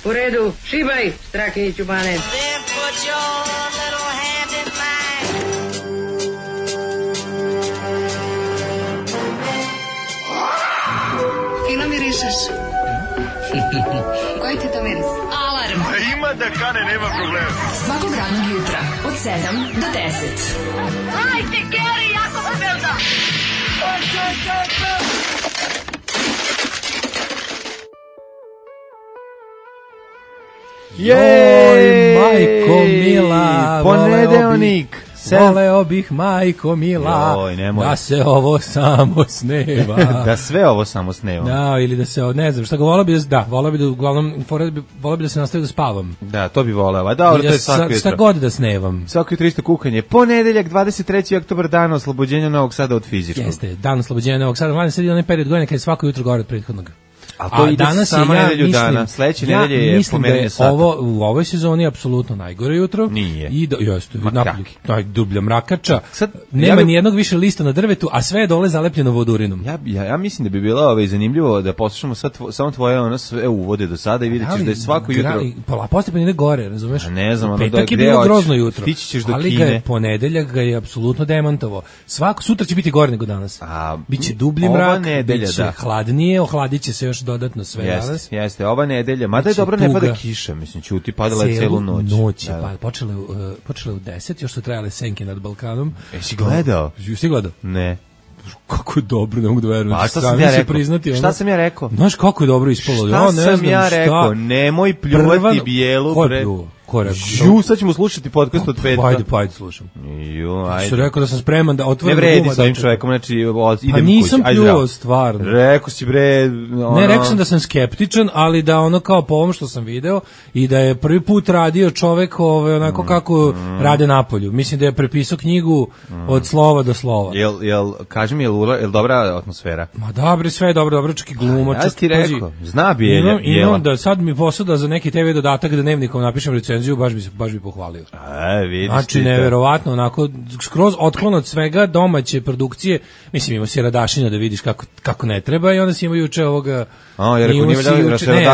U redu, šibaj, Strakiniću Bane. Then put your little hand in mine. Fino mirišeš. Koji ti to miris? Alarm. A ima da kane, nema problema. Svakog radnog jutra od 7 do 10. Hajde, Geri, jako se velda. Joj, majko mila, ponedeljnik. Voleo bih, majko mila, Joj, nemoj. da se ovo samo sneva. Da sve ovo samo sneva. Da, ili da se, ne znam, šta ga voleo bi da, uglavnom, voleo bi da se nastavi da spavam. Da, to bi voleo. A dobro, I to je svako jutro. Šta god da snevam. Svako jutro isto kukanje. Ponedeljak, 23. oktobar, dan oslobođenja Novog Sada od fizičkog. Jeste, dan oslobođenja Novog Sada. Mladen sad je onaj period godine kad je svako jutro gore od prethodnog. A to ide danas samo ja nedelju mislim, dana. Sledeće nedelje je mislim da je pomeranje sata. ovo u ovoj sezoni apsolutno najgore jutro. Nije. I jeste, Ma napolju, najdublja mrakača. Sad, Nema ni jednog više lista na drvetu, a sve je dole zalepljeno vodurinom. Ja mislim da bi bilo zanimljivo da poslušamo sad samo tvoje ono sve uvode do sada i vidjet ćeš da je svako jutro... Postepeno ide gore, razumeš? A ne znam, ono petak je bilo grozno jutro. Stići ćeš do ali Kine. Ali ponedeljak ga je apsolutno demantovao. Sutra će biti gore nego danas. Biće dublji mrak, biće hladnije, ohladit će se još dodatno sve. Jeste, ova nedelja, mada je dobro ne pada kiša, mislim, ćuti, padala je celu noć. Pa počele u 10, još su trajale senke nad Balkanom. Jesi gledao? Jesi gledao? Ne. Kako je dobro, ne mogu da verujem. Pa šta sam ja rekao? Priznati, šta sam ja rekao? Znaš kako je dobro ispalo? Šta sam ja rekao? Nemoj pljuvati bijelu pred... sad ćemo slušati podcast od petka. Ajde, slušam. Ajde. Su rekao da sam spreman da otvorim guma. Ne vredi s ovim čovekom, znači idem kući. Pa nisam pljuvao stvarno. Rekao si bre... Ne, rekao sam da sam skeptičan, ali da ono kao po ovom što sam video i da je prvi put radio čovek onako kako rade napolju. Mislim da je prepisao knjigu od slova do slova. Kaži mi, jel dobra atmosfera? Ma dobro, sve je dobro, čak i gluma. Ja ti rekao, zna Bijela. Imam da sad mi posao za neki TV dodatak da dnevnikom napišem recenziju, baš bi pohvalio. Vidiš. Znači, neverovatno, onako, skroz otklon od svega domaće produkcije. Mislim, imao si Radašina da vidiš kako ne treba i onda si imao juče ovoga...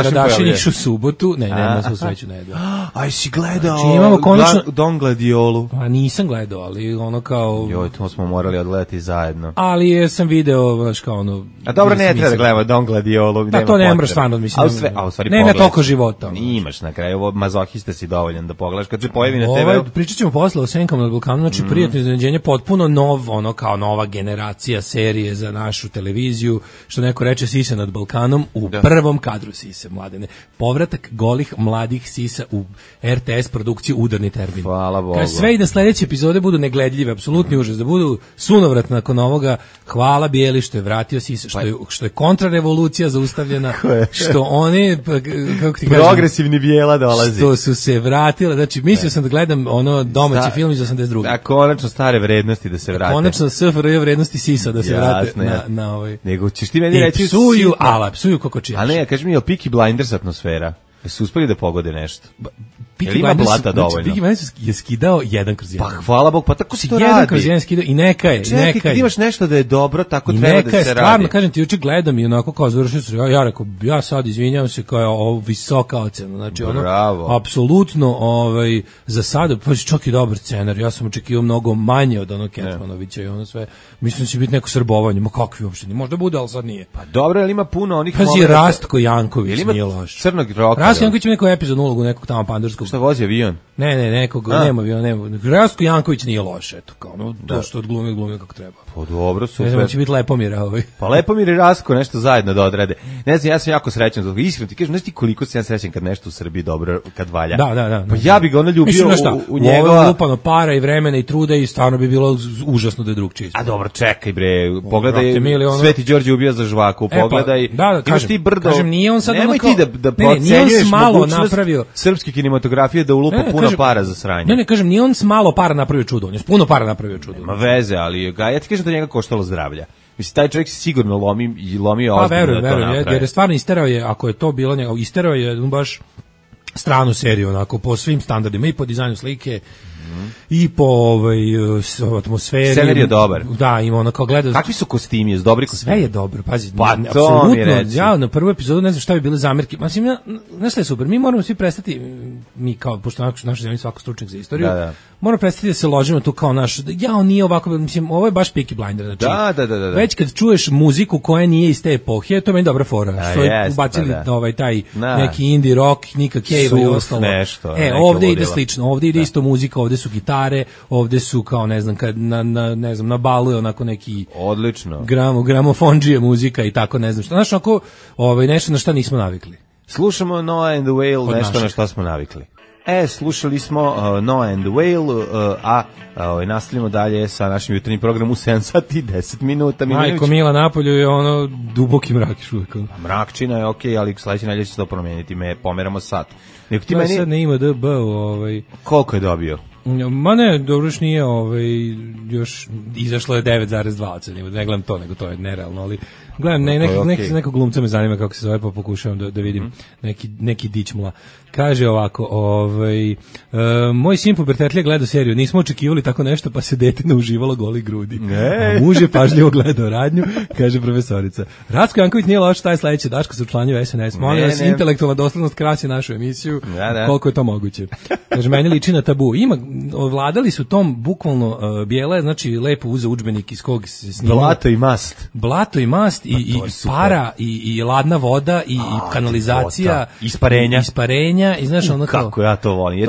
Radašin iš u subotu. Ne, na svu sreću ne jedao. Aj, si gledao Don Gladiolu? Pa nisam gledao, ali ono kao... Joj, to smo morali odgledati zajedno. Ali sam video, znaš kao ono... A dobro, ne treba da gledamo Don Gladiolu. Pa to ne moraš stvarno, mislim. Nema toliko života. Imaš na kraju, ovo mazohista si dovoljan da pogledaš. Kad se pojavi na TV... Pričat ćemo posle o Senkama nad Balkanom, znači prijatno iznenađenje, potpuno kao nova generacija serije za našu televiziju, što neko reče Sise nad Balkanom, u prvom kadru Sise, Mladene. Povratak golih mladih Sisa u RTS produkciju Udarni termin. Hvala Bogu. Kad sve i da sledeće epizode budu negledljive, apsolutni užas, da budu sunovrat nakon ovoga, hvala Bijeli što je vratio Sisa, što je kontrarevolucija zaustavljena, što oni, kako ti kažem, progresivni Bijela dolazi. Što su se vratile, znači mislio sam da gledam ono domaći film iz 82. Da, konačno stare vrednosti da se vrate. Konačno SFRJ vrednosti Sisa da se vrate na ovaj. Nego ćeš ti meni reći psuju kokočijaš. A ne, kaži mi, je li Peaky Blinders atmosfera? Su uspeli da pogode nešto? Peaky Blinders je skidao 1/1. Pa hvala Bog, pa tako se to radi. 1/1 skidao i neka je. Čekaj, kad imaš nešto da je dobro, tako treba da se radi. Stvarno, kažem ti, juče gledam i onako kao završio se, ja rekao, ja sad izvinjavam se kao je ovo visoka ocena. Znači ono, apsolutno za sada, pa čak i dobar scenar, ja sam očekivao mnogo manje od onog Ketmanovića i ono sve. Mislim da će biti neko srbovanje, ma kakvi uopšte, možda bude, ali sad nije. Pa dobro, ali ima puno onih... Pazi, Rastko Janković nije loš. Crnog roka. Rastko Janković ima neku epizodnu ulogu, nekog tamo pandurskog. Šta vozi avion? Ne, nekog, nema avion, nema. Rastko Janković nije loš, eto, kao to što odglumio kako treba. Pa dobro, super. Ne znam, će biti Lepomira ovaj. Pa Lepomir i Rastko nešto zajedno da odrade. Ne znam, ja sam jako srećan zbog iskreno ti kažem, znaš ti koliko sam ja srećan kad nešto u Srbiji dobro, kad valja. Da. Pa ja bih ga ono ljubio u njegova... Ovo lupano para i vremena i truda i stvarno bi bilo užasno da je drugčije. A dobro, čekaj bre, pogledaj, Sveti Đorđe ubija za žvaku, pogledaj. Imaš ti brdo. Kažem, nije on sad nemoj ti da procenjuješ mogućnost srpske kinematografije da ulupa puno para za sranje. Ne, kažem, nije on s malo para napravio čudo, on je s puno para napravio čudo. Nema veze, ali ja ti kažem da njega koštalo zdravlja. Mislim, taj čovjek se sigurno lomio ozbiljno da to napravi. Jer je stvarno isterao je, ako je to bilo njega, isterao je baš stranu seriju, onako, po svim standardima, i po dizajnu slike, i po atmosferi. Scenarij je dobar. Da, ima ono kao gleda. Kakvi su kostimi, je dobri kostimi? Sve je dobro, pazi. Pa apsolutno. Ja na prvu epizodu ne znam šta bi bile zamerke. Mislim, znaš šta je super, mi moramo svi prestati, mi kao, pošto naša zemlja svako stručnjak za istoriju, moramo prestati da se ložimo tu kao naš, on nije ovako, mislim, ovo je baš Peaky Blinder, znači, da. već kad čuješ muziku koja nije iz te epohe, to je meni dobra fora, što je ubacili taj neki indie rock, Nika Cave i ostalo. Nešto, ovde ide slično, ovde ide isto muzika, ovde su gitare, ovde su kao, ne znam, kad na balu je onako neki odlično gramofonđije muzika i tako, ne znam što, znači, ako nešto na šta nismo navikli. Slušamo Noah and the Whale, nešto na što smo navikli. Slušali smo Noah and the Whale, nastavljamo dalje sa našim jutarnjim programom u 7 sati 10 minuta. Majko Mila, napolju je ono duboki mrak još uvijek. Mrakčina je okej, ali sledeće nedelje će se to promeniti, pomeramo sat. To je sad ne ima DB. Koliko je dobio? Ma ne, dobro još nije, još izašlo je 9,2, ne gledam to, nego to je nerealno, ali gledam, nekog glumca me zanima kako se zove, pa pokušavam da vidim neki dićmula. Kaže ovako, moj sin pubertetlija gleda seriju, nismo očekivali tako nešto, pa se dete nauživalo goli grudi. A muž je pažljivo gledao radnju, kaže profesorica. Ratko Janković nije loš, taj sledeći Daško se učlanjuje u SNS. Molim vas, intelektualna doslednost krasi našu emisiju, koliko je to moguće. Kaže, meni liči na tabu. Vladali su tom bukvalno bijele, znači lepo uze udžbenik iz kog se snima. Blato i mast i para i ladna voda i kanalizacija, isparenja i znaš ono kao. Kako ja to volim.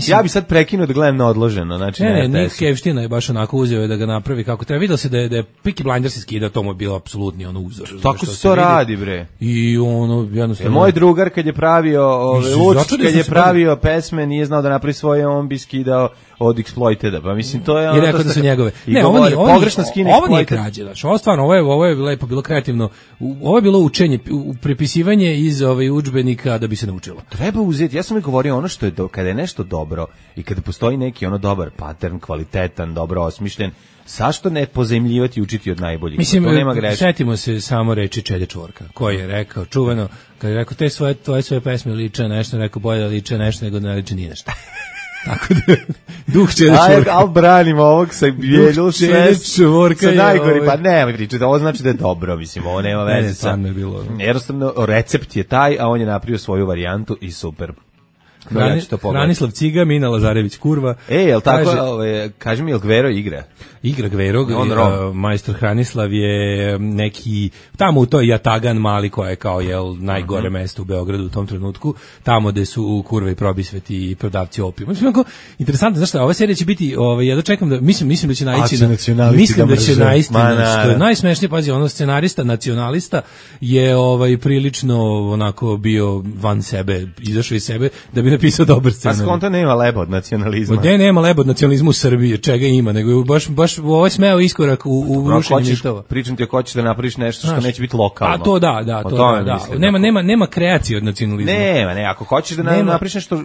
Ja bi sad prekinuo da gledam na odloženo, znači Nick Kevština je baš onako uzeo da ga napravi kako treba. Vidio se da je Peaky Blinders skida, to mu je bilo apsolutni ono uzor. Tako se to radi, bre. I ono jednostavno. Moj drugar kad je pravio Lučić, kad je pravio pesme, nije znao da napravi svoje, on bi skidao od Exploiteda, pa mislim to je ono. I rekao da su njegove. Ne, pogrešno skine. Ovo nije krađe, znači. Ovo stvarno, ovo je lepo bilo kreativno. Ovo je bilo učenje, prepisivanje iz udžbenika da bi se naučilo. Treba uzeti. Ja sam mi govorio ono što je kada je nešto dobro i kada postoji neki ono dobar pattern, kvalitetan, dobro osmišljen, zašto ne pozajmljivati i učiti od najboljih? Mislim, setimo se samo reči Čede Čvorka, koji je rekao čuveno, kad je rekao tvoje svoje pesme liče nešto, rekao bolje da liče nešto nego ne liče ni nešto. Tako da, duh Čede Čvorka. Al branimo ovog sa bijelu Čvorka. Sa najgori, pa nemoj pričati, ovo znači da je dobro, mislim, ovo nema veze sa. Jednostavno, recept je taj, a on je napravio svoju varijantu i super. Hranislav Ciga, Mina Lazarević Kurva. Jel tako, kaži mi, jel Gvero igra? Igra Gvero, majstor Hranislav je neki, tamo u toj Jatagan mali koja je kao najgore mesto u Beogradu u tom trenutku, tamo gde su Kurve i Probisveti i prodavci opijuma. Mislim, interesantno, znaš šta, ova serija će biti, ja dočekam da, mislim da će naići mislim da će naići, što je najsmešnije, pazi, ono scenarista, nacionalista je prilično onako bio van sebe, izašao iz sebe da bi napisao dobar scenarij. Pa skonto nema leba od nacionalizma. Gde nema leba od nacionalizma u Srbiji, čega ima, nego baš ovo je smeo iskorak u rušenju mitova. Pričam ti ako hoćeš da napraviš nešto što neće biti lokalno. A to da. Nema kreacije od nacionalizma. Ne, ako hoćeš da napraviš nešto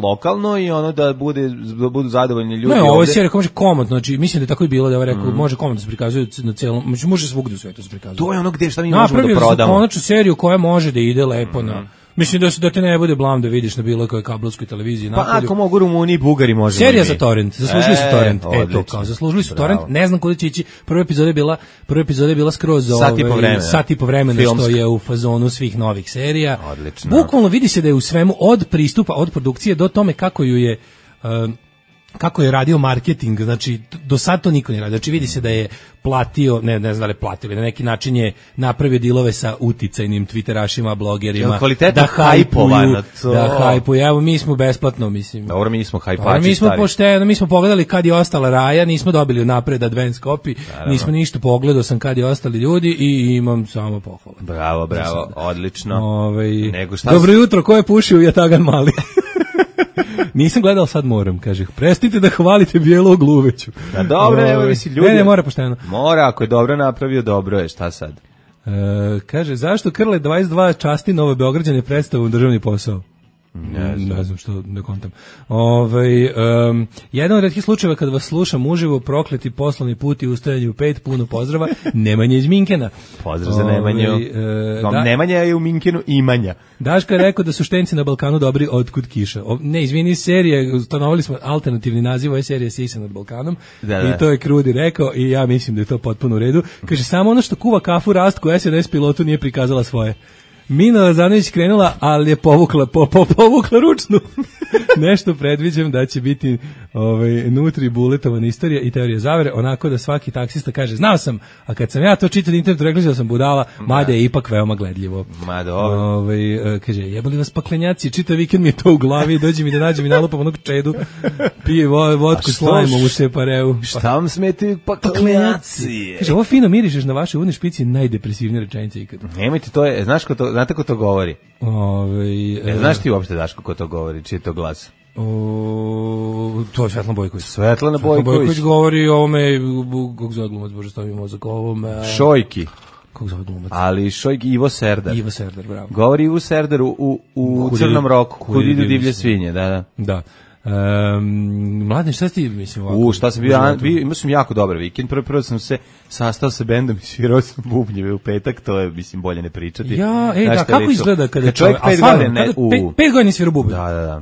lokalno i ono da budu zadovoljni ljudi. Ne, ovo je serija koja može komotno, znači mislim da je tako i bilo da je rekao, može komotno se prikazuje na celom, može svugdje u svetu se prikazuje. To je ono gde šta mi možemo da prodamo. Napravio konačnu seriju koja može da ide lepo na. Mislim da te ne bude blam da vidiš na bilo kojoj kabelskoj televiziji napolju. Pa ako mogu Rumuni i Bugari možemo. Serija za torrent, zaslužili su torrent. Zaslužili su torrent. Ne znam kuda će ići. Prva epizoda je bila skroz sat i po vremena što je u fazonu svih novih serija. Odlično. Bukvalno vidi se da je u svemu od pristupa, od produkcije do tome kako je radio marketing, znači do sad to niko nije radio. Znači vidi se da je platio, ne znam da li platio, na neki način je napravio dilove sa uticajnim twitterašima, blogerima, da hajpuju. Evo mi smo besplatno, mislim. Dobro, mi smo hajpači. Mi smo pošteno, mi smo pogledali kad je ostala Raja, nismo dobili napred advance copy, nismo ništa, pogledao sam kad je ostali ljudi i imam samo pohvale. Bravo, odlično. Dobro jutro, ko je pušio u Jatagan mali? Nisam gledao, sad moram, kaže. Prestite da hvalite Bijelog Luveću. Da, dobro, evo misli ljudi. Ne, mora pošteno. Mora, ako je dobro napravio, dobro je, šta sad? Kaže, zašto Krle 22 časti Nove Beograđane predstavu državni posao? Ne znam što ne kontam. Jedan od retkih slučajeva kad vas slušam uživo, prokleti poslovni put i ustajanje u 5, puno pozdrava, Nemanja iz Minkena. Pozdrav za Nemanju. Nemanja je u Minkenu imanja. Daška je rekao da su štenci na Balkanu dobri otkud kiša. Ne, izvini, serije, ustanovili smo alternativni naziv ove serije Sisa nad Balkanom i to je Krudi rekao i ja mislim da je to potpuno u redu. Kaže, samo ono što kuva kafu Rastku SNS pilotu nije prikazala svoje. Mina Lazanović krenula, ali je povukla ručnu. Nešto predviđam da će biti nutri buletovan istorija i teorija zavere, onako da svaki taksista kaže, znao sam, a kad sam ja to čitao na internetu, rekli da sam budala, mada je ipak veoma gledljivo. Kaže, jebali vas paklenjaci, čitav vikend mi je to u glavi, dođi mi da nađem i nalupam onog čedu, pije vodku s lajmom u separeu. Šta vam smetaju paklenjaci? Kaže, ovo fino mirišeš na vaše udne špici, najdepresivnije rečenice ikad. Nemojte, to je, znate ko to govori? Znaš ti uopšte, Daško, ko to govori? Čiji je to glas? To je Svetlana Bojković. Svetlana Bojković govori o ovome, kako zove glumac, bože, stavi mozak, o ovome... Šojki. Kako zove glumac? Ali Šojki, Ivo Serdar. Ivo Serdar, bravo. Govori Ivo Serdar u Crnom roku, kud idu divlje svinje, da. Mladen, šta ti mislim ovako? Šta sam imao sam jako dobar vikend. Prvo sam se sastao sa bendom i svirao sam bubnjeve u petak, to je, mislim, bolje ne pričati. Kako izgleda kada čovjek 5 godina... 5 godina svirao bubnjeve? Da.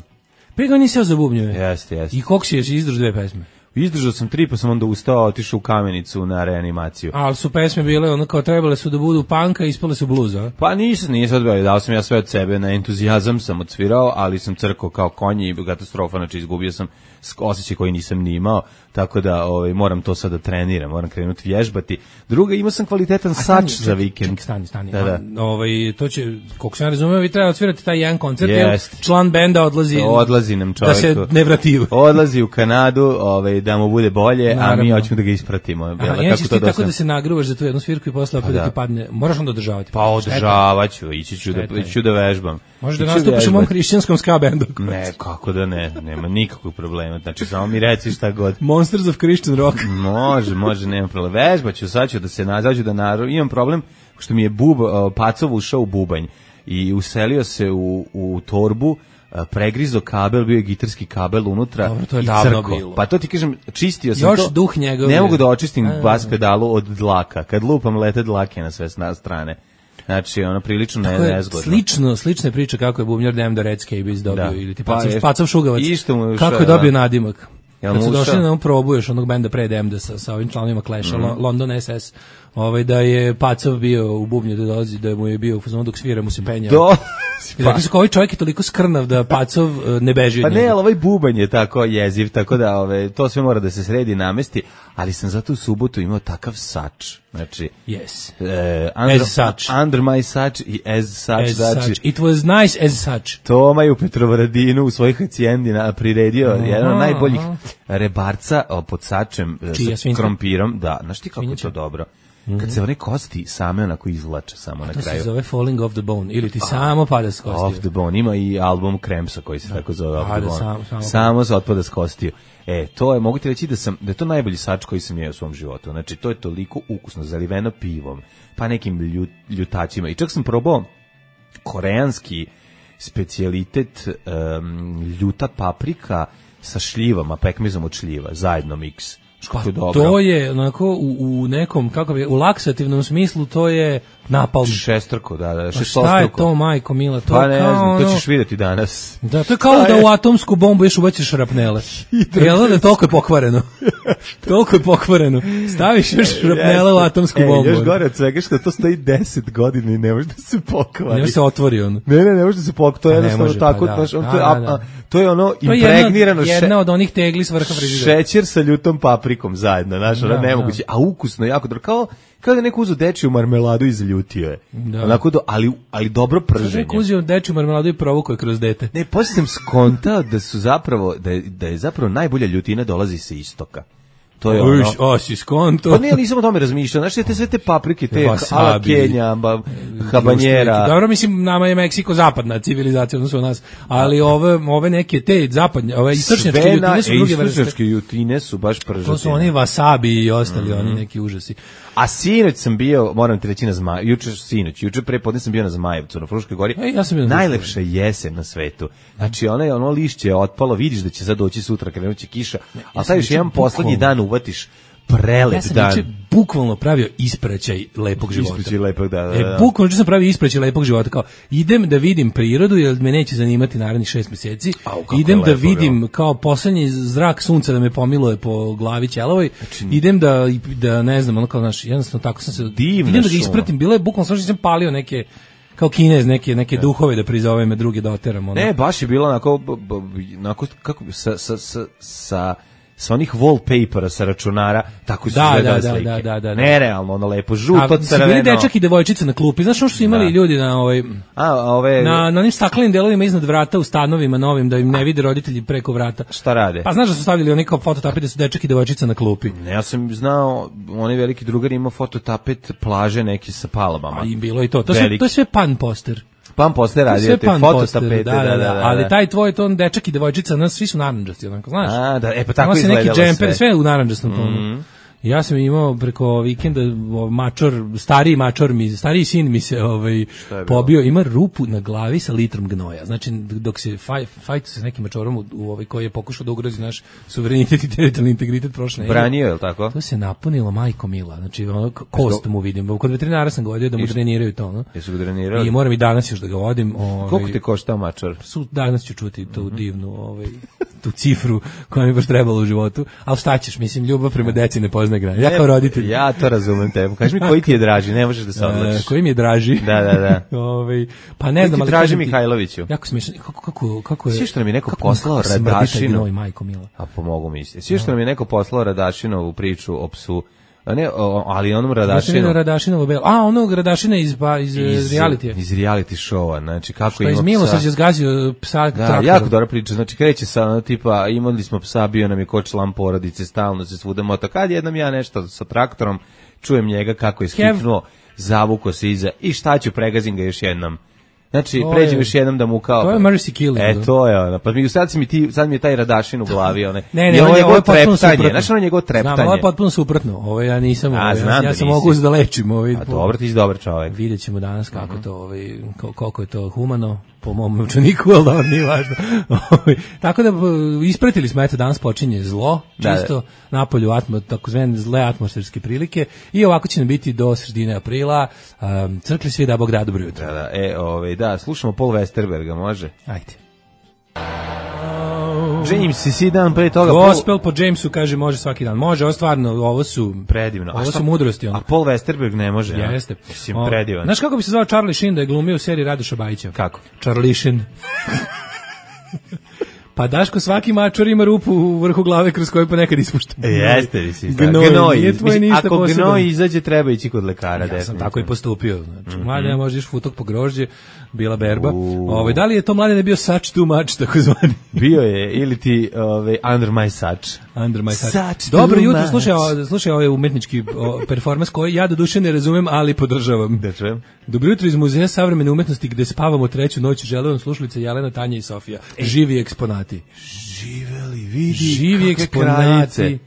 5 godina svirao za bubnjeve? Jeste. I koliko si izdržao 2 pesme? Izdržao sam 3, pa sam onda ustao, otišao u Kamenicu na reanimaciju. Ali su pesme bile, ono kao trebale su da budu panka, ispale su bluza? Pa nisam odbio, dao sam ja sve od sebe, na entuzijazam sam odsvirao, ali sam crkao kao konji i katastrofa, znači izgubio sam osjećaj koji nisam ni imao, tako da moram to sada da treniram, moram krenuti vježbati. Druga, imao sam kvalitetan sač za vikend. Stani. Da. To će, koliko sam ja razumeo, vi treba odsvirati taj jedan koncert, jer član benda odlazi nam čovjeku. Da se ne vrati. Odlazi u Kanadu, da mu bude bolje, a mi hoćemo da ga ispratimo. Inače ti tako da se nagruvaš za tu jednu svirku i posle opet da ti padne, moraš onda održavati. Pa održavaću, ići ću da vežbam. Možeš da nastupiš u mom hrišćanskom ska bendu. Ne, kako da ne, nema nikakvog problema. Znači, samo mi reci šta god. Monsters of Christian Rock. Može, nema problema. Vežbaću, sad ću da se nazađu da naravno. Imam problem što mi je Pacov ušao u bubanj i uselio se u torbu, pregrizo kabel, bio je gitarski kabel unutra. Dobro, to je davno bilo. Pa to ti kažem, čistio sam još to. Duh njegov. Ne mogu da očistim bas pedalu od dlaka. Kad lupam, lete dlake na sve strane. Znači, prilično nezgodno. Slične priče kako je bubnjar Dem da Redscape dobio, ili ti Pacov Šugavac. Kako je dobio nadimak. Kad su došli na probu još onog benda pre Demda sa ovim članovima Clash-a, London SS, da je Pacov bio u bubnju da dolazi, da mu je bio u fazonu dok svira mu se penjao. I rekli su kao ovaj čovjek je toliko skrnav da Pacov ne beži od njega. Pa ne, ali ovaj bubanj je tako jeziv, tako da to sve mora da se sredi i namesti, ali sam zato u subotu imao takav sač. Znači, under my sač i as such. Znači, it was nice as such. Toma je u Petrovaradinu u svojih hacijendi priredio jedan od najboljih rebarca pod sačem sa krompirom. Da, znaš ti kako je to dobro? Kad se one kosti same onako izvlače samo na kraju. To se zove Falling off the Bone, ili ti samo pada s kostiju. Off the Bone, ima i album Crampsa koji se tako zove Off the Bone. Samo se otpada s kostiju. To je, mogu ti reći da je to najbolji sač koji sam jeo u svom životu. Znači, to je toliko ukusno, zaliveno pivom, pa nekim ljutačima. I čak sam probao koreanski specijalitet ljuta paprika sa šljivama, pekmezom od šljiva, zajedno miks. Pa to je onako u nekom, kako bi, u laksativnom smislu to je napalm. Šestrko, da, šta je to, majko mila? To pa ne znam, to ćeš vidjeti danas. Da, to je kao da u atomsku bombu još ubaciš šrapnele. Jel da, toliko je pokvareno. Toliko je pokvareno. Staviš još šrapnele u atomsku bombu. Još gore od svega što to stoji 10 godina i ne može da se pokvari. Ne može se otvori ono. Ne može da se pokvari. To je jednostavno tako. To je ono impregnirano. Jedna od onih tegli s vrha frižidera. Šećer sa ljutom paprikom zajedno, znaš, ono nemoguće. A ukusno, jako dobro. Kao da neko uzeo dečiju marmeladu i zaljutio je. Onako ali dobro prženje. Neko uzeo dečiju marmeladu i provukao je kroz dete. Ne, poslije sam skontao da je zapravo najbolja ljutina dolazi sa istoka. To je ono. Osi skonto. Pa ne, nisam o tome razmišljao. Znaš, sve te paprike, te ala Kenja, habanjera. Dobro, mislim, nama je Meksiko zapadna civilizacija, odnosno nas, ali ove neke te zapadnje, ove istočnjačke jutine su druge vrste. Istočnjačke jutine su baš pržatine. To su oni wasabi i ostali, oni neki užasi. A sinoć sam bio, moram ti reći, na juče prepodne sam bio na Zmajevcu, na Fruškoj gori. Ja sam bio na najlepša jesen na svetu. Znači, ono lišće je otpalo, vidiš da će sad doći sutra, krenuće kiša, a taj još jedan poslednji dan uvatiš prelep dan. Ja sam bukvalno pravio ispraćaj lepog života. Ispraćaj lepog, da. Bukvalno sam pravio ispraćaj lepog života, kao idem da vidim prirodu, jer me neće zanimati narednih 6 meseci. Idem da vidim kao poslednji zrak sunca da me pomiluje po glavi ćelavoj. Idem da ne znam, ono kao naš, jednostavno tako sam se idem da ga ispratim. Bilo je bukvalno sve što sam palio neke kao Kinez, neke duhove da prizove me druge da oteram. Ono. Ne, baš je bilo onako kako sa onih wallpapera sa računara, tako su izgledale slike. Da. Nerealno, ono lepo, žuto, crveno. Su bili dečak i devojčica na klupi. Znaš što su imali ljudi na na onim staklenim delovima iznad vrata u stanovima novim, da im ne vide roditelji preko vrata. Šta rade? Pa znaš da su stavili oni kao fototapet da su dečak i devojčica na klupi. Ne, ja sam znao, onaj veliki drugar imao fototapet plaže neki sa palabama. A i bilo i to. To je sve pan poster. Pan poster radio te fototapete, da. Ali taj tvoj ton dečak i devojčica, nas svi su narandžasti, onako, znaš. A, da, pa tako izgledalo neki džemper, sve u narandžastom tonu. Ja sam imao preko vikenda stariji sin mi se pobio, ima rupu na glavi sa litrom gnoja. Znači dok se fajt sa nekim mačorom koji je pokušao da ugrozi naš suverenitet i teritorijalni integritet prošle. Branio, je li tako? To se napunilo majko mila. Znači kost mu vidim. Kod veterinara sam ga vodio da mu dreniraju to, no. Jesu ga drenirali? I moram i danas još da ga vodim. Koliko te košta mačar? Danas ću čuti tu divnu tu cifru koja mi baš trebala u životu. Al šta ćeš, mislim, ljubav prema deci ne poznaje granice. Ja kao roditelj. Ja to razumem tebe. Kaži mi koji ti je draži, ne možeš da se odlučiš. Koji mi je draži? Da. Pa ne znam, ali traži Mihajloviću. Jako smiješno. Kako je? Svi što nam je neko poslao Radašinu. Majko mila. A pomogu mi se. Svi što nam je neko poslao Radašinovu priču o psu. Ne, ali onom Radašinovu onog Radašina iz realitija. Iz reality showa, znači kako što ima psa. Što iz Milosrđa zgazio psa traktorom. Jako dobra priča, znači kreće sa tipa, imali smo psa, bio nam je ko član porodice, stalno se svuda mota. Kad jednom ja nešto sa traktorom, čujem njega kako je skipnuo, zavuko se iza i šta ću, pregazim ga još jednom. Znači, pređem još jednom da mu kao... To je mercy killing. To je ono. Pa sad mi je taj Radašin u glavi. Ne, ovo je potpuno suprotno. Znaš ono njegovo treptanje? Znam, ovo je potpuno suprotno. Ovo ja nisam... Ja sam mogu da lečim. A dobro, ti si dobar čovjek. Vidjet ćemo danas kako to, koliko je to humano po mom novčaniku, ali dobro, nije važno. Tako da ispratili smo, eto, danas počinje zlo, čisto napolju takozvane zle atmosferske prilike i ovako će nam biti do sredine aprila. Crkli svi da Bog da, dobro jutro. Da, slušamo Paul Westerberga, može? Ajde. James, si dan pre toga... Gospel po Jamesu kaže može svaki dan. Može, ovo stvarno, ovo su... Predivno. Ovo su mudrosti. A Paul Westerberg ne može, ja? Jeste. Mislim, predivan. Znaš kako bi se zvao Charlie Sheen da je glumio u seriji Radoša Bajića? Kako? Charlie Sheen. Pa Daško, svaki mačor ima rupu u vrhu glave kroz koju ponekad ispušta. Jeste, mislim. Gnoj. Ako gnoj izađe, treba ići kod lekara. Ja sam tako i postupio. Znači, mlade, možda iš futok po grožđe, bila berba. Da li je to mlade bio such too much, tako zvani? Bio je, ili ti under my such. Under my such. Dobro jutro, slušaj ovaj umetnički performans koji ja do duše ne razumem, ali podržavam. Dobro jutro iz Muzeja savremene umetnosti gde spavamo treću noć, žele vam slušalice Jelena, Tanja i Sofija. Živi eksponati. Živeli, vidi. Živi eksponati.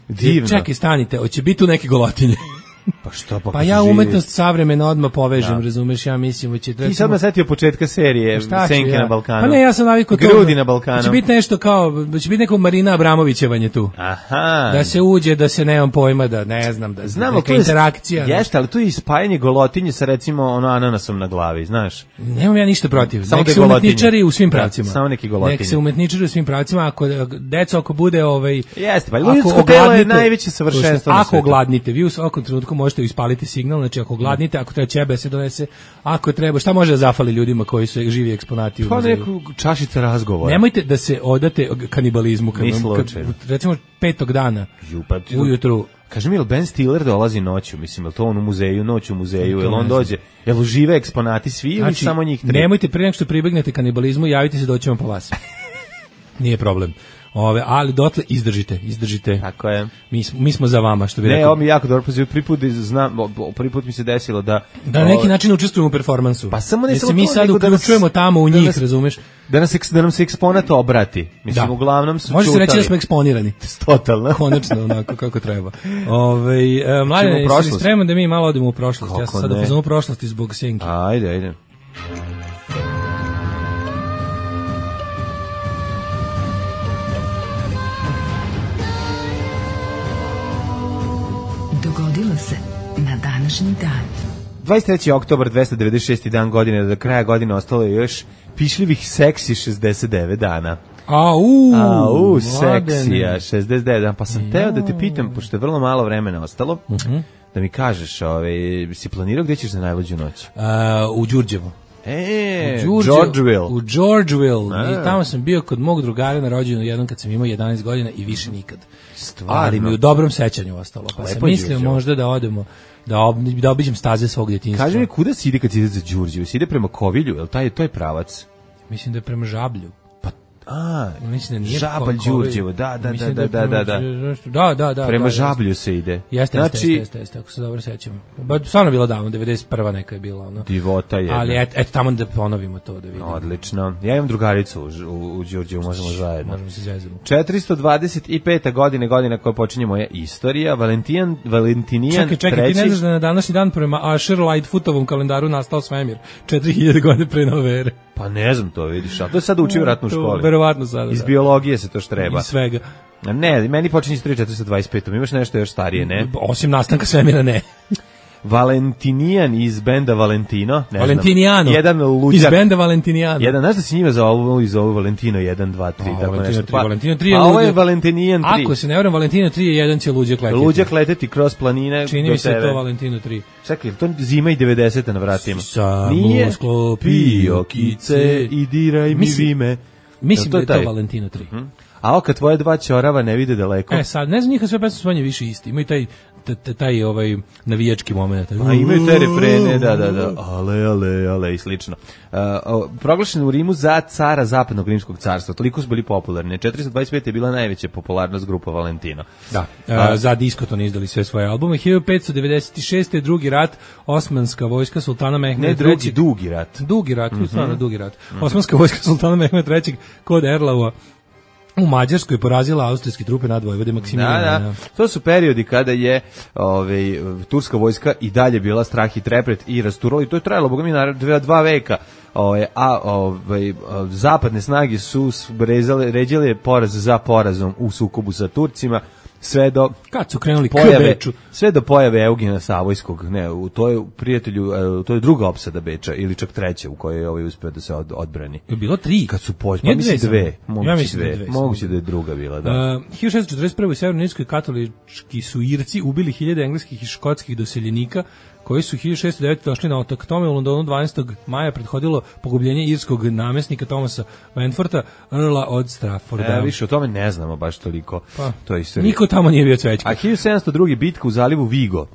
Divno. Čekaj, stanite, hoće biti tu neke golotinje. Pa što pa ja umetnost savremena odmah povežem, razumeš, ja mislim će ti sad me setio početka serije Senke na Balkanu. Pa ne, ja sam navikao to. Grudi na Balkanu. Će biti nešto kao, će biti neko Marina Abramovićevanje tu. Aha. Da se uđe, da se nemam pojma, da ne znam, da neka interakcija. Jeste, ali tu je spajanje golotinje sa recimo ananasom na glavi, znaš. Nemam ja ništa protiv. Nek se umetničari u svim pravcima. Samo neki golotinje. Nek se umetničari u svim pravcima, ako bude Jeste, pa ljudsko telo je najveće savršenstvo. Ako ogladnite, vi u svakom trenutku možete ispaliti signal, znači ako gladnite, ako treba ćebe se donese, ako treba, šta može da zafali ljudima koji su živi eksponati u muzeju? Pa neku čašica razgovora. Nemojte da se odate kanibalizmu, kad recimo 5. dana ujutru. Kaži mi, je li Ben Stiller dolazi noću, mislim, je li to on u muzeju, noć u muzeju, je li on dođe, je li žive eksponati svi ili samo njih 3? Nemojte prije nego što pribegnete kanibalizmu, javite se, doćemo po vas. Nije problem. Ali dotle izdržite. Tako je. Mi smo za vama, što bi rekao. Ne, ovo mi jako dobro poziv, prvi put mi se desilo da na neki način učestvujemo u performansu. Pa samo ne samo mi sad uključujemo tamo u njih, razumeš? Da nam se eksponat obrati. Mislim, uglavnom su može se reći da smo eksponirani. Totalno. Konačno, onako kako treba. Mladen, jesi spreman da mi malo odemo u prošlost? Ja sam sad upoznan u prošlosti zbog Senki. Ajde. Dogodilo se na današnji dan. 23. oktobar, 296. dan godine, do kraja godine ostalo je još pišljivih seksi 69 dana. Seksija, 69 dana. Pa sam teo da te pitam, pošto je vrlo malo vremena ostalo, da mi kažeš, si planirao gdje ćeš za najluđu noć? U Đurđevu. Georgeville. U Georgeville. I tamo sam bio kod mog drugara na rođendan jednom kad sam imao 11 godina i više nikad. Stvarno? Ali mi u dobrom sećanju ostalo. Pa sam mislio možda da odemo, da obiđem staze svog djetinjstva. Kaži mi, kuda si ide kad si ide za Đurđevu? Si ide prema Kovilju, je li to je pravac? Mislim da je prema Žablju. Mislim da nije Žabalj Đurđevo, da. Prema Žablju se ide. Jeste, ako se dobro sećam. Stvarno bilo davno, 91. neka je bila. Divota je. Ali eto tamo da ponovimo to, da vidimo. Odlično. Ja imam drugaricu u Đurđevu, možemo zajedno. Možemo se zezamo. 425. godina koja počinje moja istorija, Valentinijan III. Čekaj, ti ne znaš da na današnji dan prema Asher Lightfootovom kalendaru nastao svemir, 4000 godina pre nove ere. Pa ne znam to, vidiš, a to je sada uči vratno u školi. Verovatno sada. Iz biologije se to štreba. Iz svega. Ne, meni počinje istorija 425. Imaš nešto još starije, ne? Osim nastanka svemira, ne. Valentinijan iz benda Valentino. Valentinijano. Jedan luđak. Iz benda Valentinijano. Znaš da si njima za ovo Valentino 1, 2, 3. Valentino 3 je ovo je Valentinijan 3. Ako se ne varam, Valentino 3 je jedan će luđak leteti. Luđak leteti kroz planine. Čini mi se to Valentino 3. Čekaj, to zima i 90. na vratima. Samo sklopio kice i diraj mi vime. Mislim da je to Valentino 3. A kad tvoje dva ćorava ne vide daleko. Sad, ne znam, njih sve pesme su manje više isti. Imaju taj navijački moment. A imaju te refrene, da. Ale i slično. Proglašen u Rimu za cara zapadnog rimskog carstva. Toliko su bili popularni. 425 je bila najveća popularnost grupa Valentino. Da, za Diskoton izdali sve svoje albume. 1596. drugi rat, Osmanska vojska sultana Mehmeda III. Dugi rat. Dugi rat. Osmanska vojska sultana Mehmeda III. kod Erlaua u Mađarskoj porazila austrijske trupe nad Vojvode Maksimilijana. Da. To su periodi kada je turska vojska i dalje bila strah i trepret i rasturala, i to je trajalo, boga mi, 2 veka. Zapadne snage su ređale poraz za porazom u sukobu sa Turcima, sve do kad su krenuli sve do pojave Eugena Savojskog. To je prijatelju, to je druga opsada Beča ili čak treća u kojoj je uspeo da se odbrani. Je bilo 3 kad su mislim 2. Moguće da je druga bila, da. 1641. u Severnoj Irskoj katolički su Irci ubili 1000 engleskih i škotskih doseljenika koji su 1609. došli na otok. Tome u Londonu 12. maja prethodilo pogubljenje irskog namjesnika Thomasa Wentwortha, Earla od Strafforda. Više o tome ne znamo baš toliko. To je istorija. Niko tamo nije bio cvećka. A 1702. bitka u zalivu Vigo.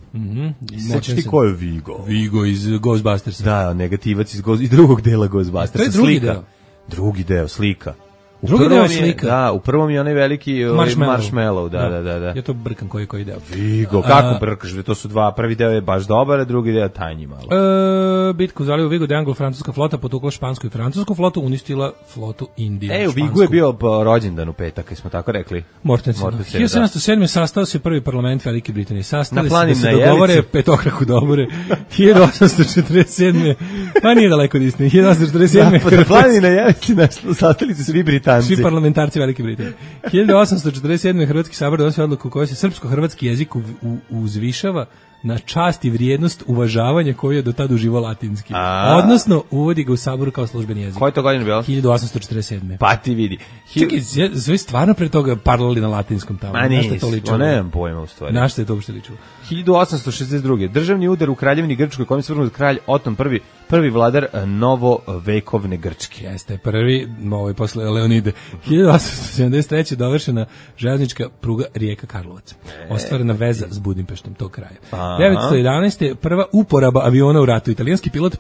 Sećaš ti ko je Vigo? Vigo iz Ghostbustersa. Da, negativac iz drugog dela Ghostbustersa. To je drugi deo. Drugi deo, slika. Drugi deo je slika. Da, u prvom je onaj veliki marshmallow, da. Ja to brkam koji deo. Vigo, kako brkaš? To su dva, prvi deo je baš dobar, a drugi deo tanji malo. Bitku u zalivu Vigo, da je anglo-francuska flota potukla špansku i francusku flotu, uništila flotu Indije. U Vigu je bio rođendan u petak, smo tako rekli. Mortensen. 1707. sastao se prvi parlament Velike Britanije. Sastali se da se dogovore petokraku dobore. 1847. Pa nije daleko od istine. 1847. Na planini na Jelici sastali se svi Britanci. Svi parlamentarci Velike Britanije. 1847. Hrvatski sabor donosio odluku u kojoj se srpsko-hrvatski jezik uzvišava na čast i vrijednost uvažavanja koju je do tada uživao latinski. Odnosno, uvodi ga u saboru kao službeni jezik. Koje to godine bilo? 1847. Pa ti vidi. Čekaj, sve stvarno pre toga parlali na latinskom tamo. Ma nisu, nemam pojma u stvari. Na što je to uopšte ličilo? 1862. Državni udar u Kraljevini Grčkoj, kojim se vrhnut kralj Oton I prvi vladar novovekovne Grčke. Jeste, prvi, posle Leonide. 1873. dovršena železnička pruga Rijeka Karlovac. Ostvarena veza s Budimpeštom tog kraja. 1911. prva uporaba aviona u ratu. Italijanski pilot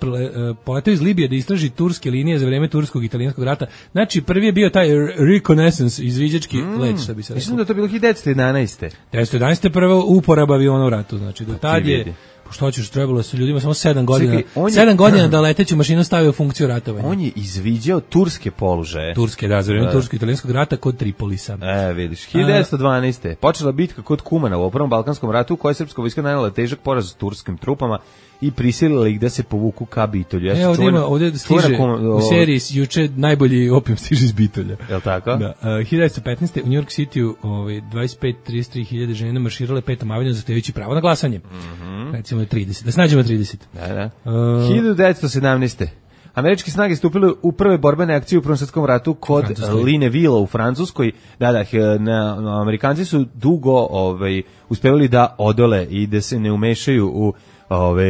poletao iz Libije da istraži turske linije za vreme turskog i italijanskog rata. Znači, prvi je bio taj reconnaissance, izviđački let, što bi se rekao. Mislim da to bilo 1911. 1911. prva uporaba aviona u ratu. Znači, do tad je... Što hoćeš, trebalo su ljudima samo 7 godina. Čekaj, 7 godina da leteću mašinu stavio u funkciju ratovanja. On je izviđao turske položaje. Turske, da, za vreme tursko-italijanskog rata kod Tripolisa. Vidiš, 1912. Počela bitka kod Kumana u Prvom Balkanskom ratu, u kojoj je srpska vojska nanela težak poraz s turskim trupama i prisilila ih da se povuku ka Bitolju. Ovdje stiže u seriji juče najbolji opijum stiže iz Bitolja. Jel' tako? Da. 1915. u New York City 25-33 hiljade žena marširale Petom avenijom zahtevajući pravo na glasanje. Recimo 30. Da snađemo 30. Da. 1917. Američke snage stupile u prve borbene akcije u Prvom svjetskom ratu kod Linevilla u Francuskoj. Amerikanci su dugo uspevali da odole i da se ne umešaju u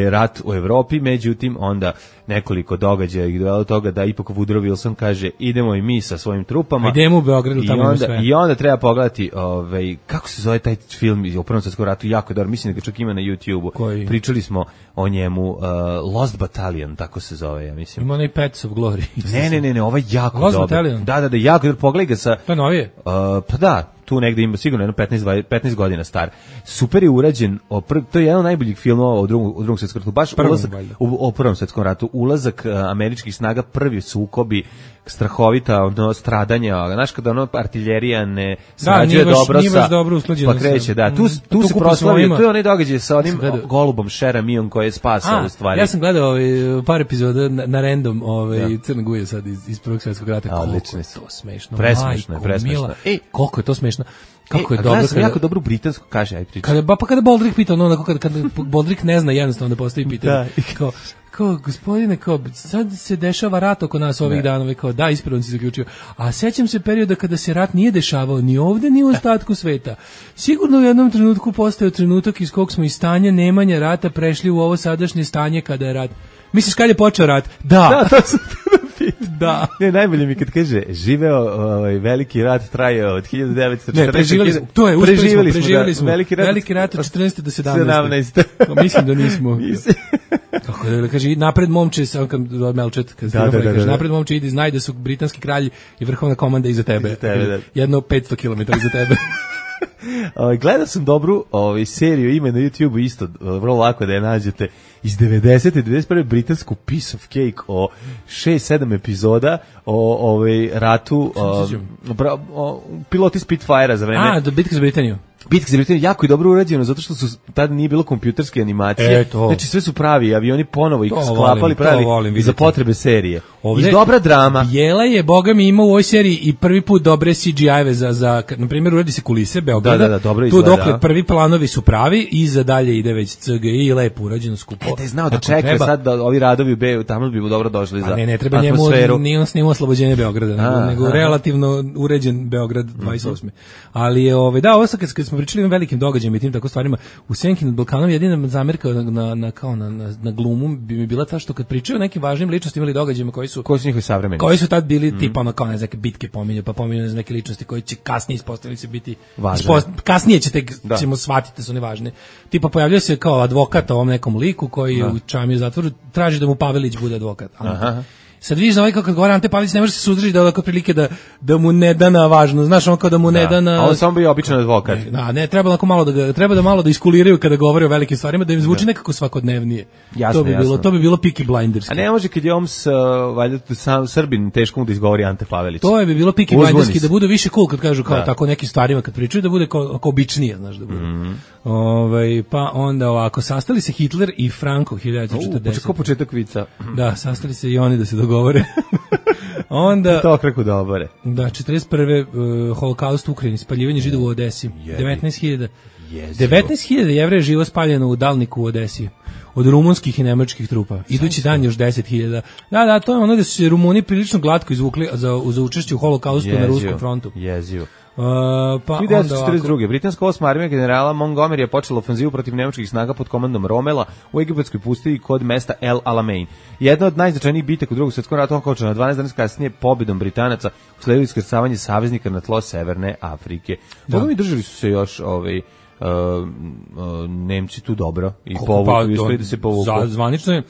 rat u Evropi, međutim onda nekoliko događaja ih dovelo do toga da ipak Woodrow Wilson kaže idemo i mi sa svojim trupama. Idemo u Beogradu, tamo ima sve. I onda treba pogledati kako se zove taj film o Prvom svjetskom ratu, jako dobro, mislim da ga čak ima na YouTube-u. Pričali smo o njemu, Lost Battalion, tako se zove, ja mislim. Ima onaj Pets of Glory. Ne, ovaj jako Lost dobro. Battalion? Da, jako dobro, pogledaj ga sa... To je novije? Pa da, tu negde ima sigurno jedno 15 godina star. Super je urađen, to je jedan od najboljih filmova u drugom svjetskom ratu, baš u Prvom svjetskom ratu, ulazak američkih snaga, prvi sukobi, strahovita stradanja, znaš kada artiljerija ne srađuje dobro sa... Pa kreće, da, tu se proslavio, to je onaj događaj sa onim golubom Šeramijom koji je spasao u stvari. Ja sam gledao par epizoda na random Crna Guja sad iz Prvog svjetskog rata, koliko je to smešno. Presmešno. Koliko je to smešno. Kako je dobro. Gledao sam jako dobru britansku, kaže, aj priča. Kada Boldrik pita, kada Boldrik ne zna jednostavno da postavi pitanje. Kao, gospodine, sad se dešava rat oko nas ovih dana, da, ispravno si zaključio. A sećam se perioda kada se rat nije dešavao ni ovde, ni u ostatku sveta. Sigurno u jednom trenutku postao trenutak iz kog smo iz stanja nemanja rata prešli u ovo sadašnje stanje kada je rat. Misliš kad je počeo rat? Da, to sam da. Ne, najbolje mi kad kaže živeo veliki rat traje od 1914. Ne, preživjeli smo. Veliki rat od 14. do 17. Mislim da nismo. Kako da kaže, napred momče, Melčet, napred momče ide, znaj da su britanski kralji i vrhovna komanda iza tebe. Jedno 500 km iza tebe. Gledao sam dobru seriju, ime na YouTube isto, vrlo lako da je nađete, iz 90. i 91. britansku Piece of Cake o 6-7 epizoda o ratu, piloti Spitfire-a za vreme. Bitka za Britaniju. Bitka za Britaniju jako je dobro urađeno zato što su tada nije bilo kompjuterske animacije. Znači sve su pravi, avioni ponovo ih sklapali, pravili za potrebe serije. I dobra drama. Bijela je, boga mi, ima u ovoj seriji i prvi put dobre CGI-eve za na primjer, uradi se kulise Beograda. Da, dobro izgleda. Tu dokle prvi planovi su pravi i za dalje ide već CGI i lepo urađeno skupo. Da je znao da čeka sad da ovi radovi u Beju, tamo bi mu dobro došli za ne treba njemu, nije on snimao oslobođenje Beograda, nego relativno uređen Beograd 28. Ali je, ovo sad kad smo pričali o velikim događajima i tim tako stvarima, u Senki nad Balkanom jedina zamerka na glumu bi mi bila ta što kad pričaju o nekim važnim ličnostima ili događajima koji su njihovi savremenici, koji su tad bili tipa kao neke bitke pominju, pa pominju neke ličnosti koji će kasnije ispostaviti se biti kasnije ćemo shvatiti da su nevažne. Tipa pojavljuje se kao advokat ovom nekom liku koji u čamiju zatvoru traži da mu Pavelić bude advokat. Sad vidiš da ovaj kad govori Ante Pavelić ne može se suzdržati da ovako prilike da mu ne da na važno, znaš, on kao da mu ne da na... A on samo bio običan advokat. Ne, treba da malo da iskuliraju kada govore o velikim stvarima, da im zvuči nekako svakodnevnije. Jasno. To bi bilo Peaky Blinderski. A ne može kad je valjda sam Srbin, teško mu da izgovori Ante Pavelić. To bi bilo Peaky Blinderski, da bude više cool kad kažu kao tako nekim stvarima kad pričaju, da bude kao običnije, znaš, da bude. Pa onda ovako, sastali se Hitler i Franco 1940. Početak vica. Da, sastali se i oni da se dogovore. Onda to kreku dobore. Da, 41. Holokaust u Ukrajini, spaljivanje Židova u Odesi. 19.000 Jevreja živo spaljeno u Dalniku u Odesi. Od rumunskih i nemačkih trupa. Idući dan još 10.000. Da, to je ono da su se Rumuni prilično glatko izvukli za učešće u Holokaustu na Ruskom frontu. Jezivo. Pa 1942. Britanska 8. armija generala Montgomery je počela ofanzivu protiv nemačkih snaga pod komandom Romela u egipatskoj pustinji kod mesta El Alamein. Jedna od najznačajnijih bitaka u Drugom svjetskom ratu okončana 12 dana kasnije pobjedom Britanaca usledilo iskrcavanje saveznika na tlo Severne Afrike. Boga mi držali su se još Nemci tu dobro i povukli, uspeli da se povuku. Zvanično je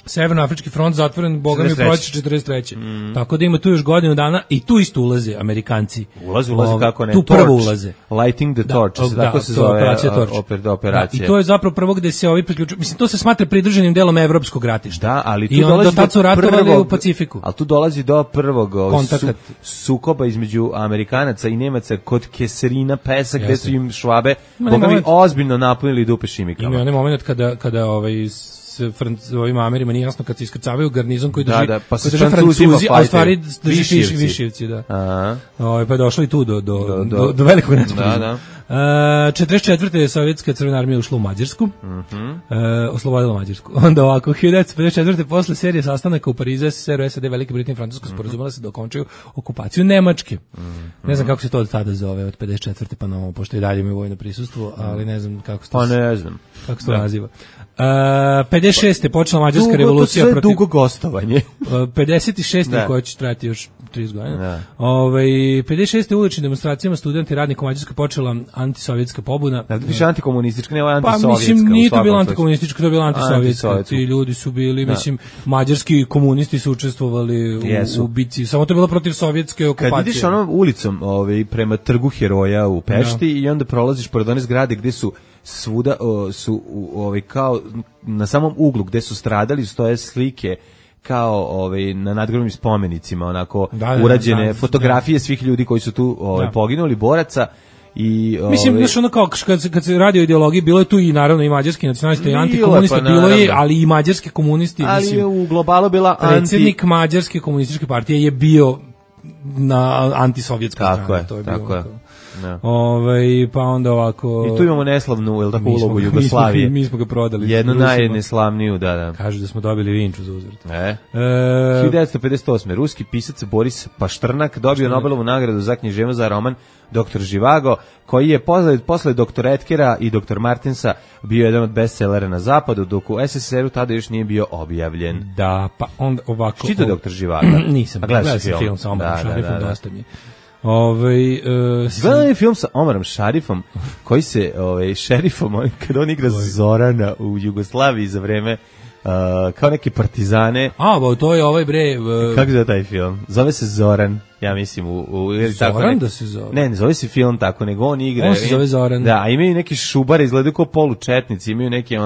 Severnoafrički front zatvoren, boga mi, u proleće 43. Tako da ima tu još godinu dana i tu isto ulaze Amerikanci. Ulaze kako ne. Tu prvo ulaze. Lighting the torch, tako se zove operacija. I to je zapravo prvo gde se ovi priključuju. Mislim, to se smatra pridruženim delom evropskog ratišta. Da, ali tu i dolazi do su ratovali u Pacifiku. Ali tu dolazi do prvog sukoba između Amerikanaca i Nemaca kod Keserina Pesa, gde su im Švabe boga mi ozbiljno napunili dupe šimikama. Ima onaj moment kada ovim Amerima nije jasno kad se iskrcavaju garnizon koji drži, pa koji drži Francuzi, a u stvari drži Višijevci, da. Pa je došlo i tu do velikog nesporazuma. 44. Sovjetska crvena armija ušla u Mađarsku, oslobodila Mađarsku. Onda ovako, 1954. posle serije sastanaka u Parizu, SSR, SAD, Velike Britanije i Francuska sporazumela se da okončaju okupaciju Nemačke. Ne znam kako se to od tada zove, od 54. pa na ovo, pošto i dalje imaju vojno prisustvo, ali ne znam kako se to, kako se to naziva. 56. je počela Mađarska revolucija protiv... dugo gostovanje. 56. koja će trajati još 30 godina. 56. uličnim demonstracijama studenti radnika u Mađarskoj počela antisovjetska pobuna. Da, piše antikomunistička, ne ovo je antisovjetska. Pa mislim, nije to bilo antikomunistička, to je bilo antisovjetska. Ti ljudi su bili, mislim, mađarski komunisti su učestvovali u bici, samo to je bilo protiv sovjetske okupacije. Kad ideš onom ulicom prema Trgu Heroja u Pešti i onda prolaziš pored one zgrade gde su svuda su kao na samom uglu gde su stradali stoje slike kao na nadgrobnim spomenicima, onako urađene fotografije svih ljudi koji su tu poginuli, boraca. I mislim, znaš, ono kao kad se radi o ideologiji, bilo je tu i naravno i mađarski nacionalisti i antikomunisti, bilo je, ali i mađarski komunisti. Ali mislim, je u globalu bila predsjednik mađarske komunističke partije je bio na antisovjetskoj strani. Tako je. Pa onda ovako... I tu imamo neslavnu, tako, ulogu Jugoslavije. Mi smo ga prodali. Jednu najneslavniju, da. Kažu da smo dobili Vinču za uzvrt. 1958. Ruski pisac Boris Paštrnak dobio Nobelovu nagradu za književnost za roman Dr. Živago, koji je posle Dr. Etkera i Dr. Martinsa bio jedan od bestsellera na zapadu, dok u SSSR-u tada još nije bio objavljen. Da, pa onda ovako... Čito Dr. Živago? Nisam, gledao sam film sa Omarom Šarifom, dosta mi je. Gledam je film sa Omarom Šarifom koji se šerifom, kada on igra Zorana u Jugoslaviji za vreme kao neke partizane. To je ovaj bre... Kako je taj film? Zove se Zoran, ja mislim. Zoran da se zove? Ne zove se film tako, nego on igra. On se zove Zoran. Da, a imaju neki šubare, izgledaju kao polučetnici, imaju neke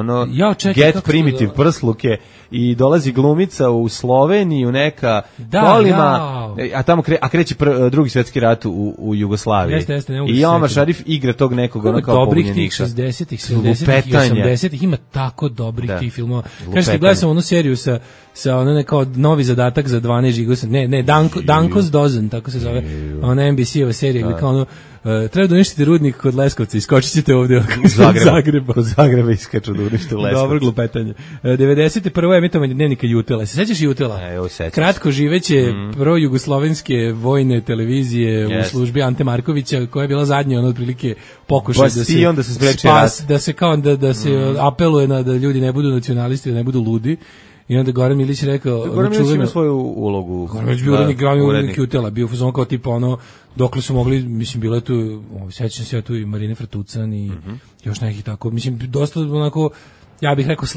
get primitive prsluke i dolazi glumica u Sloveniju, neka kolima, a tamo kreće drugi svjetski rat u Jugoslaviji. Jeste, i Omar Šarif igra tog nekog kao dobrih tih 60-ih, 70-ih i 80-ih, ima tako dobrih tih filmova. Kažete, gledao sam onu seriju sa ono kao novi zadatak za 12 žigosa, Danko's Dozen, tako se zove, ona NBC-ova serija, gdje kao ono, treba da uništite rudnik kod Leskovca, iskočit ćete ovdje kod Zagreba iskaču da unište Leskovca. Dobro glupetanje. 91. emitovanje dnevnika Jutela. Se sećaš Jutela? Kratko živeće prvo jugoslovenske vojne televizije u službi Ante Markovića, koja je bila zadnja otprilike pokušaj da se kao da se apeluje na da ljudi ne budu nacionalisti, da ne budu ludi. I onda Goran Milić rekao... Goran Milić ima svoju ulogu. Goran Milić bio glavni urednik Jutela, bio fuzon kao tipa ono, dokle su mogli, mislim, bilo je tu, sećam se ja tu i Marine Fratucan i još nekih tako, mislim, dosta onako, ja bih rekao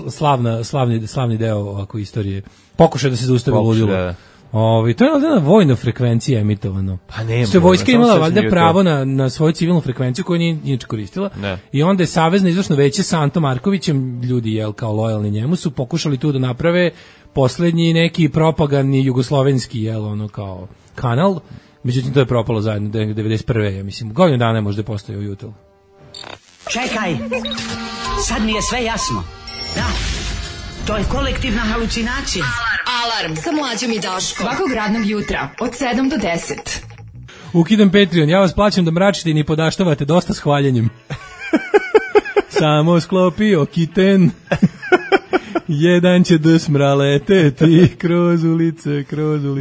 slavni deo ovako istorije. Pokušaj da se zaustavi ludilo. To je na vojnoj frekvenciji emitovano. Pa nema. Što vojska imala valjda pravo na svoju civilnu frekvenciju koju nije inače koristila. I onda je Savezno izvršno veće sa Antom Markovićem, ljudi kao lojalni njemu, su pokušali tu da naprave poslednji neki propagandni jugoslovenski kao kanal. Međutim, to je propalo zajedno 91. Ja mislim, godinu dana možda je postojao Jutel. Čekaj, sad mi je sve jasno. Da, to je kolektivna halucinacija. Alarm sa Mlađom i Daškom. Svakog radnog jutra od 7 do 10. Ukidam Patreon, ja vas plaćam da mračite i ni podaštavate dosta s hvaljenjem. Samo sklopio kiten. Jedan će dSmra leteti kroz ulice.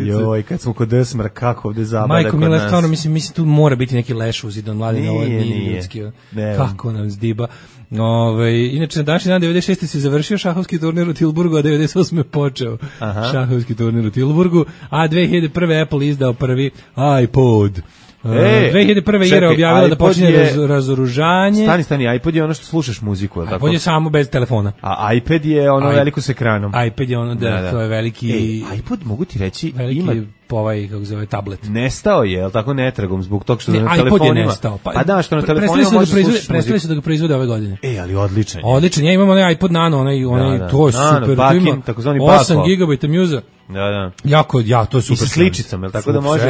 Joj, kad smo kod dSmra, kako ovde zabada Majko kod Mila, nas. stvarno, mislim tu mora biti neki leš uzidan mladine, ovo nije Nije. ljudski. Kako nam zdiba. Inače, na današnji dan 96. se završio šahovski turnir u Tilburgu, a 98. je počeo šahovski turnir u Tilburgu, a 2001. Apple izdao prvi iPod. 2001. Ira objavila da počinje razoružanje. Stani, iPod je ono što slušaš muziku, je tako? iPod je samo bez telefona. A iPad je ono veliko s ekranom. iPad je ono, da, to je veliki... iPod, mogu ti reći, veliki ima... kako zove, tablet. Nestao je, je li tako, netragom, zbog tog što na iPod telefonima... je nestao. Pa da, što na telefonima možeš slušati muziku. Prestali su da ga proizvode ove godine. Ali odličan je. Odličan, ja imam onaj iPod Nano, to je super. Bakin, takozvani 8 GB muza. Da. To je super. I sa sličicom, je li tako da može?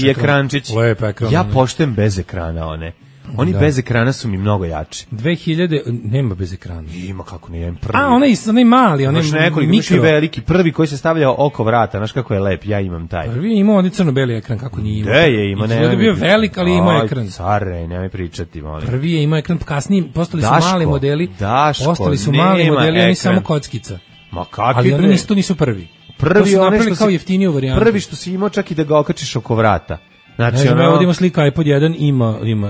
I ekrančić. Lep ekran. Ja poštujem bez ekrana one. Oni bez ekrana su mi mnogo jači. 2000, nema bez ekrana. Ima kako nije, prvi. Onaj mali, onaj mikro. I veliki, prvi koji se stavlja oko vrata, znaš kako je lep, ja imam taj. Prvi ima onaj crno-beli ekran, kako nije imao. Ima, ne. Je bio velik, ali ima ekran. Care, nemoj pričati, molim. Prvi je imao ekran, kasnije postali su mali modeli. Oni samo kockica. Ma kakvi ali oni nisu prvi. Prvi su napravili kao jeftiniju varijantu. Prvi što si imao čak i da ga okačiš oko vrata. Znači, ovdje ima slika iPod 1,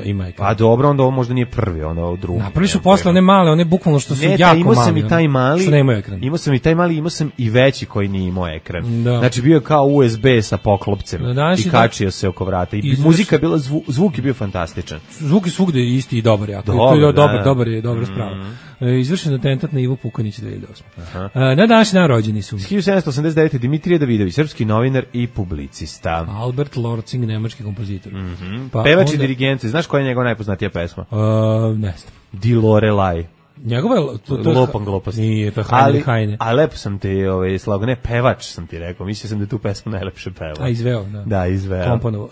ima ekran. Pa dobro, onda ovo možda nije prvi, onda ovo drugi. Napravili su posle one male, one bukvalno što su jako mali. Imao sam i taj mali, što nemaju ekran. Imao sam i taj mali, imao sam i veći koji nije imao ekran. Da. Znači bio je kao USB sa poklopcem i kačio se oko vrata. I muzika je bila, zvuk je bio fantastičan. Zvuk je svugde isti i dobar, jako. Dobar je spravo. Izvršen atentat na Ivu Pukanić 2008. Na današnji dan rođeni su 1789. Dimitrije Davidović, srpski novinar i publicista. Albert Lortzing, nemački kompozitor. Pevač i dirigent, znaš koja je njegova najpoznatija pesma? Ne znam. Di Lorelai. Njegova je Lopan glupost. Nije, to je Heinrich Heine. A lepo sam ti slago, ne, pevač sam ti rekao, mislio sam da tu pesmu najlepše peva. A izveo, da. Da, izveo. Komponovo.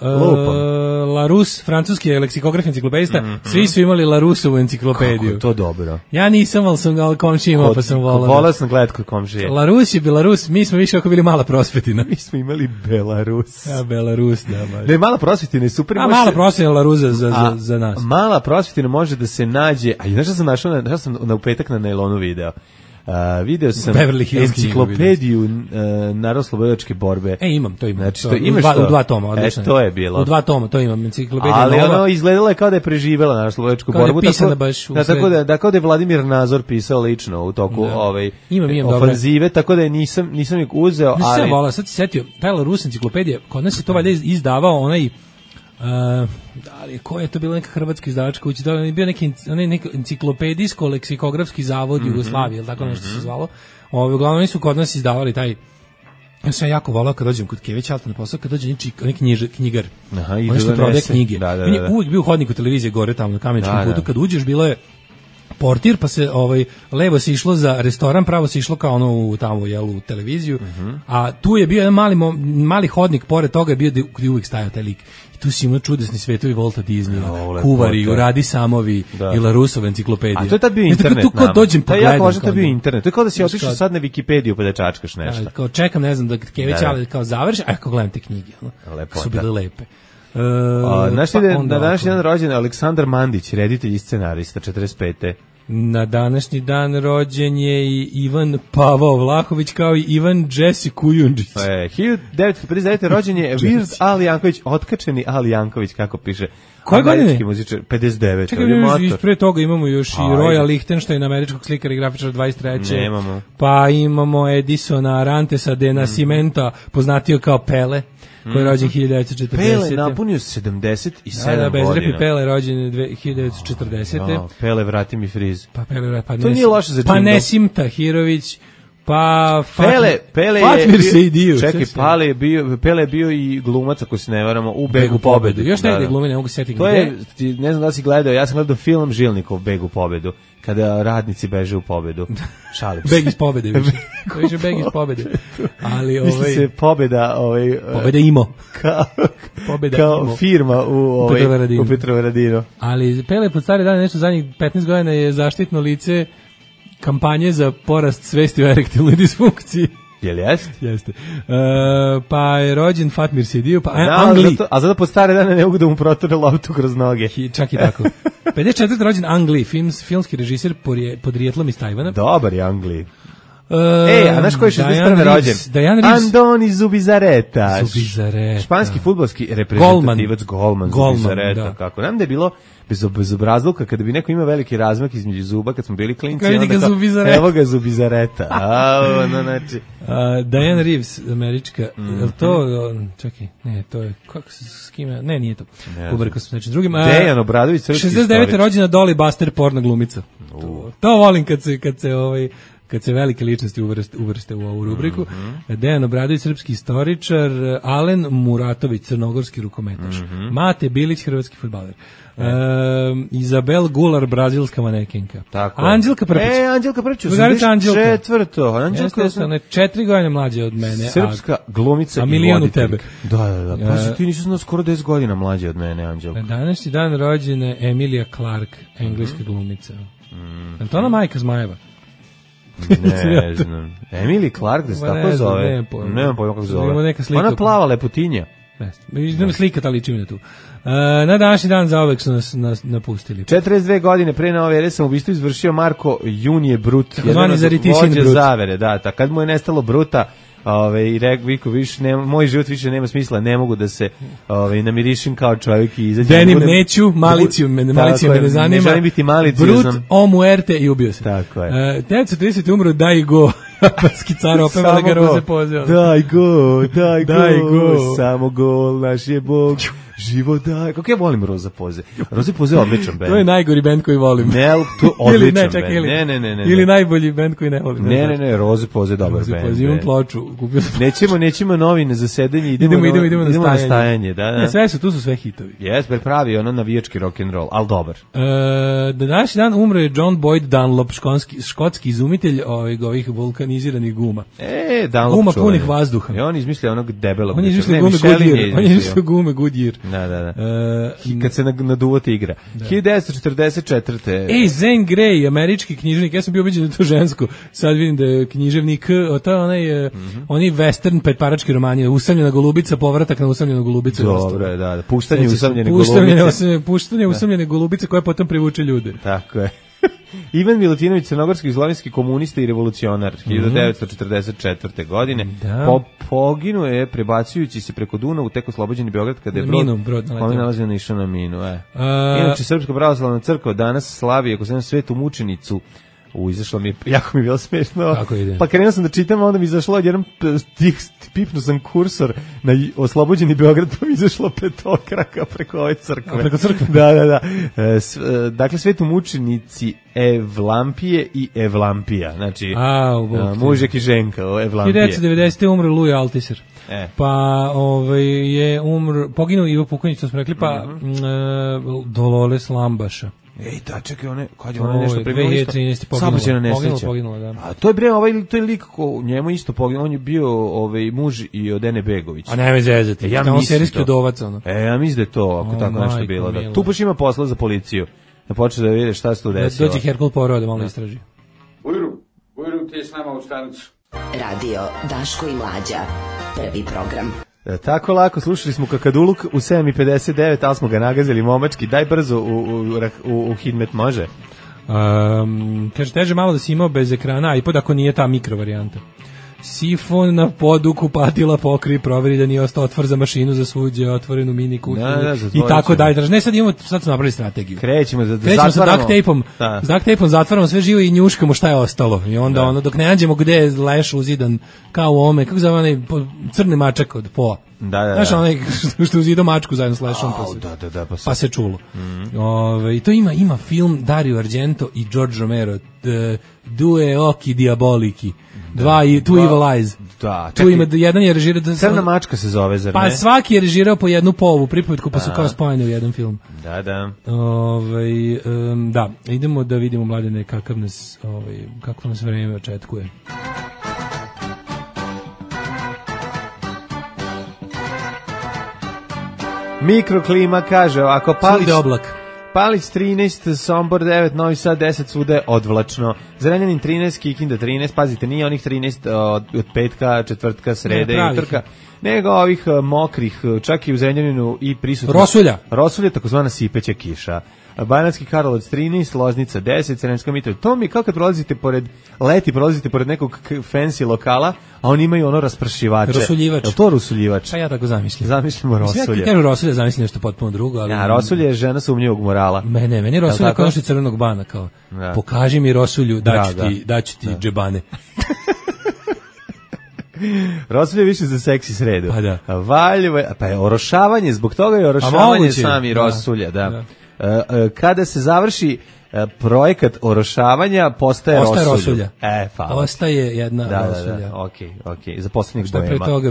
Larousse, francuski leksikograf, enciklopedista, svi su imali Larousseovu enciklopediju. Kako je to dobro. Ja nisam, ali komšija imao, pa sam volao. Volao sam gledat kod komšije. Larousse je Belarus, mi smo više ako bili mala prosvetina. Mi smo imali Belarus. Ja, Belarus, da. Baš. Ne, mala prosvetina je super. A mala prosvetina Larousse za nas. Mala prosvetina može da se nađe, a znaš šta sam našao, šta sam na upetak na nailonu video. Video sam enciklopediju narodnooslobodilačke borbe. Imam. Znači, to imaš u 2 toma, odlično. To je bilo. U 2 toma, to imam, enciklopedija. Ali ono izgledalo je kao da je preživela narodnooslobodilačku borbu. Tako da kao da je Vladimir Nazor pisao lično u toku ofanzive, tako da nisam ih uzeo. Ali sad si setio, taj Larousse enciklopedija, kod nas je to valjda izdavao onaj ali ko je to bila neka hrvatska izdavačka kuća, to je bio neki enciklopedijsko leksikografski zavod Jugoslavije, ili tako nešto se zvalo. Uglavnom oni su kod nas izdavali taj. Ja sam jako volao kad dođem kod Kevića na posao, kad dođe neki knjigar. On što prodaje knjige. On je uvijek bio u hodniku televizije gore tamo na Kameničkom putu, kad uđeš bilo je portir, pa se levo se išlo za restoran, pravo se išlo kao ono tamo u televiziju, a tu je bio jedan mali hodnik, pored toga je bio gdje uvijek stajao taj lik. I tu si imao čudesni svetovi Volta Disneya, Kuvari, Uradi Samovi i Laroussova enciklopedija. A to je tad bio internet. Tu kad dođem pogledam. To je jako važno tad bio internet. To je kao da si otišao sad na Wikipediju pa da čačkaš nešto. Kao čekam, ne znam, da Kević kao završi, a kao gledam te knjige. Su bile lepe. Na današnji dan rođen Aleksandar Mandić, reditelj i scenarista, 45. Na današnji dan rođen je i Ivan Pavao Vlahović, kao i Ivan Jesse Kujundžić. 1959. rođen je Virt Ali Janković, otkačeni Ali Janković, kako piše. Koje godine? 59. Čekaj, pre toga imamo još i Roya Lichtenstein, američkog slikara i grafičara 23. Nemamo. Pa imamo Edisona Arantesa de Nascimenta, poznatio kao Pele, koji je rođen 1940. Pele napunio 77 godina. Bez repi Pele rođen 1940. Pele, vrati mi friz. Pa Pele, to nije loše za džingl. Pa Nesim Tahirović, pa Pele Fatmir Sejdijev. Čekaj, Pele je bio i glumac, ako se ne varamo, u Begu pobedu. Još ne ide glumi, ne mogu se setiti. To je, ne znam da si gledao, ja sam gledao film Žilnikov Beg u pobedu, kada radnici beže u pobedu. Šalim se. Beg iz pobede, više Beg iz pobede. Ali misli se pobeda, pobeda imo. Kao firma u Petrovaradinu. Ali Pele pod stare dane, nešto zadnjih 15 godina je zaštitno lice kampanje za porast svesti o erektilnoj disfunkciji. Jel jest? Jeste. Pa je rođen Fatmir Sejdijev, pa Angli. A zato po stare dane ne mogu da mu proture loptu kroz noge. Čak i tako. 54. rođen Angli, filmski režiser podrijetlom iz Tajvana. Dobar je Angli. a znaš ko je 61. rođen? Andoni Zubizarreta. Španski fudbalski reprezentativac, golman Zubizarreta. Kako? Nam da je bilo bez obrazluka, kada bi neko imao veliki razmak između zuba, kad smo bili klinci, evo ga Zubizarreta. Znači. Diane Reeves, američka, je li to, čekaj, ne, to je, kako se, s kime, ne, nije to, ubrko sam nečim drugim. Dejan Obradović, srpski istorič. 69. rođena Dolly Buster, porno glumica. To volim kad se velike ličnosti uvrste u ovu rubriku. Dejan Obradović, srpski istoričar, Alen Muratović, crnogorski rukometaš, Mate Bilić, hrvatski fudbaler, Izabel Gular, brazilska manekenka, Anđelka Prpić. Anđelka Prpić, 84. Anđelka je 4 godine mlađa od mene. Srpska glumica i milion u tebe. Da. Pa ti nisi skoro 10 godina mlađa od mene, Anđelka. Današnji dan rođene Emilia Clarke, engleska glumica. Je to ona majka Zmajeva? Ne znam. Emily Clark, da se tako zove? Nemam pojma kako se zove. Ona plava lepotinja. Idemo slika, ta liči mi na tu. Na današnji dan zaovek su nas napustili. 42 godine pre nove ere sam ubistvo izvršio Marko Junije Brut. Jedan od vođa zavere, da. Kad mu je nestalo Bruta, i rekao više moj život više nema smisla, ne mogu da se namirišim kao čovjek i izađem. Denim neću, malicija me ne zanima. Ne želim biti maliciozan. Brut, o muerte i ubio se. Tako je. 1930 umro Daj Go, japanski car, opeva ga Roze poziva. Daj go, samo gol, naš je Bog. Život daj. Kako ja volim Roza Poze. Roza Poze je odličan bend. To je najgori bend koji volim. Ne, to je odličan bend. Ne. Ili najbolji bend koji ne volim. Ne, Roza Poze je dobar bend. Roza imam ploču. Nećemo novine za sedenje, idemo na stajanje. Da. Sve tu su sve hitovi. Jes, pravi ono navijački rock and roll, al dobar. Današnji dan umro je John Boyd Dunlop, škotski izumitelj ovih vulkaniziranih guma. Dunlop. Guma punih vazduha. I on izmislio onog debelog. On je izmislio gume Goodyear. Da. Kad se naduvo tigra. 1944. Zane Grey, američki književnik. Ja sam bio ubeđen da je to žensko. Sad vidim da je književnik. To je onaj western petparački roman. Usamljena golubica, povratak na usamljenu golubicu. Dobro je, da. Puštanje usamljene golubice. Puštanje usamljene golubice koje potom privuče ljude. Tako je. Ivan Milutinović, crnogorski i slovenski komunista i revolucionar, 1944. godine. Poginuo je prebacujući se preko Dunavu, tek oslobođeni Beograd kada je brod nalazio na išao na minu. Inače, Srpska pravoslavna crkva danas slavi, ako se na Svetu mučenicu, izašlo mi je, jako mi je bilo smešno. Pa krenuo sam da čitam, onda mi izašlo jedan pipnuo sam kursor na oslobođeni Beograd, pa mi izašlo petokraka preko ove crkve. Preko crkve? Da. Dakle, Svetu mučenici Evlampije i Evlampija. Znači, mužek i ženka, Evlampije. 1990. umro Louis Althusser. Pa poginuo Ivo Pukonjić, to smo rekli, pa Dolores Lambaša. Čekaj, kad je ona nešto premio isto? 2013. Saobraćajna nesreća. Poginula, da. A to je to je lik njemu isto poginuo, on je bio muž i od Ene Begović. A ne me zezati. Ja mislim serijski udovac ono. Ja mislim da je to, ako tako nešto bilo, da. Tu baš ima posla za policiju. Da počne da vidi šta se tu desilo. Dođe Herkul Poirot da malo istraži. Bujru, ti je s nama u stanicu. Radio Daško i Mlađa. Prvi program. Tako lako, slušali smo Kakaduluk u 7:59, ali smo ga nagazili momački. Daj brzo u Hidmet, može? Kaže, teže malo da si imao bez ekrana iPod ako nije ta mikro varijanta. Sifon na podu kupatila pokri, proveri da nije ostao otvor za mašinu za suđe, otvorenu mini kuću i tako dalje. Ne, sad smo napravili strategiju. Krećemo sa duct tapeom zatvaramo sve živo i njuškamo šta je ostalo. I onda dok ne nađemo gde je leš uzidan kao u ovome, kako zove onaj crni mačak od poa. Da. Znaš onaj što uzidao mačku zajedno s lešom pa se čulo. I to ima film Dario Argento i George Romero, Due occhi diaboliki. Two Evil Eyes. Da, tu ima jedan je režirao Crna mačka se zove, zar ne? Pa svaki je režirao po jednu povu pripovetku, pa su kao spojene u jedan film. Da. Da, idemo da vidimo, Mladene, kako nas vreme očekuje. Mikroklima kaže ovako, Palić 13, Sombor 9, Novi Sad 10, svuda je odvlačno. Zrenjanin 13, Kikinda 13, pazite, nije onih 13 od petka, četvrtka, srede i utorka, nego ovih mokrih, čak i u Zrenjaninu i prisutno. Rosulja, takozvana sipeća kiša. Banatski Karlovac 13, Loznica 10, Sremska Mitrovica. To mi kao kad prolazite pored nekog fancy lokala, a oni imaju ono raspršivače. Rosuljivač. Je to rosuljivač? Pa ja tako zamišljam. Zamišljamo rosulje. Sve kažu rosulje, zamislim nešto potpuno drugo. Ali... Ja, rosulje je žena sumnjivog morala. Meni je rosulje kao što je crvenog bana. Kao, pokaži mi rosulju, daću ti džebane. Rosulje više za seksi sredu. Pa da. Valjevo, pa je orošavanje, zbog toga je orošavanje sami rosulja, da. Kada se završi projekat orošavanja, postaje rosulja. Ostaje jedna rosulja. Okej. Za poslednjeg boema. Pre toga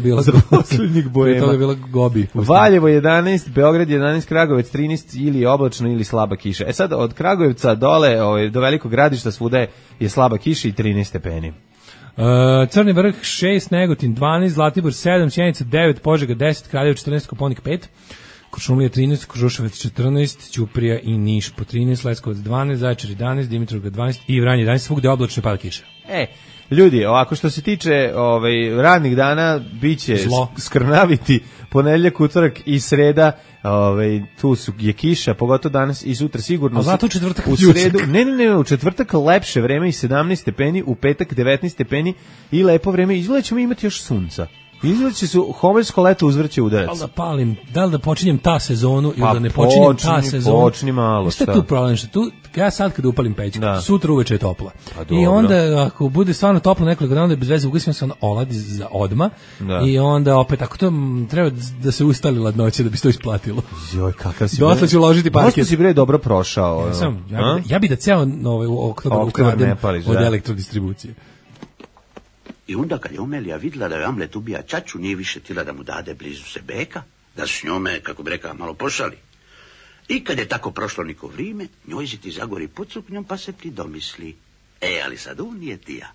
bila Gobi. Valjevo 11, Beograd 11, Kragujevac 13, ili oblačno ili slaba kiša. Sad od Kragujevca dole do Velikog Gradišta svuda je slaba kiša i 13 stepeni. Crni vrh 6, Negotin 12, Zlatibor 7, Sjenica 9, Požega 10, Kraljevo 14, Koponik 5, Kuršumlija 13, Kruševac 14, Ćuprija i Niš po 13, Leskovac 12, Zaječar 11, Dimitrovgrad 12 i Vranje 11, svugde oblačno pada kiša. Ljudi, ovako što se tiče radnih dana, biće skrnaviti ponedeljak, utorak i sreda. Tu je kiša, pogotovo danas i sutra sigurno. A zato u četvrtak u sredu, ne, u četvrtak lepše vreme i 17 stepeni, u petak 19 stepeni i lepo vreme. Izgleda ćemo imati još sunca. Izgleda će su homeljsko leto uzvrće udarac. Da li da počinjem ta sezonu ili da ne počinjem ta sezonu? Počni malo. Šta je tu problem? Ja sad kada upalim pećku, sutra uveče je topla. I onda ako bude stvarno toplo nekoliko dana, onda bez veze ugasim se oladi za odma. I onda opet ako to treba da se ustali ladnoće da bi se to isplatilo. Joj, kakav si. Dosta ću ložiti parket. Možda si bre dobro prošao. Ja bi da ceo oktobar ukradem od elektrodistribucije. I onda kad je Omelija vidjela da je Amlet ubija ćaću, nije više tila da mu dade blizu se beka, da s njome, kako bi rekao, malo pošali. I kad je tako prošlo niko vrijeme, njoj si ti zagori pod suknjom pa se ti domisli. Ali sad on nije ti ja.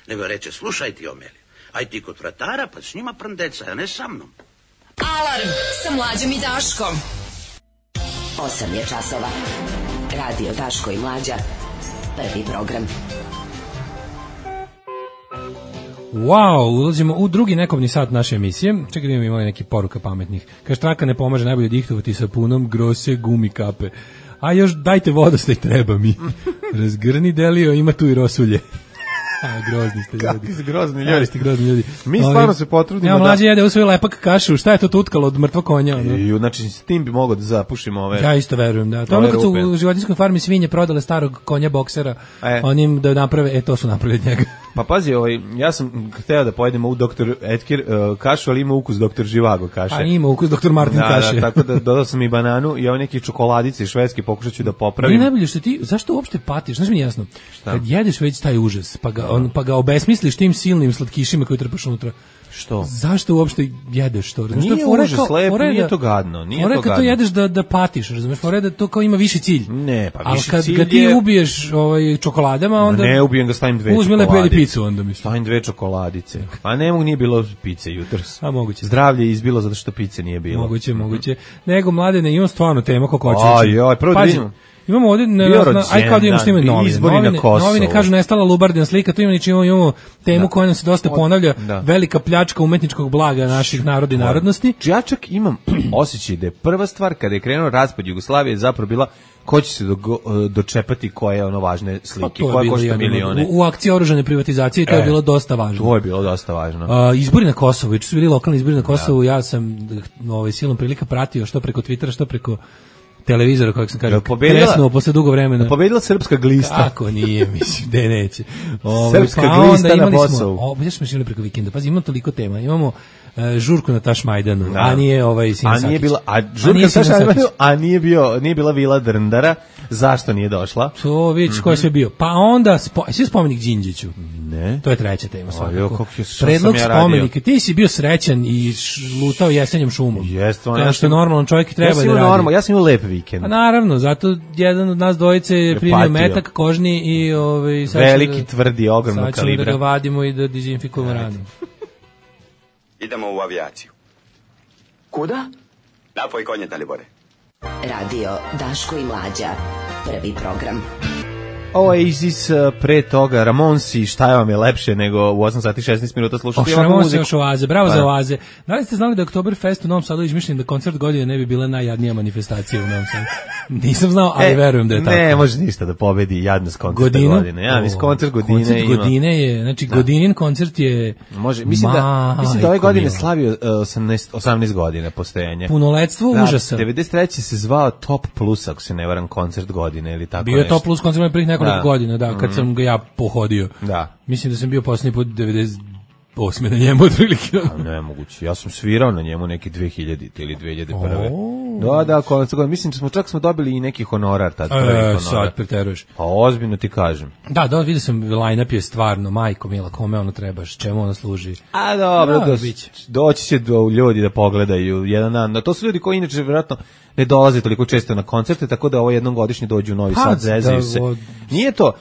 Nego reče, slušaj ti Omelija, aj ti kod vratara pa s njima prndeca, a ne sa mnom. Alarm sa Mlađom i Daškom. 8 je časova. Radio Daško i Mlađa. Prvi program. Wow, ulazimo u drugi nekobni sat naše emisije. Čekaj da imamo neki poruka pametnih. Kaže, traka ne pomaže, najbolje dihtovati sa punom grose gumi kape. A još dajte vodostaj, treba mi. Razgrni delio, ima tu i rosulje. Grozni ste ljudi. Kakvi ste grozni ljudi. Mi stvarno se potrudimo da... Mlađe jede u svoj lepak kašu, šta je to tutkalo od mrtvog konja? Znači, s tim bi mogao da zapušim ove... Ja isto verujem, da. To ono kad su u životinjskoj farmi svinje prodale starog konja boksera, onim da naprave, to su napravili od njega. Pa pazi, ja sam hteo da pojedem u Dr. Edkir kašu, ali ima ukus Dr. Živago kaše. A ima ukus Dr. Martin kaše. Da, tako da dodao sam i bananu i ove neke čokoladice švedske, pokušat ću da popravim. I najbolje što ti, zašto uopšte patiš? Znaš mi jasno, kad jedeš već taj užas, pa ga obesmisliš tim silnim slatkišima koji trpaš unutra. Što? Zašto uopšte jedeš to? Nije užas, lepo, nije to gadno. Fore kad to jedeš da patiš, razumeš? Fore da to kao ima viši cilj. Ne, pa viši cilj je... Ali kad ti ubiješ čokoladama, onda... Ne ubijem ga, stavim 2 čokoladice. Uzmi lepo jedi picu onda, mislim. Stavim 2 čokoladice. A nije bilo pice jutros. A moguće. Zdravlje je izbilo zato što pice nije bilo. Moguće. Nego, Mladene, imam stvarno tema kako hoćeš. Ajoj, prvo da vidimo. Imamo ovdje, aj kao da imamo što imaju novine, kažu nestala Lubardina slika, tu imamo temu koja nam se dosta ponavlja, velika pljačka umetničkog blaga naših naroda i narodnosti. Ja čak imam osjećaj da je prva stvar kada je krenuo raspad Jugoslavije zapravo bila ko će se dočepati koje ono važne slike, koja košta milione. U akciji oružane privatizacije to je bilo dosta važno. To je bilo dosta važno. Izbori na Kosovu, su bili lokalni izbori na Kosovu, ja sam silom prilika pratio što preko Twittera, što preko televizora, kako sam kažem, kresnuo posle dugo vremena. Pobedila Srpska glista. Kako nije, mislim, da neće. Srpska glista na Kosovu. Ja smo išli preko vikenda, pazi, imamo toliko tema, imamo žurku na Tašmajdanu, a nije Sin Sakić. Žurka na Tašmajdanu, a nije bila Vila Drndara, zašto nije došla? To vidiš ko je sve bio. Pa onda, svi spomenik Đinđiću. Ne. To je treća tema svakako. Predlog spomenika, ti si bio srećan i lutao jesenjem šumom. Kao što normalan čovjek treba da radi. Ja sam imao lep vikend. A naravno, zato jedan od nas dvojice je primio metak kožni i veliki, tvrdi, ogromnog kalibra. Sad ćemo da ga vadimo i da dezinfikujemo ranu. Idemo u avijaciju. Kuda? Napoj konje, Dalibore. Radio Daško i Mlađa. Prvi program. Oasis, pre toga Ramonsi, šta vam je lepše nego u 8 sati 16 minuta slušati ovakvu muziku. muziku. Još Oaze, bravo za Oaze. Da li ste znali da Oktoberfest u Novom Sadu izmišljen da koncert godine ne bi bila najjadnija manifestacija u Novom Sadu? Nisam znao, ali verujem da je tako. Ne, može ništa da pobedi jadnost koncerta godine. Ja, mislim, koncert godine je, znači Godinin koncert je... Može, mislim da ove godine slavio 18 godina postojanja. Punoletstvo užasa. 93. se zvao Top Plus, ako se ne varam, koncert godine ili tako bio nešto. Bio Top Plus koncert prvih nekoliko godina, da, kad sam ga ja pohodio. Da. Mislim da sam bio posljednji put 98. na njemu otprilike. Ne, moguće. Ja sam svirao na njemu neki 2000 ili 2001. Da, koncert. Mislim da smo dobili i neki honorar tad. Sad preteruješ. Pa ozbiljno ti kažem. Da, vidio sam, line-up je stvarno, majko mila, kome ono trebaš, čemu ono služi. A dobro, doći će do ljudi da pogledaju jedan dan. To su ljudi koji inače vjerojatno ne dolaze toliko često na koncerte, tako da ovo jednom godišnje dođu u Novi Sad, zezaju se. Nije to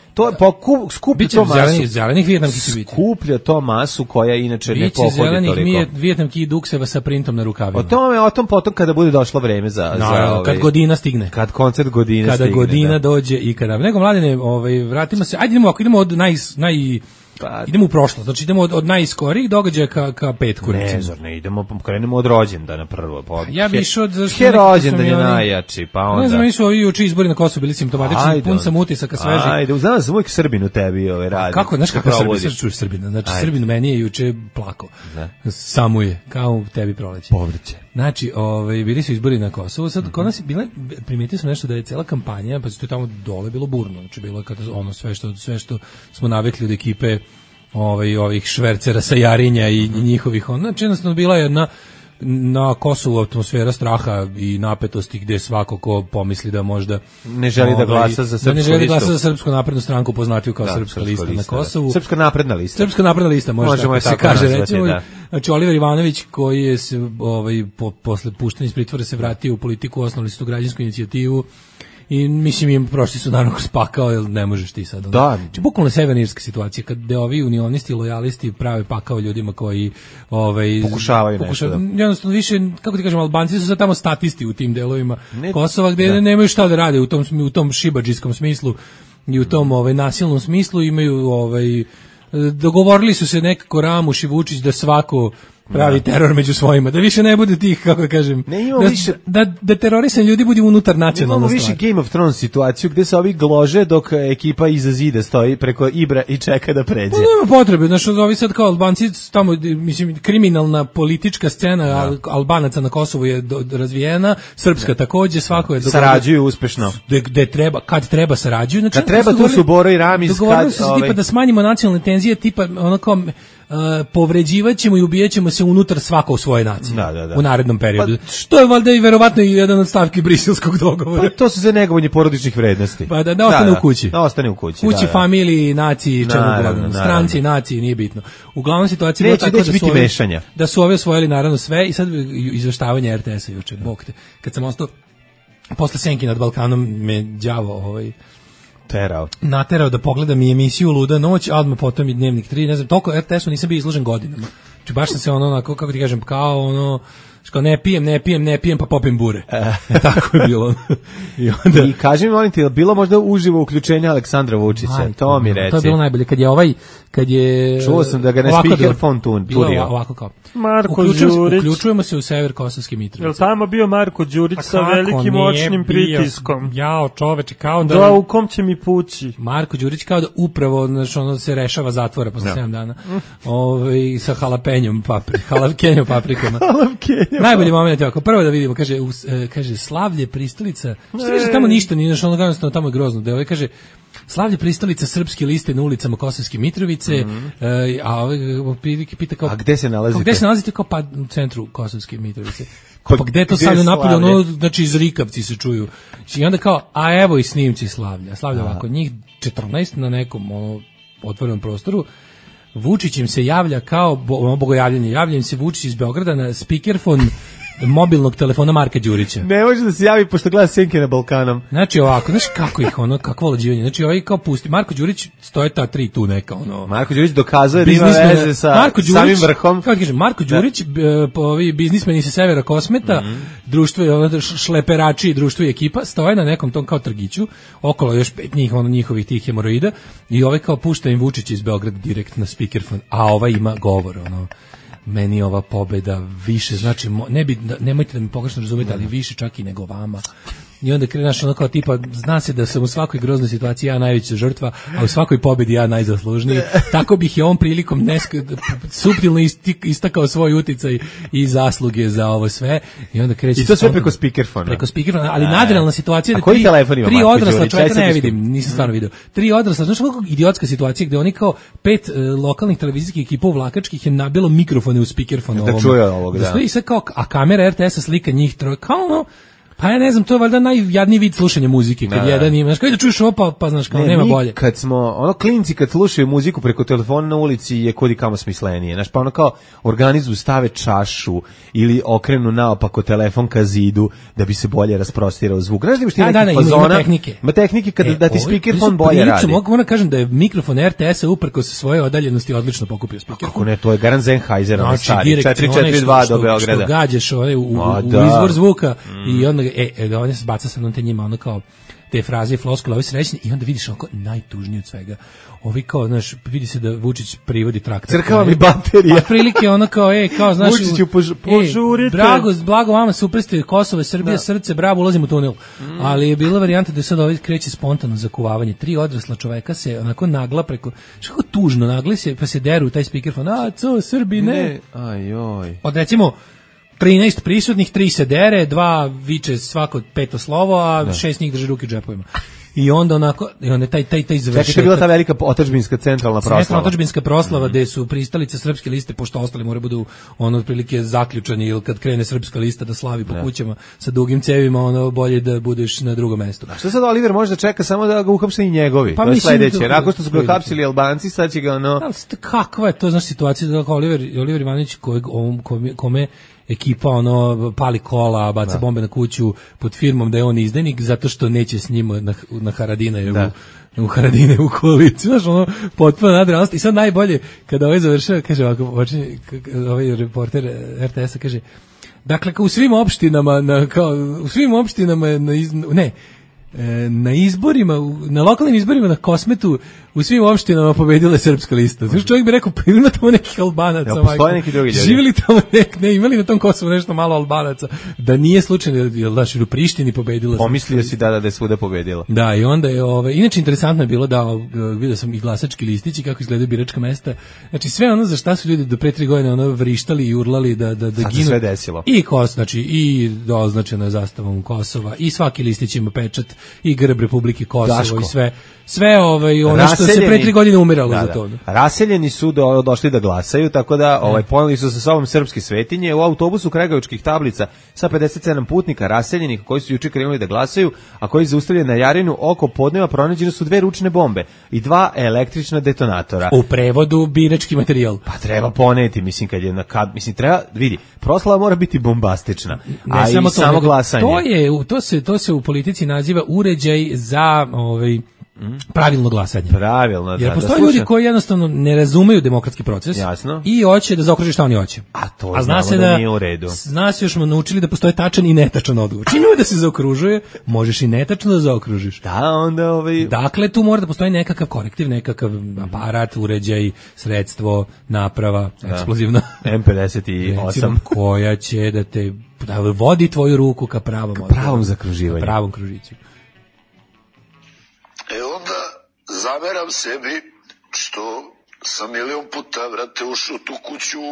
skuplja to masu. Zelenih vijetnamki će biti. Skuplja to masu koja inače ne pohodi toliko. Biće zelenih vijetnamki i dukseva sa printom na rukavima. O tom potom kada bude došlo vreme za kad Godina stigne. Kad koncert Godine stigne. Kada Godina dođe i kada. Nego, Mladene, vratimo se. Ajde idemo od idemo u prošlost, znači idemo od najskorijih događaja ka petku. Ne, krenemo od rođendana prvo. Ja bi išao od... rođendan je najjači, pa onda... Ne znam, mi su ovi juče izbori na Kosovu bili simptomatični, pun sam utisaka svežih. Ajde, znam da sam uvijek Srbin u tebi radi. Kako, znaš kako čuješ Srbina? Znači, Srbin meni je juče plako. Samo je, kao u tebi proleće. Povrće. Znači, bili su izbori na Kosovu, sad kod nas je bila, primetio sam nešto da je cela kampanja, pa to je tamo dole bilo burno, znači bilo ono sve što smo navikli od ekipe ovih švercera sa Jarinja i njihovih, znači jednostavno bila je na Kosovu atmosfera straha i napetosti gde svako ko pomisli da možda ne želi da glasa za srpsku listu. Ne želi da glasa za Srpsku naprednu stranku, poznatiju kao Srpska lista na Kosovu. Srpska napredna lista. Srpska napredna lista, možemo tako se kaže, recimo. Znači Oliver Ivanović koji je se posle puštanja iz pritvora se vratio u politiku, osnovali su tu građansku inicijativu. I mislim im prošli su naravno kroz pakao, jer ne možeš ti sad. Da. Znači, bukvalno severnirska situacija, kad ovi unionisti i lojalisti prave pakao ljudima koji pokušavaju nešto. Jednostavno više, kako ti kažem, Albanci su sad tamo statisti u tim delovima Kosova, gde nemaju šta da rade u tom šibadžijskom smislu i u tom nasilnom smislu, imaju dogovorili su se nekako Ramuš i Vučić da svako pravi teror među svojima, da više ne bude tih, kako kažem, da terorisan ljudi bude unutar nacionalna stvar. Imamo više Game of Thrones situaciju gde se ovi glože dok ekipa iza zida stoji preko Ibra i čeka da pređe. Nema potrebe, znaš, ovi sad kao Albanci, tamo, mislim, kriminalna politička scena Albanaca na Kosovu je razvijena, srpska takođe, svako je sarađuju uspešno. Kad treba sarađuju. Znači, kad treba, tu su Boro i Ramiz. Dogovorili su se tipa da smanjimo nacionalne tenzije, tipa onako povređivat ćemo i ubijat ćemo se unutar svako u svoje nacije u narednom periodu. To je valjda i verovatno i jedan od stavki briselskog dogovora. To su za negovanje porodičnih vrednosti. Pa da ostane u kući. Da ostane u kući. Kući, familiji, naciji, čemu god. Stranci, naciji, nije bitno. Uglavnom situacija je tako da su ovi osvojili naravno sve i sad izveštavanje RTS-a juče. Bog te. Kad sam ostao posle Senki nad Balkanom me đavo naterao da pogledam i emisiju Luda noć, a odmah potom i Dnevnik 3, ne znam, toliko RTS-u nisam bio izložen godinama. Znači baš sam se onako, kako ti kažem, kao ono, što ne pijem, pa popim bure. Tako je bilo. I kaži mi, molim ti, je bilo možda uživo uključenje Aleksandra Vučića? To mi reci. To je bilo najbolje. Kad je čuo sam da ga ne speakerphone turio. Ovako kao. Marko Đurić. Uključujemo se u sever Kosovske Mitrovice. Jel tamo bio Marko Đurić sa velikim moćnim pritiskom? Jao, čoveče, kao da u kom će mi pući? Marko Đurić kao da upravo, znači, ono se rešava zatvora posle 7 dana. Sa halapenjom paprikama. Najbolji moment je ovako, prvo da vidimo, kaže Slavlje pristalica, što kaže tamo ništa, nije znaš, ono tamo je grozno, da kaže Slavlje pristalica Srpske liste na ulicama Kosovske Mitrovice, a pita kao... A gde se nalazite? Gde se nalazite, kao pa u centru Kosovske Mitrovice. Pa gde to stavlja napolje, ono, znači iz Rikavci se čuju. I onda kao, a evo i snimci Slavlja. Slavlja ovako, njih 14 na nekom otvorenom prostoru, Vučić im se javlja kao bogojavljanje, javlja im se Vučić iz Beograda na speakerfon mobilnog telefona Marka Đurića. Ne može da se javi pošto gleda Senke na Balkanom. Znači ovako, znaš kako ih kakvo lađivanje. Znači ovaj kao pusti Marko Đurić, stoje ta 3 tu neka Marko Đurić dokazuje da ima veze sa samim vrhom. Kako kažem, Marko Đurić, ovi biznismeni sa severa Kosmeta, društvo je šleperači, društvo i ekipa stoje na nekom tom kao trgiću, okolo još 5 njih, njihovih tih hemoroida i ovaj kao pušta im Vučić iz Beograda direkt na speakerfon, a ovaj ima govor, meni ova pobeda više, znači, nemojte da mi pogrešno razumete, ali više čak i nego vama. I onda krenaš kao tipa, zna se da sam u svakoj groznoj situaciji ja najveća žrtva, a u svakoj pobedi ja najzaslužniji. Tako bih je ovom prilikom suptilno istakao svoj uticaj i zasluge za ovo sve. I onda kreće. I to sve preko speakerfona. Preko speakerfona, ali nadrealna situacija da koji telefon ima 3 odrasla čovjeka ne vidim, nisam stvarno video. 3 odrasla, znaš kako idiotska situacija gde oni kao 5 lokalnih televizijskih ekipa vlakačkih je nabilo mikrofone u speakerfon da čuje ovog, da. I sve kao, a kamera RTS-a slika njih troje, kao pa ja ne znam, to je valjda najjadniji vid slušanja muzike, kad jedan ima, znaš, kada čuješ ovo, pa znaš, kao nema bolje. Kad smo, klinci kad slušaju muziku preko telefona na ulici je kudi kamo smislenije, znaš, pa kao organizuju, stave čašu ili okrenu naopako telefon ka zidu da bi se bolje rasprostirao zvuk. Znaš da imaš ti neki fazona? Ima tehnike da ti speakerfon bolje radi. Moram kažem da je mikrofon RTS-a uprko sa svoje odaljenosti odlično pokupio speakerfon. Kako ne, to je Garant Sennheiser, on stari, 442 do Beograda. Što gađaš u izvor zvuka i onda on se baca sa te njima, kao te fraze i floskule, ovi srećni, i onda vidiš onako najtužnije od svega. Ovi kao, znaš, vidi se da Vučić privodi traktor. Crkava mi baterija. A prilike ono kao, kao, znaš, Vučiću, požurite. Blago vama, super ste, Kosovo, Srbija, srce, bravo, ulazim u tunel. Ali je bila varijanta da sad ovaj kreće spontano zakuvavanje. 3 odrasla čoveka se onako nagla preko, što tužno nagli se, pa se deru u taj speakerfon. Srbi, ne. Ajoj. Od recimo 13 prisutnih, 3 se dere, 2 viče svako 5 slovo, a 6 njih drže ruke u džepovima. I onda onako, taj završetak. Čekaj, je bila ta velika otadžbinska centralna proslava. Centralna otadžbinska proslava, gde su pristalice srpske liste, pošto ostali moraju budu otprilike zaključani, ili kad krene srpska lista da slavi po kućama sa dugim cevima, bolje da budeš na drugom mestu. A što sad Oliver može da čeka samo da ga uhapse i njegovi? Pa to je sledeće. Nakon što su ga uhapsili Albanci, sad će ga Kakva je to, znaš, situacija da Oliver Ivanović kome ekipa pali kola, baca bombe na kuću pod firmom da je on izdajnik zato što neće s njima na Haradinajevu u Haradinajevu koaliciju, znaš, potpuno nadrealnost. I sad najbolje kada ovaj završava, kaže ovako, ovaj reporter RTS-a kaže, dakle, u svim opštinama na izborima, na lokalnim izborima na Kosmetu u svim opštinama pobedila je srpska lista. Znači čovjek bi rekao, pa ima tamo nekih Albanaca. Ja, postoje neki drugi ljudi. Živjeli tamo imali na tom Kosovu nešto malo Albanaca. Da nije slučajno, znaš, u Prištini pobedila. Pomislio si da je svuda pobedila. Da, i onda je, inače interesantno je bilo da, vidio sam i glasački listići kako izgledaju biračka mesta. Znači sve ono za šta su ljudi do pre 3 godine vrištali i urlali da ginu. Se sve desilo. I znači i označeno je zastavom Kosova, i svaki listić ima pečat, i grb Republike Kosovo, i sve ono što se pre 3 godine umiralo za to. Raseljeni su došli da glasaju, tako da poneli su sa sobom srpske svetinje u autobusu kragujevačkih tablica sa 57 putnika raseljenih koji su juče krenuli da glasaju, a koji zaustavljeni na Jarinu oko podneva pronađene su 2 ručne bombe i 2 električna detonatora. U prevodu birački materijal. Pa treba poneti, mislim kad je treba vidi, proslava mora biti bombastična. A i samo glasanje. To se u politici naziva uređaj za pravilno glasanje. Pravilno, jer postoje ljudi koji jednostavno ne razumeju demokratski proces. Jasno. I hoće da zaokruže šta oni hoće. A to zna se da nije u redu. Zna se, još smo naučili da postoje tačan i netačan odgovor. Čim da se zaokružuje, možeš i netačno da zaokružiš. Da, onda Dakle, tu mora da postoji nekakav korektiv, nekakav aparat, uređaj, sredstvo, naprava, eksplozivna. M58. Koja će da vodi tvoju ruku ka pravom zakruživanju. Pravom kružiću. Onda zameram sebi što sam milion puta, vrate, ušao tu kuću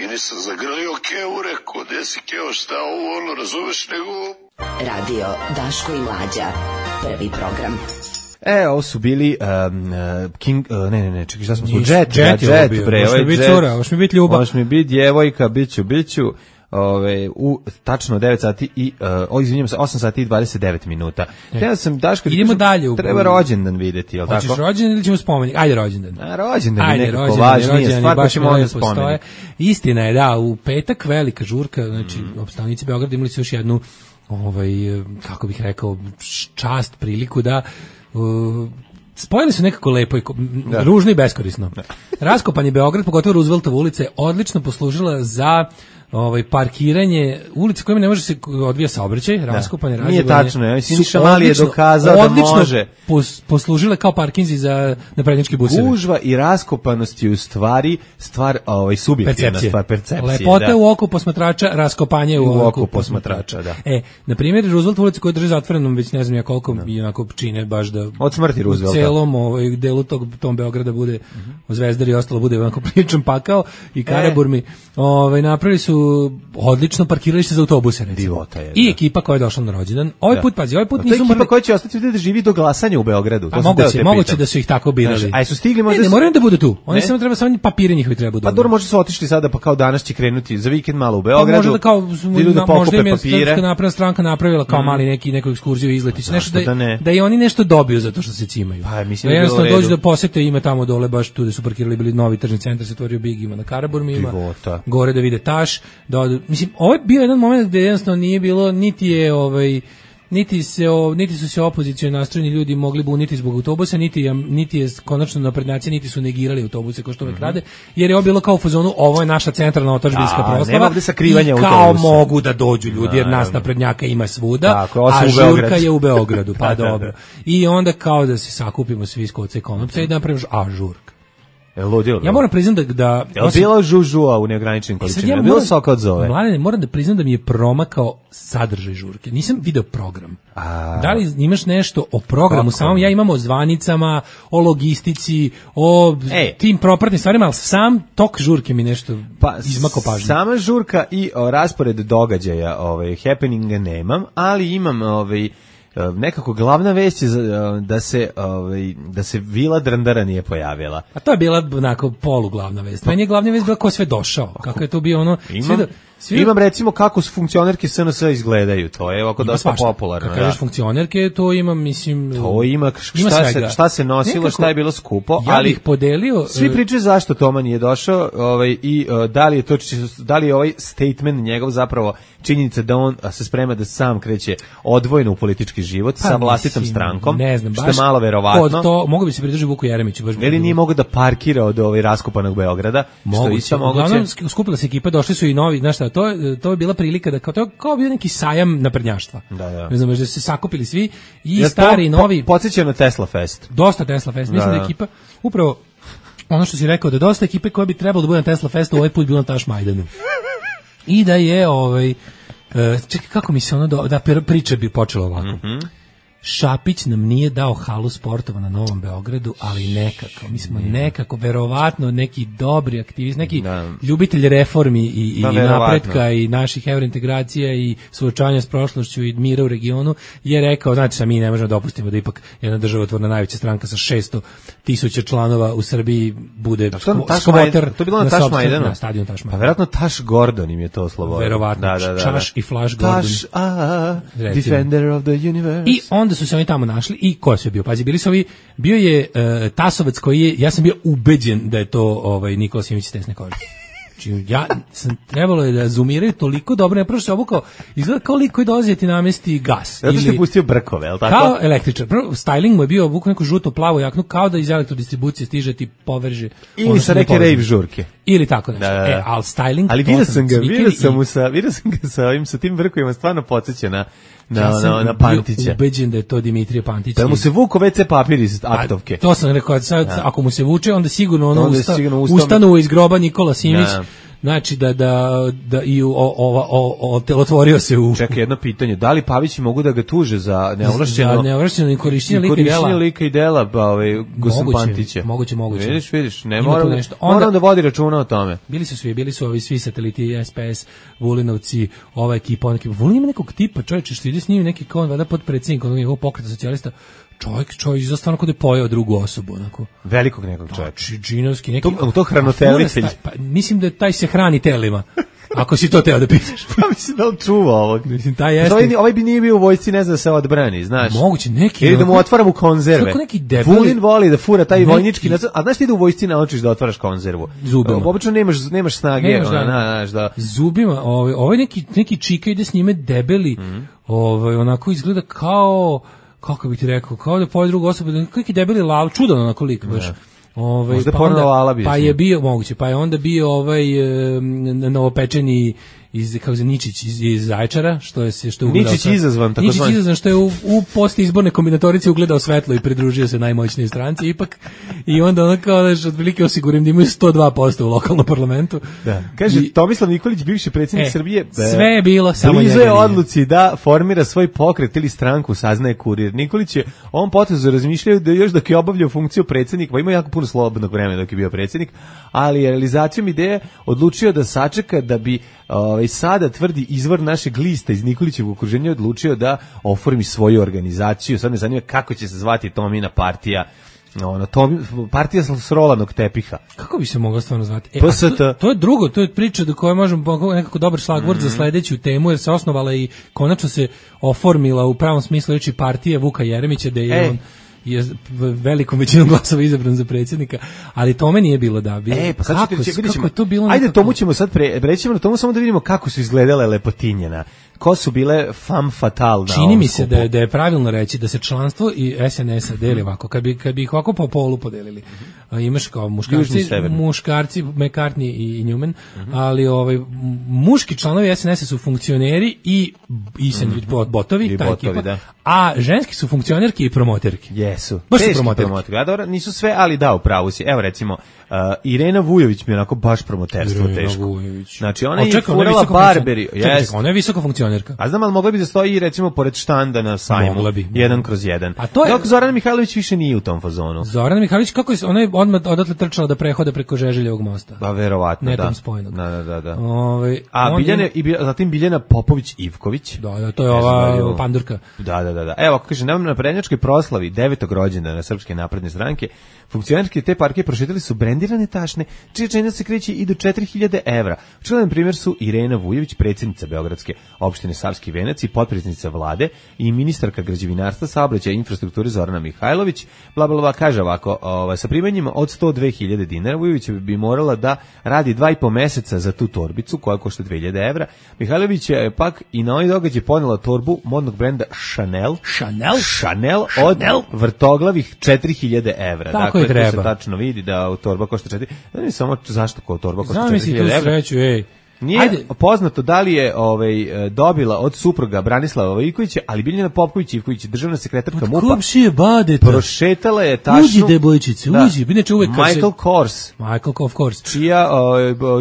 i nisam zagrlio Keo, rekao, gde si Keo, šta ovo, razumeš, nego... Radio Daško i Mlađa, prvi program. Ovo su bili čekaj, šta smo Jet, bre, ovo je Jet. Hoš mi biti ljubav. Hoš mi biti djevojka, biću. u tačno 9 sati i izvinjavam se 8 sati i 29 minuta. Ja sam Daško, idemo dalje. Treba rođendan videti, je l' tako? Hoćeš rođendan ili ćemo spomenik? Ajde rođendan. Rođendan je nekako važnije, stvar pa ćemo onda spomenik. Istina je da, u petak velika žurka, znači opstavnici Beograda imali su još jednu kako bih rekao, čast, priliku da spojili su nekako lepo i ružno i beskorisno. Raskopan je Beograd, pogotovo Rooseveltova ulica, je odlično poslužila za parkiranje ulice kojima ne može se odvija saobraćaj, raskopanje, razjebanje. Nije tačno, ja mislim Siniša Mali je dokazao da može. Poslužile kao parkinzi za naprednjački busevi. Gužva i raskopanost je u stvari stvar subjektivna stvar, percepcije. Lepota u oku posmatrača, raskopanje u oku posmatrača. Da. Na primjer, Rooseveltova ulica koja drži zatvorenom već ne znam ja koliko i onako čine baš da od smrti Roosevelta. U celom delu tom Beograda bude Zvezdar i ostalo bude onako pričan pakao i Karaburmi. Napravili su odlično parkiralište za autobuse, recimo. I ekipa koja je došla na rođendan. Ovaj put nisu ekipa koja će ostati da živi do glasanja u Beogradu. Moguće da su ih tako birali. A su stigli možda... Ne moraju da budu tu. Oni samo treba papire njihovi treba budu. Pa dobro, možda su otišli sada, pa kao danas će krenuti za vikend malo u Beogradu. Možda kao možda im je Srpska napredna stranka napravila kao mali neku ekskurziju izletić, nešto da i oni nešto dobiju zato što se cimaju. Da jednostavno dođu da posete, ima tamo dole baš tu da su parkirali, bili novi tržni centar, se otvorio Big, ima na Karaburmi, ima gore da vide Taš. Mislim, ovo je bio jedan moment gde jednostavno nije bilo, niti su se opozicioni nastrojeni ljudi mogli buniti zbog autobusa, niti je konačno naprednjaci, niti su negirali autobuse kao što uvek rade, jer je ovo bilo kao u fazonu, ovo je naša centralna otadžbinska proslava i kao mogu da dođu ljudi, jer nas naprednjaka ima svuda, a žurka je u Beogradu, pa dobro. I onda kao da se sakupimo svi iz Koca i Konopca i da napravimo žurka. Ja moram priznam da je bilo žužua u neograničenim količinama, bilo soka od zove. Mladene, moram da priznam da mi je promakao sadržaj žurke. Nisam video program. Da li imaš nešto o programu samom? Ja imam o zvanicama, o logistici, o tim propratnim stvarima, ali sam tok žurke mi nešto izmako pažnje. Sama žurka i raspored događaja, happeninga nemam, ali imam nekako glavna vest je da se Vila Drndara nije pojavila. A to je bila onako poluglavna vest. Meni je glavna vest bila ko sve došao. Kako je to bio ono... Imam recimo kako su funkcionerke SNS izgledaju, to je ovako dosta popularno. Kad kažeš funkcionerke, to ima, mislim... To ima šta se nosilo, šta je bilo skupo, ali... Ja bih podelio... Svi pričaju zašto Toma nije došao i da li je ovaj statement njegov zapravo činjenica da on se sprema da sam kreće odvojeno u politički život sa vlastitom strankom, ne znam, što je malo verovatno. Mogu bi se pridržati Vuku Jeremiću. Ili nije mogao da parkira od raskopanog Beograda, što je isto moguće. Uglavnom, skupila se ekipa, došli su i novi, znaš šta, to je bila prilika da kao bio neki sajam naprednjaštva. Ne znam, da se sakupili svi i stari i novi. Podsjeća na Tesla Fest. Dosta Tesla Fest. Mislim da je ekipa upravo ono što si rekao, da dosta ekipe koja bi trebalo da bude na Tesla Festu ovaj put bilo na Taš Majdanu. I da je čekaj, kako mi se da priča bi počela ovako. Šapić nam nije dao halu sportova na Novom Beogradu, ali nekako, mi smo nekako, verovatno neki dobri aktivisti, neki ljubitelj reformi i napretka i naših evrointegracija i suočavanja s prošlošću i mira u regionu, je rekao, znači mi ne možemo dopustiti da ipak jedna državotvorna najveća stranka sa 600.000 članova u Srbiji bude skvoter. To je bilo na Taš Majdanu? Na stadionu Taš Majdanu. Pa verovatno Taš Gordon im je to oslobodio. Verovatno, Čaš i Flash Gordon. Taš, Defender of the Universe. I onda su se oni tamo našli i ko je sve bio? Pazi, bili su ovi, bio je Tasovac koji je, ja sam bio ubeđen da je to Nikola Simić iz Tesne kože. Znači, ja sam trebalo je da zoomiraju toliko dobro, ne prošlo se obukao, izgleda kao lik koji dolazi ti namesti gas. Zato što je pustio brkove, je li tako? Kao električar. Prvo, styling mu je bio obukao neku žuto plavu jaknu, kao da iz elektrodistribucije stiže ti povrže. Ili sa neke rave žurke. Ili tako nešto. Ali styling... Ali vidio sam ga sa tim brkovima, stvarno podsjeća na Pantića. Ja sam ubeđen da je to Dimitrije Pantić. Da mu se vuko WC papir iz aktovke. To sam rekao, sad, ako mu se vuče, onda sigurno ustanu iz groba Nikola Simić. Znači da i otvorio se u... Čekaj, jedno pitanje, da li Pavići mogu da ga tuže za neovlašćeno korišćenje lika i dela Gosan Pantića? Moguće. Vidiš, ne moram da vodi računa o tome. Bili su ovi svi sateliti, SPS, Vulinovci, ova ekipa, Vulin ima nekog tipa, čovječe, što ide s njim neki kao vada podpredsjednik onog njegovog pokreta socijalista, čovjek izgleda stvarno kod je pojeo drugu osobu, onako. Velikog nekog čovjeka. Džinovski, neki... To hranitelitelj. Mislim da taj se hrani telima. Ako si to teo da pitaš. Pa mislim da on čuva ovog. Mislim, taj jeste. Ovaj bi nije bio u vojsci, ne zna da se odbrani, znaš. Moguće, neki... Ili da mu otvaram u konzerve. Kako neki debeli... Vulin voli da fura taj vojnički... A znaš ti da u vojsci naučiš da otvaraš konzervu? Zubima. Obično nemaš snage. Zubima, ovaj neki čika ide s njime debeli, onako izgleda kao... Kako bih ti rekao, kao da poje drugu osobu, neki debeli lav, čudan onako lik, baš. Možda pa je bio moguće, pa je onda bio novopečeni Ničić iz Zaječara, što je Ničić izazvan, tako Ničić izazvan, što je u postizborne kombinatorice ugledao svetlo i pridružio se najmoćnijoj stranci ipak, i onda ono kao da otprilike osigurim da imaju 102% u lokalnom parlamentu. Da. Kaže, Tomislav Nikolić, bivši predsjednik Srbije, sve je bilo, samo blizu je odluci da formira svoj pokret ili stranku, saznaje Kurir. Nikolić je ovom potezu razmišljao da još dok je obavljao funkciju predsjednika, pa ima jako puno slobodnog vremena dok je bio predsjednik, ali je realizacijom ideje odlučio da sačeka da bi sada tvrdi izvor našeg lista iz Nikolićevog okruženja odlučio da oformi svoju organizaciju. Sad me zanima kako će se zvati Tomina partija. Partija s rolanog tepiha. Kako bi se mogla stvarno zvati? PST. To je drugo, to je priča do koje možemo nekako dobar šlagvord za sledeću temu, jer se osnovala i konačno se oformila u pravom smislu reči partije Vuka Jeremića, da je on je velikom većinom glasova izabran za predsjednika, ali tome nije bilo da bilo. Pa sad kako je to bilo? Ajde, tomu ćemo sad prećemo na tomu, samo da vidimo kako su izgledale lepotinjena. Ko su bile femme fatale na Čini mi se da je pravilno reći da se članstvo i SNS-a deli ovako. Kad bi ih ovako po polu podelili. Imaš kao muškarci McCartney i Newman, ali muški članovi SNS-a su funkcioneri i botovi, ta ekipa, a ženski su funkcionerke i promoterke. Jesu. Baš su promoterke. A dobro, nisu sve, ali da, upravo si. Evo recimo, Irena Vujović mi je onako baš promoterstvo teško. Znači ona je furala Barberi. Ona je visoka funkcionerka. A znam, ali mogla bi da stoji recimo pored štanda na sajmu. 1/1. A to je... Dok Zorana Mihajlović više nije u tom fazonu. Zorana Mihajlović, kako je ona je odmah odatle trčala da prehoda preko Žeželjevog mosta. Pa verovatno, netom spojenog. Da. Zatim Biljana Popović-Ivković. Da, to je ova pandurka. Da. Evo, ako kaže, na prednjačkoj proslavi 9. rođendana Srpske napredne stranke, funkcionerke te partije prošetali su brendirane tašne, čija cena se kreće i do 4.000 evra. Čudan primjer su Irena Vujović, predsjednica Beogradske opštine Savski Venac i potpredsjednica vlade, i ministarka građevinarstva, saobraćaja i infrastrukture Zorana Mihajlović. Blablabla kaže ovako, sa primanjima od 102.000 dinara Vujović bi morala da radi 2,5 meseca za tu torbicu koja košta 2.000 evra. Mihajlović je pak i na ovaj događaj ponela torbu modnog brenda Chanel od vrtoglavih 4.000 evra. Tako dakle, treba. To se tačno vidi da torba košta 4. Ne znam samo zašto kao torba košta 4.000 evra. Zamisli tu sreću, Nije poznato da li je dobila od supruga Branislava Ivkovića, ali Biljana Popović-Ivković, državna sekretarka MUP-a, komšije badeta, prošetala je tašnu... Uđi, debojčice, uđi. Inače uvek Michael Kors,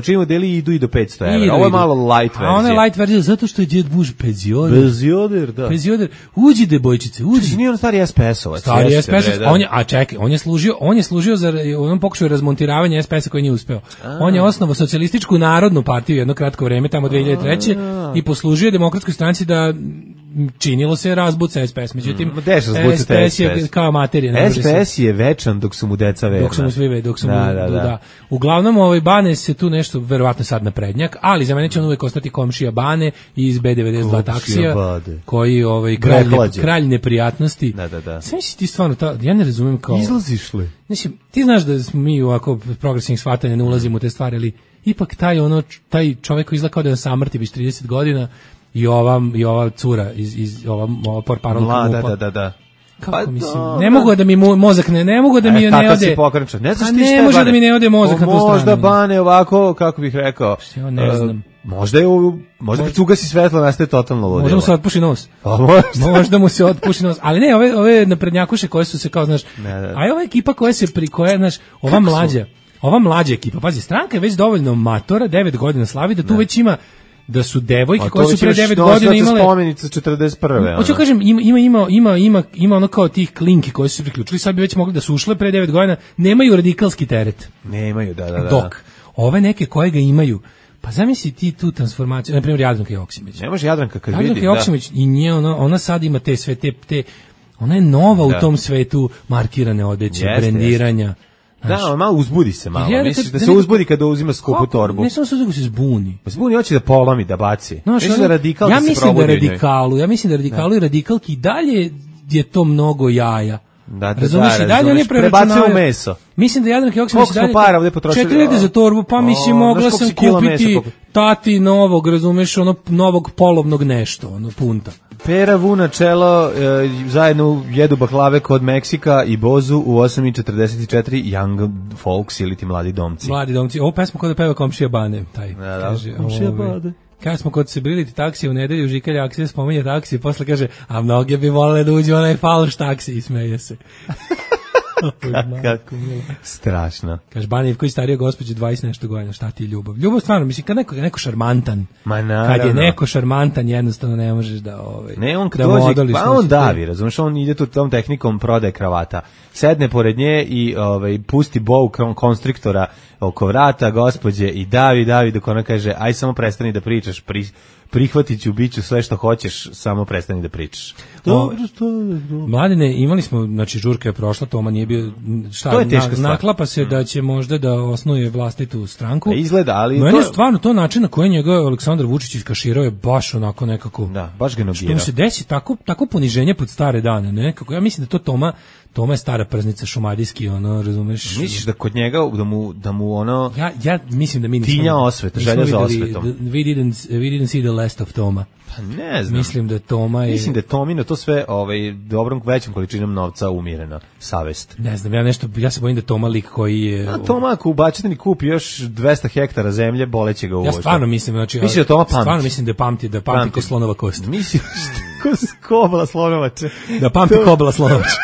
čiji modeli idu i do 500 evra. Ovo je malo light verzija. A ona je light verzija zato što je djed muž penzioner. Da. Penzioner. Uđi, debojčice, uđi. Nije on stari SPS-ovac. Stari SPS-ovac. A čekaj, on je služio za on pokušao razmontiravanje SPS-a koji nije uspeo. On je osnovao socijalističku narodnu partiju jedno kratko vreme, tamo 2003. i poslužio Demokratskoj stranci da činilo se razbuca SPS. Međutim, SPS je kao materija. SPS je večan dok su mu deca verna. Dok su mu Uglavnom, Bane se tu nešto, verovatno sad naprednjak, ali za mene će on uvek ostati komšija Bane iz B92 taksija, koji kralj neprijatnosti. Sve misli ti stvarno, ja ne razumem kao... Izlaziš li? Mislim, ti znaš da smo mi ovako progresivnih shvatanja ne ulazimo u te stvari, ali ipak taj čovjek koji izgleda kao da je samrti već 30 godina i ova cura iz ova porparolka MUP-a. Da. Kako mislim? Ne mogu da mi mozak ne mogu da mi ne ode. Ne znaš ti šta je. Može da mi ne ode mozak na tu stranu. Možda Bane ovako, kako bih rekao. Ja ne znam. Možda kad ugasi svetlo nastaje totalno ludilo. Možda mu se otpuši nos. Možda mu se otpuši nos. Ali ne, ove naprednjakuše koje su se kao, znaš, a ova ekipa koja se znaš, ova mlađa ekipa, pazi, stranka je već dovoljno matora, 9 godina slavi, da tu već ima, da su devojke koje su pre 9 godina imale spomenica 41. Hoću kažem, ima ono kao tih klinki koji su se priključili, sad bi već mogli da su ušle pre 9 godina, nemaju radikalski teret. Nemaju, da. Dok ove neke koje ga imaju, pa zamisli ti tu transformaciju, na primjer Jadranka Joksimović. Ne može Jadranka kad vidi, Jadranka Joksimović i nje ona sad ima te sve te ona je nova u tom svetu markirane odeće, brendiranja. Da, malo uzbudi se malo. Misliš da se uzbudi kada uzima skupu torbu? Ne samo se uzbudi, se zbuni. Zbuni, hoće da polomi, da baci. Misliš da radikal da se probudi? Ja mislim da radikalu i radikalki dalje je to mnogo jaja. Razumiješ, i dalje oni prebacuju u meso. Mislim da Jadranka Joksimović dalje 4.000 za torbu, pa mislim mogla sam kupiti tati novog, razumeš, novog polovnog nešto, punta. Pera, Vuna, Čelo zajedno jedu baklave kod Meksika i Bozu u 8.44 Young Folks ili ti Mladi domci. Mladi domci, ovo pesma kod da peva Komšija Bane, taj. Kaže, Komšija Bane. Kad smo kod Sebiliti taksije u nedelju, Žikalja Aksija spominje taksije, posle kaže, a mnoge bi volele da uđe onaj falš taksi i smeje se. Kako strašno. Kaže, Bana Ivković starija gospođe 20 nešto godina, šta ti je ljubav? Ljubav stvarno, mislim, kad neko šarmantan, kad je neko šarmantan, jednostavno ne možeš da ne, on kad dođe, pa on davi, razumiješ, on ide tu tom tehnikom prodaje kravata. Sedne pored nje i pusti bow konstriktora oko vrata gospođe i davi dok ona kaže, aj samo prestani da pričaš, prihvatit ću, bit ću sve što hoćeš, samo prestani da pričaš. Mladine, imali smo, znači žurka je prošla, Toma nije bio, naklapa se da će možda da osnuje vlastitu stranku. Izgleda, ali no, je stvarno to način na koji njega Aleksandar Vučić iskaširao je baš onako nekako. Da, baš ga nogirao. Što mu se desi tako poniženje pod stare dane, nekako. Ja mislim da to Toma je stara prznica šumadijski, razumeš? Misliš da kod njega da mu ono ja mislim da mi nismo tinja osveta, želja za osvetom. We didn't see the last of Toma. Pa ne znam. Mislim da je Tomino to sve dobrom većom količinom novca umirena savest. Ne znam, ja se bojim da Toma lik koji je Toma ako ubačetni kupi još 200 hektara zemlje, boleće ga u Ja stvarno mislim, znači da Toma pamti. Stvarno mislim da pamti ko slonova kost. Misliš kobla slonovače. Da pamti kobla slonovače.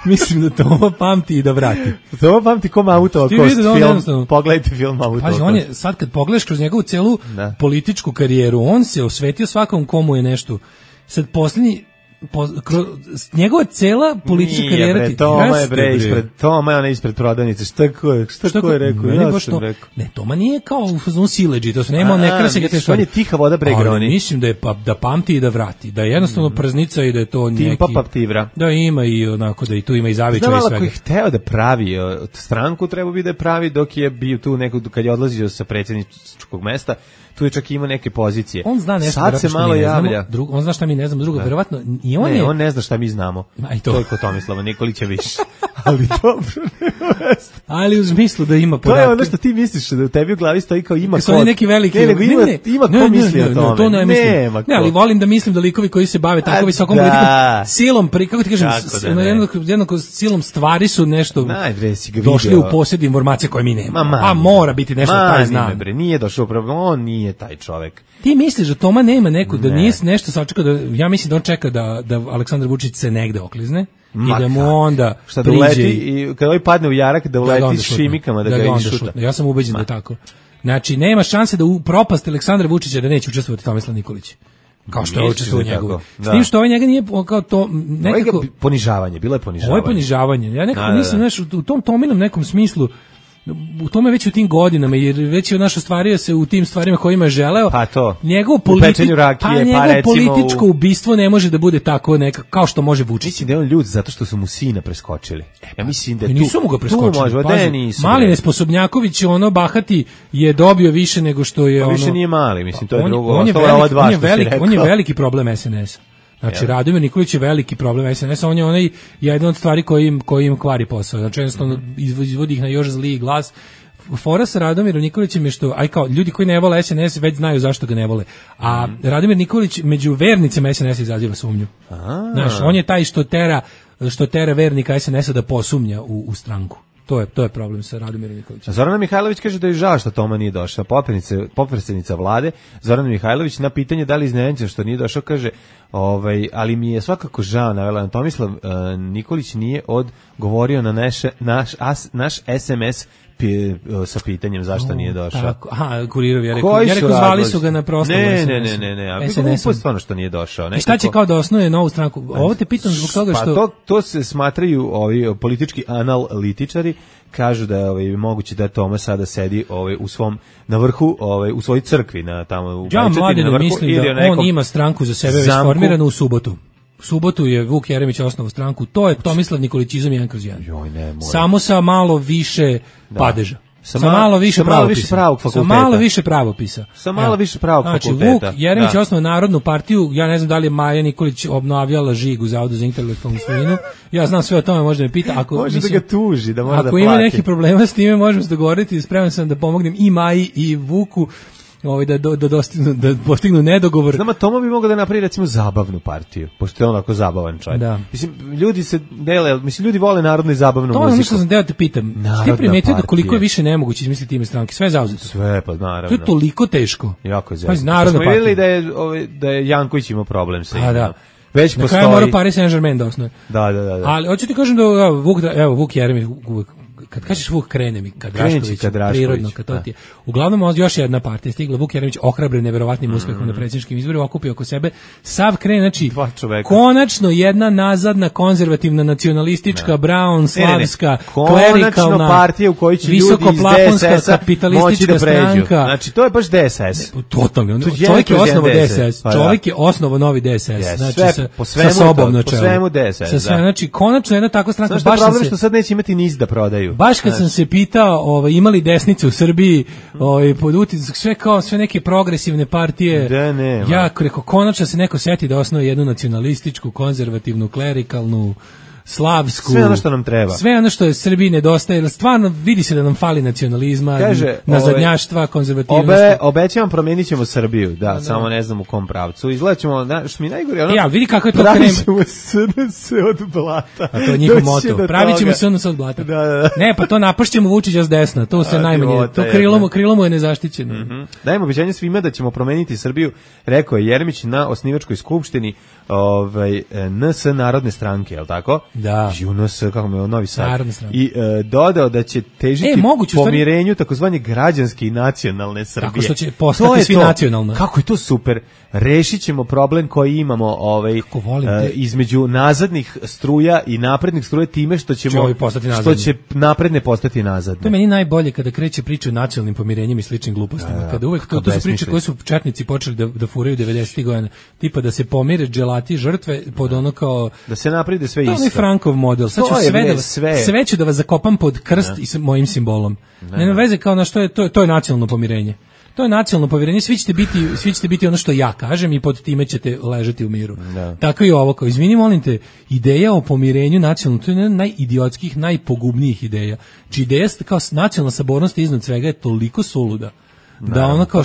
Mislim da Toma pamti i da vrati. Toma pamti ko Mamutova kost film. Pogledajte film Mamutova kost. On je, sad kad pogledaš kroz njegovu celu političku karijeru, on se osvetio svakom komu je nešto. Sad posljednji njegova cela politička karijera Toma je ona ispred prodavnice. Šta ko je rekao? Ja sam rekao. Ne, Toma nije kao u fazonu siledži, to se nema, ne krase ga te stvari. On je tiha voda Bregroni. Mislim da je da pamti i da vrati, da je jednostavno prznica i da je to neki. Timpa paptivra. Da ima i onako da i tu ima i zavičaj i svega. Znam, ako je hteo da pravi stranku, treba bi da je pravi dok je bio tu kad je odlazio sa predsjedničkog mesta. Tu je čak ima neke pozicije. On zna nešto, sad se malo javlja. On zna šta mi ne znamo, drugo, verovatno i on on ne zna šta mi znamo. Toliko Tomislava Nikolića više. Ali dobro. Ali u smislu da ima podatke. To je ono što ti misliš, da u tebi u glavi stoji kao ima kod. Oni neki veliki. Ima ko misli o tome. To ne mislim. Ne, ali volim da mislim da likovi koji se bave tako visokom politikom, silom, kako ti kažem, jednako silom stvari su nešto došli u posjed informacija koje mi nemamo. A mora biti nešto taj znam. Nije došao upravo, on nije taj čovjek. Ti misliš da Toma nema neku, da nije nešto sačekao, ja mislim da on čeka da Aleksandar Vučić se negde oklizne i da mu onda priđe i kada ovaj padne u jarak da uleti s šimikama da ga išuta. Ja sam ubeđen da je tako. Znači, nema šanse da u propast Aleksandra Vučića da neće učestvovati Tomislav Nikolić. Kao što je učestvovao njegov. S tim što ovaj njega nije kao to nekako ponižavanje, bilo je ponižavanje. Ovo je ponižavanje. Ja nekako mislim, znaš, u tom Tominom nekom smislu, u tome već u tim godinama, jer već je naš ostvario se u tim stvarima kojima je želeo. Pa to. Njegovo političko ubistvo ne može da bude tako nekako kao što može Vučić. Mislim da je on ljud zato što su mu sina preskočili. Ja mislim da nisu mu ga preskočili. Mali Nesposobnjaković, ono bahati, je dobio više nego što je više nije mali, mislim, to je drugo. On je veliki problem SNS-a. Znači, Radomir Nikolić je veliki problem SNS-a, on je jedna od stvari koji im kvari posao. Znači, jednostavno izvodi ih na još zliji glas. Fora sa Radomirom Nikolićem je što, kao ljudi koji ne vole SNS već znaju zašto ga ne vole. A Radomir Nikolić među vernicima SNS izaziva sumnju. Znaš, on je taj što tera vernika SNS-a da posumnja u stranku. To je problem sa Radomirom Nikolićem. Zorana Mihajlović kaže da je žao što Toma nije došao. Potpredsjednica vlade Zorana Mihajlović na pitanje da li iznenađen što nije došao kaže, ali mi je svakako žao, navela Tomislav Nikolić nije odgovorio na naš SMS sa pitanjem zašto nije došao. Tako. Aha, Kurirovi, ja rekao zvali su ga na proslavu SNS. Ne. SNS-om stvarno što nije došao. I šta će kao da osnuje novu stranku? Ovo te pitam zbog toga što... Pa to se smatraju ovi politički analitičari, kažu da je moguće da Toma sada sedi u svom na vrhu, u svojoj crkvi na tamo u Bajčetini na vrhu. Ja mladen mislim da on ima stranku za sebe već formiranu u subotu. subotu je Vuk Jeremić osnovao stranku, to je Tomislav Nikolićizam 1/1. Joj, ne, samo sa malo više padeža. Sa malo više pravopisa. Sa malo više pravopisa. Sa malo više pravog fakulteta. Znači, Vuk Jeremić je osnovao Narodnu partiju, ja ne znam da li je Maja Nikolić obnavljala žig u Zavodu za intelektualnu svojinu, ja znam sve o tome, možda me pita. Može da ga tuži, da mora da plati. Ako ima neki problema s time, možemo se dogovoriti, spreman sam da pomognem i Maji i Vuku, da postignu nedogovor. Znamo, Tomo bi mogao da napravi recimo zabavnu partiju, pošto je on onako zabavan čovjek. Da. Mislim, ljudi se dele, ljudi vole narodnu i zabavnu muziku. To je što sam teo te pitam. Ti primetio da koliko je više nemoguće izmisliti ime stranke, sve je zauzeto. Sve, pa naravno. To je toliko teško. Jako je zajedno. Smo vidjeli da je Janković imao problem sa imenom. Da. Već postoji. Na kraju mora Paris Saint-Germain da osnoje. Da. Ali hoću ti kažem da Vuk Jeremić, kad kažeš Vuk krene mi, kad Drašković, prirodno, kad to ti je. Uglavnom, još jedna partija stigla, Vuk Jeremić ohrabren neverovatnim uspehom na predsjedničkim izborima, okupio oko sebe, sav krene, znači, konačno jedna nazadna, konzervativna, nacionalistička, brown, slavska, klerikalna, partija u kojoj će ljudi iz DSS-a moći da pređu. Znači, to je baš DSS. Totalno. Čovjek je osnovao DSS. Čovjek je osnovao novi DSS. Znači, sa sobom na čelu. Po svemu DSS, znači, konačno jedna takva stranka. Znaš što je problem što sad neće imati niz da prodaju. Baš kad sam se pitao, imali desnice u Srbiji, pod utisak, sve neke progresivne partije, ja rekao, konačno se neko seti da osnovi jednu nacionalističku, konzervativnu, klerikalnu, slavsku, sve ono što nam treba. Sve ono što je Srbiji nedostaje, jer stvarno vidi se da nam fali nacionalizma, nazadnjaštva, konzervativnosti. Obećavam, promijenit ćemo Srbiju, samo ne znam u kom pravcu. Izgledaćemo, što mi najgore, vidi kako je to pravi ćemo SNS od blata. A to je njihov moto. Pravit ćemo SNS od blata. Ne, pa to napašćemo Vučića s desna, to se najmanje, to krilo mu je nezaštićeno. Dajemo obećanje svima da ćemo promijeniti Srbiju, rekao je Jeremić na osnivačkoj skupštini NS Narodne stranke, je li tako? Da. UNS, kako me Novi Sad. I dodao da će težiti pomirenju takozvanje građanske i nacionalne Srbije. Tako što će postati svi nacionalna. Kako je to super. Rešit ćemo problem koji imamo između nazadnih struja i naprednih struja time što će napredne postati nazadne. To je meni najbolje kada kreće priča o nacionalnim pomirenjima i sličnim glupostima. Kada uvek to su priče koje su četnici počeli da furaju 90-ih godina. Tipa da se pomire dželati žrtve pod ono kao... Da se naprede sve isto. To je Frankov model. Sad ću sve ću da vas zakopam pod krst i sa mojim simbolom. Nema veze kao na što je, to je nacionalno pomirenje. To je nacionalno povjerenje, svi ćete biti ono što ja kažem i pod time ćete ležati u miru. Tako i ovo, kao izvini, molim te, ideja o pomirenju nacionalno, to je jedna najidiotskih, najpogubnijih ideja. Či ideja kao nacionalna sabornost iznad svega je toliko suluda. Da ona kao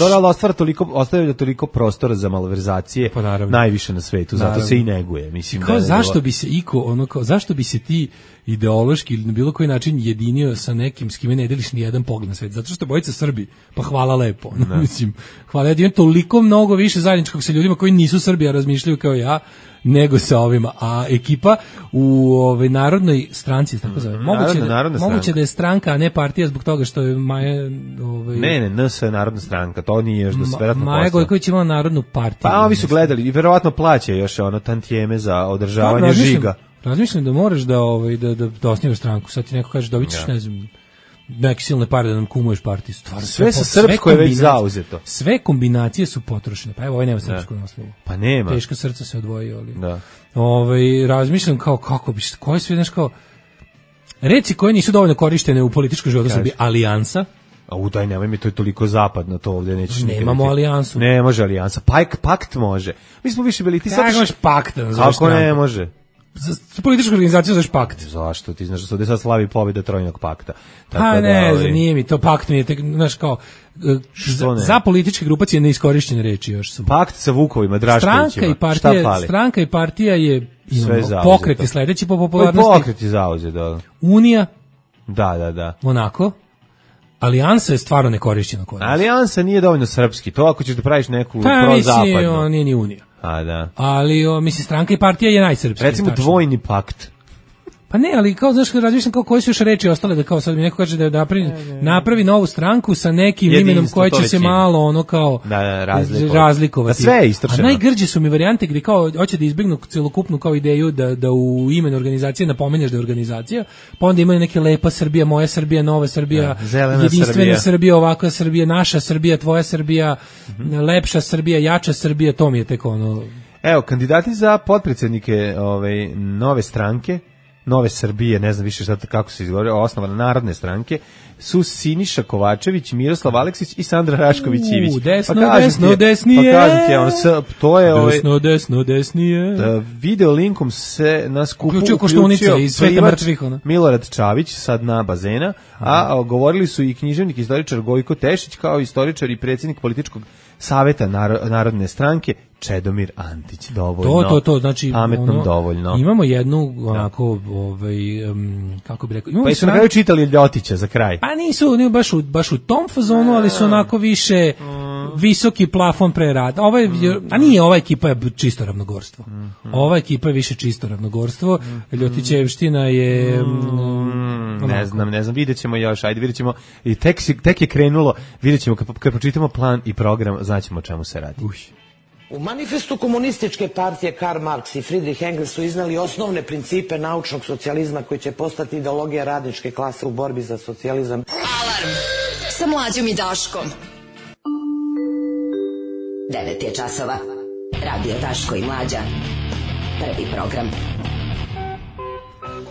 ostavlja toliko prostora za malverzacije, najviše na svetu, zato se i neguje. Mislim kao zašto bi se zašto bi se ti ideološki ili na bilo koji način jedinio sa nekim s kime ne deliš ni jedan pogled na svet, zato što bojica Srbi, pa hvala lepo. Mislim, hvala, ja imam toliko mnogo više zajedničkog sa ljudima koji nisu Srbi, a razmišljaju kao ja, nego sa ovima, a ekipa u Narodnoj stranci, tako zove. Moguće da je stranka, a ne partija zbog toga što je Maja... Ne, NS je Narodna stranka, to nije još verovatno Maja Gojković imala Narodnu partiju. Pa ovi su gledali i verovatno plaća još tantijeme za održavanje žiga. Razmišljam da moraš da osnivaš stranku, sad ti neko kaže dobit ćeš, ne znam, neke silne pare da nam kumuješ partiju. Sve sa srpsko je već zauzeto. Sve kombinacije su potrošene. Pa evo, ovaj nema srpsku naslovu. Pa nema. Teška srca se odvojio. Ali. Razmišljam kao kako bi, koje sve, znaš kao, reci koje nisu dovoljno korištene u političkom životu Srbije, alijansa. Daj, nemoj mi, to je toliko zapadno, to ovdje nećeš nikad. Nemamo alijansu. Ne može alijansa, pakt može. Mi smo više bili, ti sad... Kako možeš pakt? Kako ne može? Za političku organizaciju znaš pakt. Zašto? Ti znaš da se ovdje sad slavi pobjeda trojnog pakta. Pa ne, nije mi to pakt, mi je tek, znaš kao, za političke grupacije neiskorišćene reči još su. Pakt sa Vukovima, Draškovićima, šta fali? Stranka i partija je pokret je sledeći po popularnosti. Pokret je zauzet, da. Unija. Da. Onako. Alijansa je stvarno nekorišćena kod nas. Alijansa nije dovoljno srpski, to ako ćeš da praviš neku prozapadnu. Pa mislim, nije ni Unija. Ali, mislim, stranka i partija je najsrpski. Recimo dvojni pakt. Pa ne, ali kao, znaš, razmišljam kao koje su još reči ostale, da kao sad mi neko kaže da napravi novu stranku sa nekim imenom koje će se malo ono kao razlikovati. Sve je istrčeno. A najgrđe su mi varijante gdje kao hoće da izbjegnu celokupnu kao ideju da u imenu organizacije napomeneš da je organizacija, pa onda imaju neke lepa Srbija, moja Srbija, nova Srbija, jedinstvena Srbija, ovakva Srbija, naša Srbija, tvoja Srbija, lepša Srbija, jača Srbija, to mi je tek ono... Evo, kandidati za potpredsjednike nove stranke, Nove Srbije, ne znam više kako se izgovore, osnovane Narodne stranke, su Siniša Kovačević, Miroslav Aleksić i Sandra Rašković-Ivić. Desno, desnije. Pa kažem ti, to je Desno, desnije. Video linkom se na skupu uključio Koštunice iz Sveta mrtvih. Milorad Čavić, sad na bazena, a govorili su i književnik, istoričar Gojko Tešić, kao istoričar i predsjednik političkog saveta Narodne stranke Čedomir Antić. Dovoljno. To znači pametnom dovoljno. Imamo jednu onako kako bih rekao, pa su na kraju čitali Ljotića za kraj. Pa nisu baš u tom fazonu, ali su onako više visoki plafon pre rada. Ova ekipa je čisto ravnogorstvo. Ova ekipa je više čisto ravnogorstvo. Ljotićevština je ne znam, videćemo još, ajde videćemo. I tek je krenulo, videćemo kad pročitamo plan i program, znaćemo o čemu se radi. U manifestu komunističke partije Karl Marx i Friedrich Engels su iznali osnovne principe naučnog socijalizma koji će postati ideologija radničke klase u borbi za socijalizam. Alarm sa Mlađom i Daškom. 9 je časova. Radio Daško i Mlađa. Prvi program.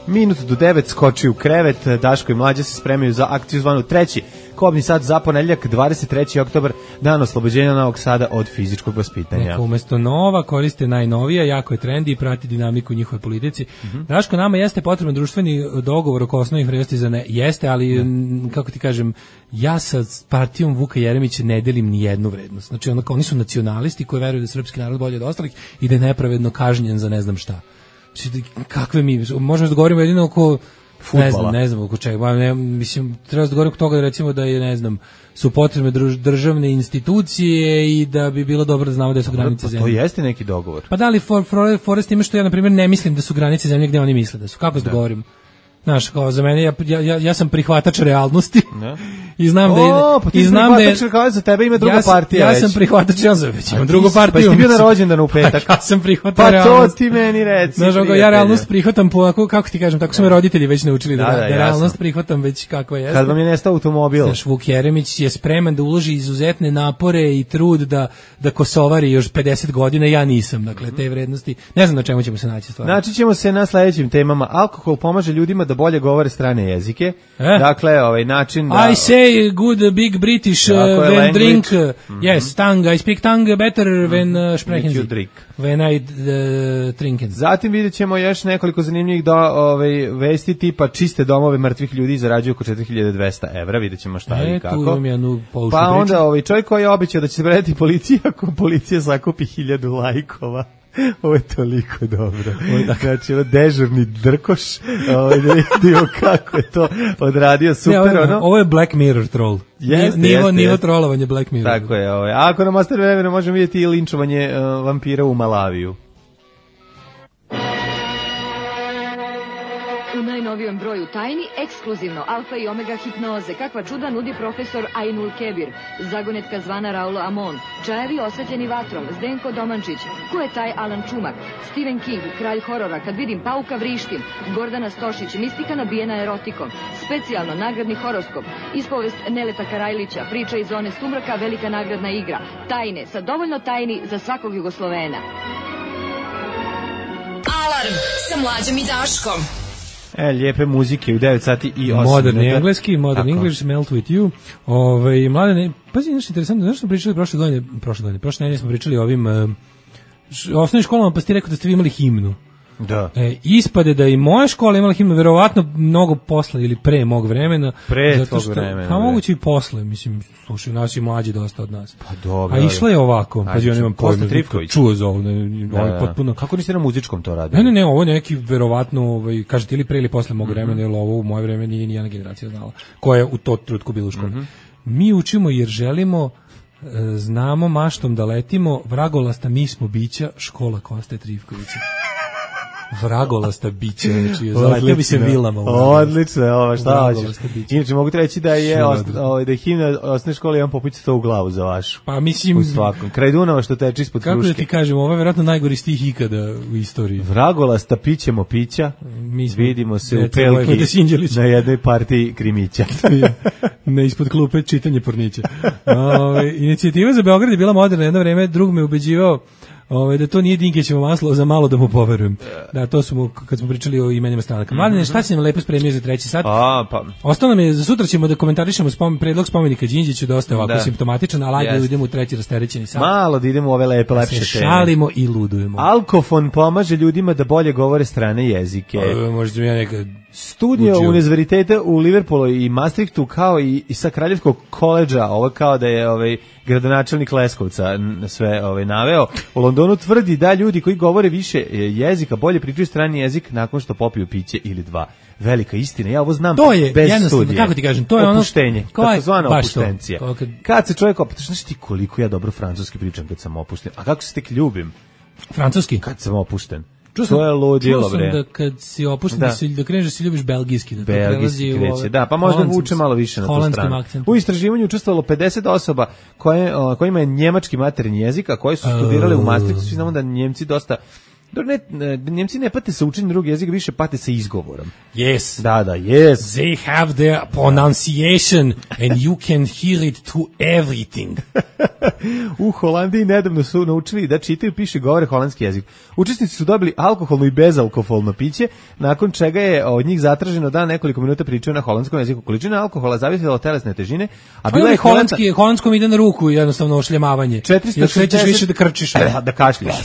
Minut do 9 skoči u krevet, Daško i Mlađa se spremaju za akciju zvanu Treći kobni sat za ponedeljak, 23. oktobar, dan oslobođenja Novog Sada od fizičkog vaspitanja. Neka umesto nova koriste najnovija, jako je trendi i prati dinamiku njihove politici. Daško, nama jeste potreban društveni dogovor oko osnovnih vrednosti za ne. Jeste, ali kako ti kažem, ja sa partijom Vuka Jeremića ne delim ni jednu vrednost. Znači, oni su nacionalisti koji veruju da je srpski narod bolji od ostalih i da je nepravedno kažnjen za ne znam šta. Kakve mi, možemo da govorimo jedino oko fudbala. Ne znam oko čega, mislim, treba da govorimo oko toga da recimo da je, ne znam, su potrebne državne institucije i da bi bilo dobro da znamo da su granice zemlje. To jeste neki dogovor. Pa da li Forest ima što ja, na primjer, ne mislim da su granice zemlje gde oni misle da su. Kako se dogovorimo? Znaš, kao za mene, ja sam prihvatač realnosti i znam da je... znam da je... kao za tebe ima druga partija već. Ja sam prihvatač, ja već imam drugu partiju. Pa si ti bio na rođendanu u petak. Ja sam prihvatao realnost. Pa to ti meni reci. Znaš, ja realnost prihvatam po, kako ti kažem, tako su me roditelji već naučili da realnost prihvatam već kakva jeste. Kad vam je nestao automobil. Znaš, Vuk Jeremić je spreman da uloži izuzetne napore i trud da kosovari još 50 godina, ja nisam. Dakle, te vrednosti, ne znam na čemu ćemo se naći stvarno. Naći ćemo se na sledećim temama. Alkohol pomaže ljudima da bolje govore strane jezike. Dakle, ovaj način da... I say good big British when drink. Yes, tongue. I speak tongue better when sprechen Sie. When I trinken. Zatim vidjet ćemo još nekoliko zanimljivih vesti tipa čiste domove mrtvih ljudi zarađuju oko 4200 evra. Vidjet ćemo šta i kako. Tu imam jednu poučnu pa onda čovjek koji je obećao da će se predati policiji ako policija sakupi 1000 lajkova. Ovo je toliko dobro. Znači, dežurni drkoš, da vidimo kako je to odradio, super, Ovo je Black Mirror troll. Nivo trollovanje Black Mirror. Tako je. A ako nam ostane vremena, možemo vidjeti i linčovanje vampira u Malaviju. U najnovijem broju tajni, ekskluzivno alfa i omega hipnoze, kakva čuda nudi profesor Ainul Kebir, zagonetka zvana Raulo Amon, čajevi osvetljeni vatrom, Zdenko Domančić, ko je taj Alan Čumak, Stephen King, kralj horora, kad vidim pauka vrištim, Gordana Stošić, mistika nabijena erotikom, specijalno nagradni horoskop, ispovest Neleta Karajlića, priča iz zone sumraka, velika nagradna igra, tajne, sa dovoljno tajni za svakog Jugoslovena. Alarm sa Mlađom i Daškom. Lijepe muzike u 9 sati i 8 Moderni engleski, Modern English, Melt With You. Mladene, pazi, nešto interesantno, znaš što smo pričali prošle nedelje smo pričali o ovim osnovnim školama, pa ste rekao da ste vi imali himnu. Da. Ispade da i moja škola imala himnu, verovatno mnogo posle ili pre mog vremena. Pre tvog vremena. Pa moguće i posle, mislim, slušaju nas i mlađi dosta od nas. Pa dobro. A išla je ovako, pa ja nemam pojma, čuo za ovo, potpuno. Kako niste na muzičkom to radili? Ne, ovo je neki verovatno, kažete ili pre ili posle mog vremena, jer ovo u moje vreme nije nijedna generacija znala, koja je u to trenutku bila u školi. Mi učimo jer želimo, znamo maštom da letimo, vragolasta mi smo bića, škola Koste Trivkovića. Vragolasta bića, znači zaletio bi se vilama. Odlično, šta hoćeš. Inače, mogu ti reći da je himna osnovne škole imam popići to u glavu za vašu. Pa mislim... U svakom. Kraj Dunava što teče ispod kruške. Kako da ti kažem, ovo je vjerojatno najgori stih ikada u istoriji. Vragolasta pićemo pića, vidimo se u Pelki na jednoj partiji krimića. Ne ispod klupe čitanje pornića. Inicijativa za Beograd je bila moderna jedno vreme, drug me ubeđivao Da to nije Dinkićevo maslo, za malo da mu poverujem. Da, to su kad smo pričali o imenima stranaka. Mladene, šta si nam lepo spremio za 3. sat? Ostalo nam je, za sutra ćemo da komentarišemo predlog spomenika Đinđiću, dosta je ovako simptomatičan, ali ajde da idemo u 3. rasterećeni sat. Malo da idemo u ove lepe, lepše teme. Šalimo i ludujemo. Alkofon pomaže ljudima da bolje govore strane jezike. Možda mi ja nekad... Studio univerziteta u Liverpoolu i Maastrichtu, kao i sa Kraljevskog koledža, ovo kao da je gradonačelnik Leskovca sve naveo, u Londonu tvrdi da ljudi koji govore više jezika bolje pričaju strani jezik nakon što popiju piće ili dva. Velika istina, ja ovo znam bez studije. Kako ti kažem, to je opuštenje, takozvana opuštencija. Kad se čovjek opušten, znaš ti koliko ja dobro francuski pričam kad sam opušten, a kako se tek ljubim? Francuski? Kad sam opušten. To je ludilo, bre. Da kad si opušten, da kreneš da si ljubiš belgijski. Da belgijski kreće, da, pa možda vuče malo više na tu stranu. U istraživanju učestvovalo 50 osoba kojima je njemački maternji jezik, a koji su studirale u Maastrichtu. Svi znamo da Njemci dosta... Njemci ne pate sa učenjem drugog jezika, više pate sa izgovorom. Yes. Da, yes. They have their pronunciation and you can hear it to everything. U Holandiji nedavno su naučili da čitaju, pišu i govore holandski jezik. Učesnici su dobili alkoholno i bezalkoholno piće, nakon čega je od njih zatraženo da nekoliko minuta pričaju na holandskom jeziku. Količina alkohola zavisila od telesne težine, a bila je holandskom ide na ruku, jednostavno ošljamavanje. 460 više da krčiš, da kašljaš.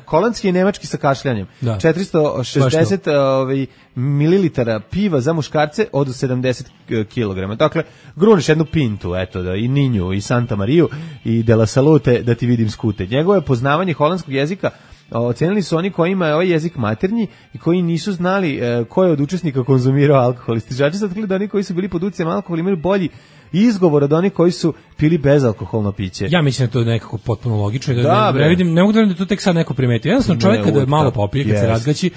Holandski je nemački sa kašljanjem. 460 mililitara piva za muškarce od 70 kg. Dakle, gruniš jednu pintu, eto, i Ninju, i Santa Mariju, i De La Salute, da ti vidim skute. Njegovo je poznavanje holandskog jezika ocenili su oni kojima je ovaj jezik maternji i koji nisu znali ko je od učesnika konzumirao alkohol. Istraživači su otkrili da oni koji su bili pod utjecajem alkohola imaju bolji izgovor od onih koji su pili bezalkoholno piće. Ja mislim da to je nekako potpuno logično. Ne vidim, ne mogu da to tek sad neko primeti. Jednostavno čovjek kada je malo popije, kad se razgaći,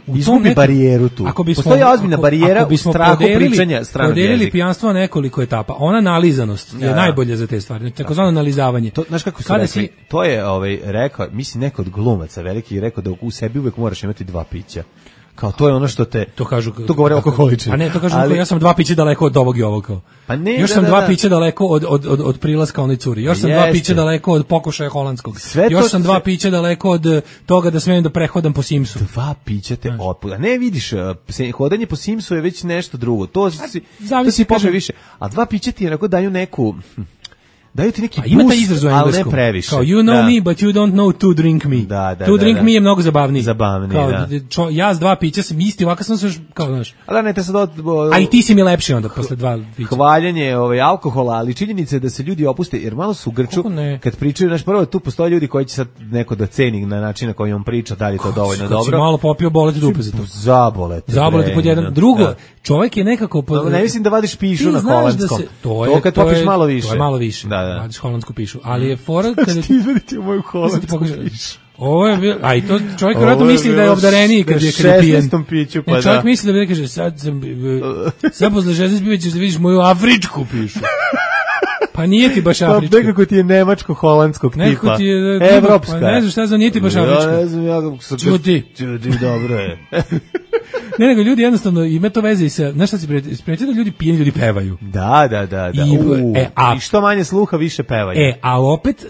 izgubi barijeru tu. Postoji ozbiljna barijera u strahu pričanja stranog jezika. Podelili pijanstvo nekoliko etapa. Ona analiziranost je najbolje za te stvari. Takozvano analizavanje. Znaš kako su rekli? To je rekao, mislim neko od glumaca veliki rekao da u sebi uvek moraš imati dva pića. Kao to je ono što te to govore alkoholičari. A ne, to kažu ja sam 2 pića daleko od ovog i ovog kao. Pa ne, još sam 2 pića daleko od prilaska onoj curi. Još sam 2 pića daleko od pokušaja holandskog. Još sam 2 pića daleko od toga da smem da prehodam po Simsu. 2 pića te otpuda. Ne vidiš, hodanje po Simsu je već nešto drugo. To si kaže više. A 2 pića ti onako daju neku daju ti neki boost, ali ne previše. Kao, you know me, but you don't know to drink me. To drink me je mnogo zabavniji. Kao, ja s 2 pića sam isti, ovako sam se još, kao, znaš. Ali ne, te sad a i ti si mi lepši onda, posle 2 pića. Hvaljenje alkohola, ali činjenica je da se ljudi opuste, jer malo su u grču, kad pričaju, znaš, prvo, tu postoje ljudi koji će sad neko da ceni na način na koji on priča, da li je to dovoljno dobro. Kad si malo popio, boleti dupe za to. Zaboleti pod jedan. Drugo, čovjek je nekako... Ne mislim da vadiš pišu na holandskom. To kad popiš malo više. To je malo više. Radiš holandsku pišu, ali je fora kada ti izvedite moju holandsku pišu. Ovo je bilo, a i to čovjek vjerojatno misli da je obdareniji kad je pijen. Piću, pa čovjek misli da bi kaže sad posle 16 piva ćeš da vidiš moju afričku pišu. Pa nije ti baš afrička. Pa nekako ti je nemačko-holandskog tipa. Nekako ti je evropska. Pa ne znam šta za nije ti baš afrička. Ja ne znam, ja kako Čuti, dobro je. Ne, nego ljudi jednostavno ima to veze i sa, znaš šta si primetio da ljudi pijeni, ljudi pevaju. Da. I što manje sluha, više pevaju. A opet,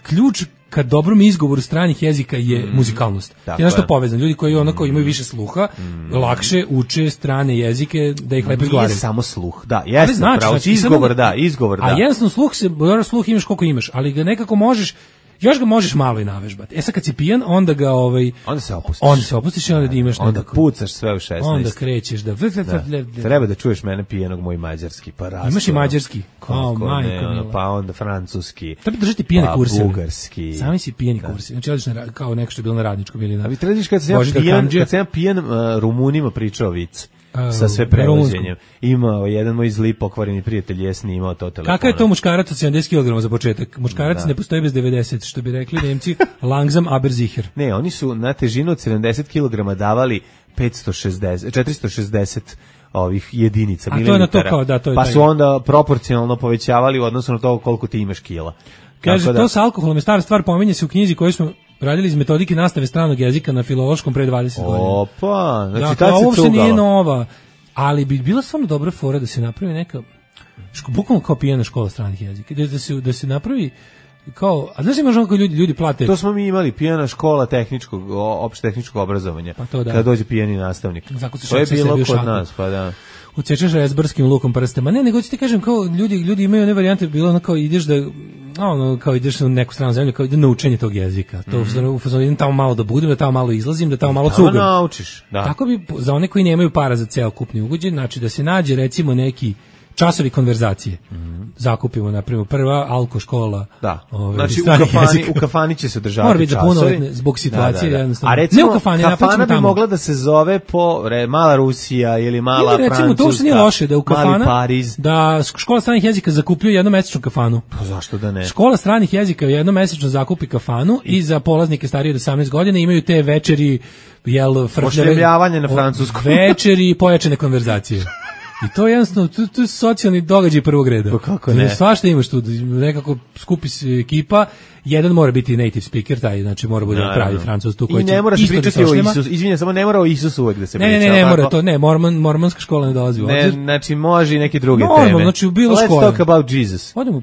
ključ ka dobrom izgovoru stranih jezika je muzikalnost. Je nešto povezano. Ljudi koji onako imaju više sluha, lakše uče strane jezike da ih lepo izgovaraju. Nije samo sluh, da, jesno, pravo, izgovor da. A jednostavno sluh imaš koliko imaš, ali ga nekako možeš, još ga možeš malo i navežbati. Sad kad si pijan, onda ga onda se opustiš i onda imaš onda pucaš sve u 16. Onda krećeš da treba da čuješ mene pijenog moj mađarski pa rastu. Imaš i mađarski. Pa onda francuski. Treba držati pijene kurse. Bugarski. Sami si pijeni kursi. Znači odlično kao neko što je bilo na radničkom ili na. Vi tražiš kad se ja pijan Rumunima pričao vic. Sa sve prevođenjem. Imao jedan moj zli pokvareni prijatelj je snimao to telefona. Kakav je to muškarac od 70 kg za početak? Muškarac ne postoji bez 90, što bi rekli Nemci, langsam aber sicher. Ne, oni su na težinu od 70 kg davali 460 ovih jedinica mililitara. Pa su onda proporcionalno povećavali u odnosu na to koliko ti imaš kila. Kaže, to sa alkoholom je stara stvar, pominje se u knjizi koju smo radili iz metodike nastave stranog jezika na filološkom pre 20 godina. Opa, znači tad se cugala. Ovo se nije nova, ali bi bila stvarno dobra fora da se napravi neka, bukvalno kao pijena škola stranih jezika, da se napravi kao, a znaš možemo kako ljudi plate. To smo mi imali, pijana škola opšte tehničkog obrazovanja. Pa to da. Kada dođe pijani nastavnik. To je bilo kod nas, pa da. Ucečeš rezbarskim lukom prstama. Ne, nego ću ti kažem, kao ljudi imaju one varijante, bilo ono kao ideš kao ideš u neku stranu zemlju, kao ide na učenje tog jezika. To u fazonu idem tamo malo da budem, da tamo malo izlazim, da tamo malo cugam. Tamo naučiš, da. Tako bi, za one koji nemaju para za ceo kupni ugođaj, znači da se nađe recimo neki časovi konverzacije. Zakupimo, na primjer, prva alko škola. Da. Znači u kafani će se održavati časovi. Mora biti zbog situacije. Da. A recimo, kafana bi mogla da se zove po Mala Rusija ili Mala Francuska. Recimo, to što nije loše, da u kafana, Mali Pariz. Da škola stranih jezika zakupljuje jednomesečnu kafanu. Pa zašto da ne? Škola stranih jezika jednomesečno zakupi kafanu i za polaznike starije od 18 godina imaju te večeri, ošljavljavanje na francuskom. Večeri i pojačane konverzacije. I to je jednostavno, to je socijalni događaj prvog reda. Pa kako ne? Svašta imaš tu, nekako skupi se ekipa, jedan mora biti native speaker, taj, znači mora biti pravi Francuz tu koji će. I ne mora se pričati o Isusu, izvinjam, samo ne mora o Isusu uvek da se priča. Ne mora to, ne, mormonska škola ne dolazi u obzir. Znači može i neke druge teme. Znači u bilo škole. Let's talk about Jesus. Odemo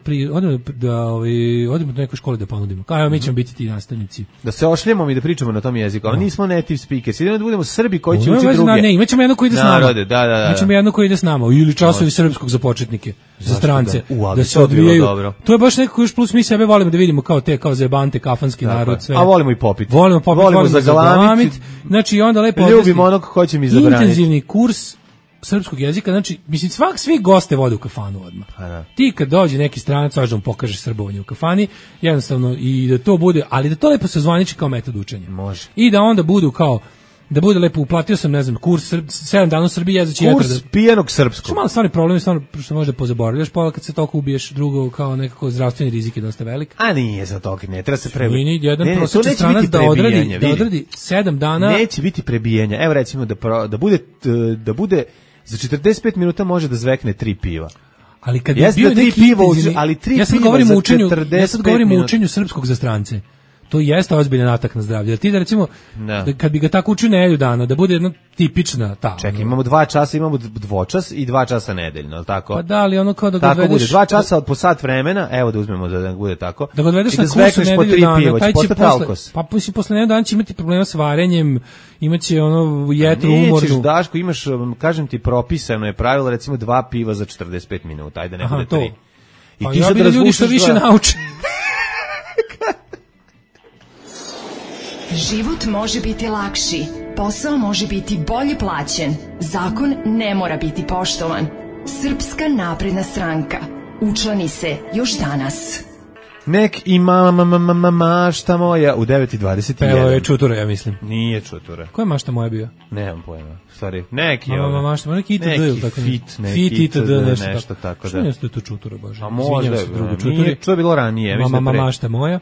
do neke škole da ponudimo. Kao mi ćemo biti ti nastavnici. Da se ošljemo i da pričamo na tom jeziku, ali nismo native speakers, idemo da budemo Srbi koji će učiti druge. Ne, imaćemo jedno koji ide s nama. Da. Imaćemo jedno koji ide s nama ili časovi srpskog za početnike, za strance, da se odvijaju. To je baš nekako još plus mi sebe volimo da vidimo kao te, kao zajebante, kafanski narod, sve. A volimo i popit. Volimo zagalamit. Znači onda lepo ljubimo onog ko će mi zabraniti. Intenzivni kurs srpskog jezika, znači, mislim, svi goste vode u kafanu odmah. Ti kad dođe neki stranac, važno mu pokažeš srbovanje u kafani, jednostavno, i da to bude, ali da to lepo se zvaniči kao metod učenja. Može. I da onda budu kao, da bude lepo, uplatio sam, ne znam, kurs 7 dana u Srbiji, jezaći kurs pijenog srpskog. Što malo stvarni problem, stvarno, što možda pozaboravljaš, pa kad se toliko ubiješ, drugo, kao nekako zdravstveni rizik je dosta velik. A nije za toliko, ne treba se prebijati. Jedan prosječan stranac da odradi 7 dana. Neće biti prebijenja. Evo recimo da bude za 45 minuta može da zvekne 3 piva. Ali kad je bio neki intenzivni, ja sad govorim o učenju srpskog za strance. To jeste ozbiljan atak na zdravlje. Ti da recimo, kad bi ga tako učio nedelju dana, da bude jedna tipična ta. Čekaj, imamo 2 časa, imamo dvočas i 2 časa nedeljno, al tako? Pa da, ali ono kao da ga odvedeš. Tako bude, 2 časa po sat vremena, evo da uzmemo da bude tako. Da ga odvedeš na kursu nedelju dana, taj će posle nedelju dana će imati problema s varenjem, imaće ono jetru umornu. Nećeš, Daško, imaš, kažem ti, propisano je pravilo, recimo 2 piva za 45 minuta, ajde ne bude 3. I ti sad da ljudi što više nauče. Život može biti lakši, posao može biti bolje plaćen, zakon ne mora biti poštovan. Srpska napredna stranka. Učlani se još danas. Nek ima mašta moja u 9:21. Evo je Čutura, ja mislim. Nije Čutura. Koja mašta moja bio? Nemam pojma. Stvari, neki mašta, neki ITD ili tako. Fit ITD, nešto tako da. Što nije to Čutura, Bože? A možda je, nije, to je bilo ranije. Mašta moja.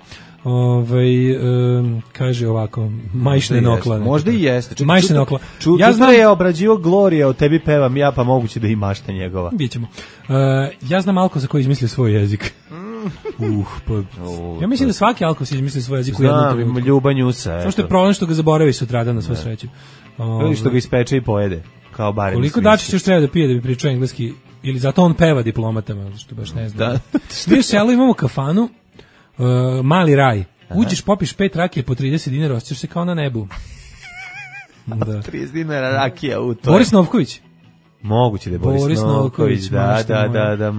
Kaže ovako, majšne nokla. Možda i jeste. Majšne nokla. Ja znam je obrađivo Glorija, o tebi pevam ja, pa moguće da i mašta njegova. Bićemo. Ja znam Alko za koji izmislio svoj jezik. Ja mislim da svaki Alko si izmislio svoj jezik u jednom trenutku. Ljubanjusa. Samo što je problem što ga zaboravi sutradan na svu sreću. Ili što ga ispeče i pojede. Kao barem. Koliko Dačić još treba da pije da bi pričao engleski, ili zato on peva diplomatama, što baš ne znam. Mi u selu imamo kafanu, Mali raj. Uđeš, popiš 5 rakije po 30 dinara, osjećaš se kao na nebu. 30 dinara rakija u to. Boris Novković. Moguće da je Boris Novković, da,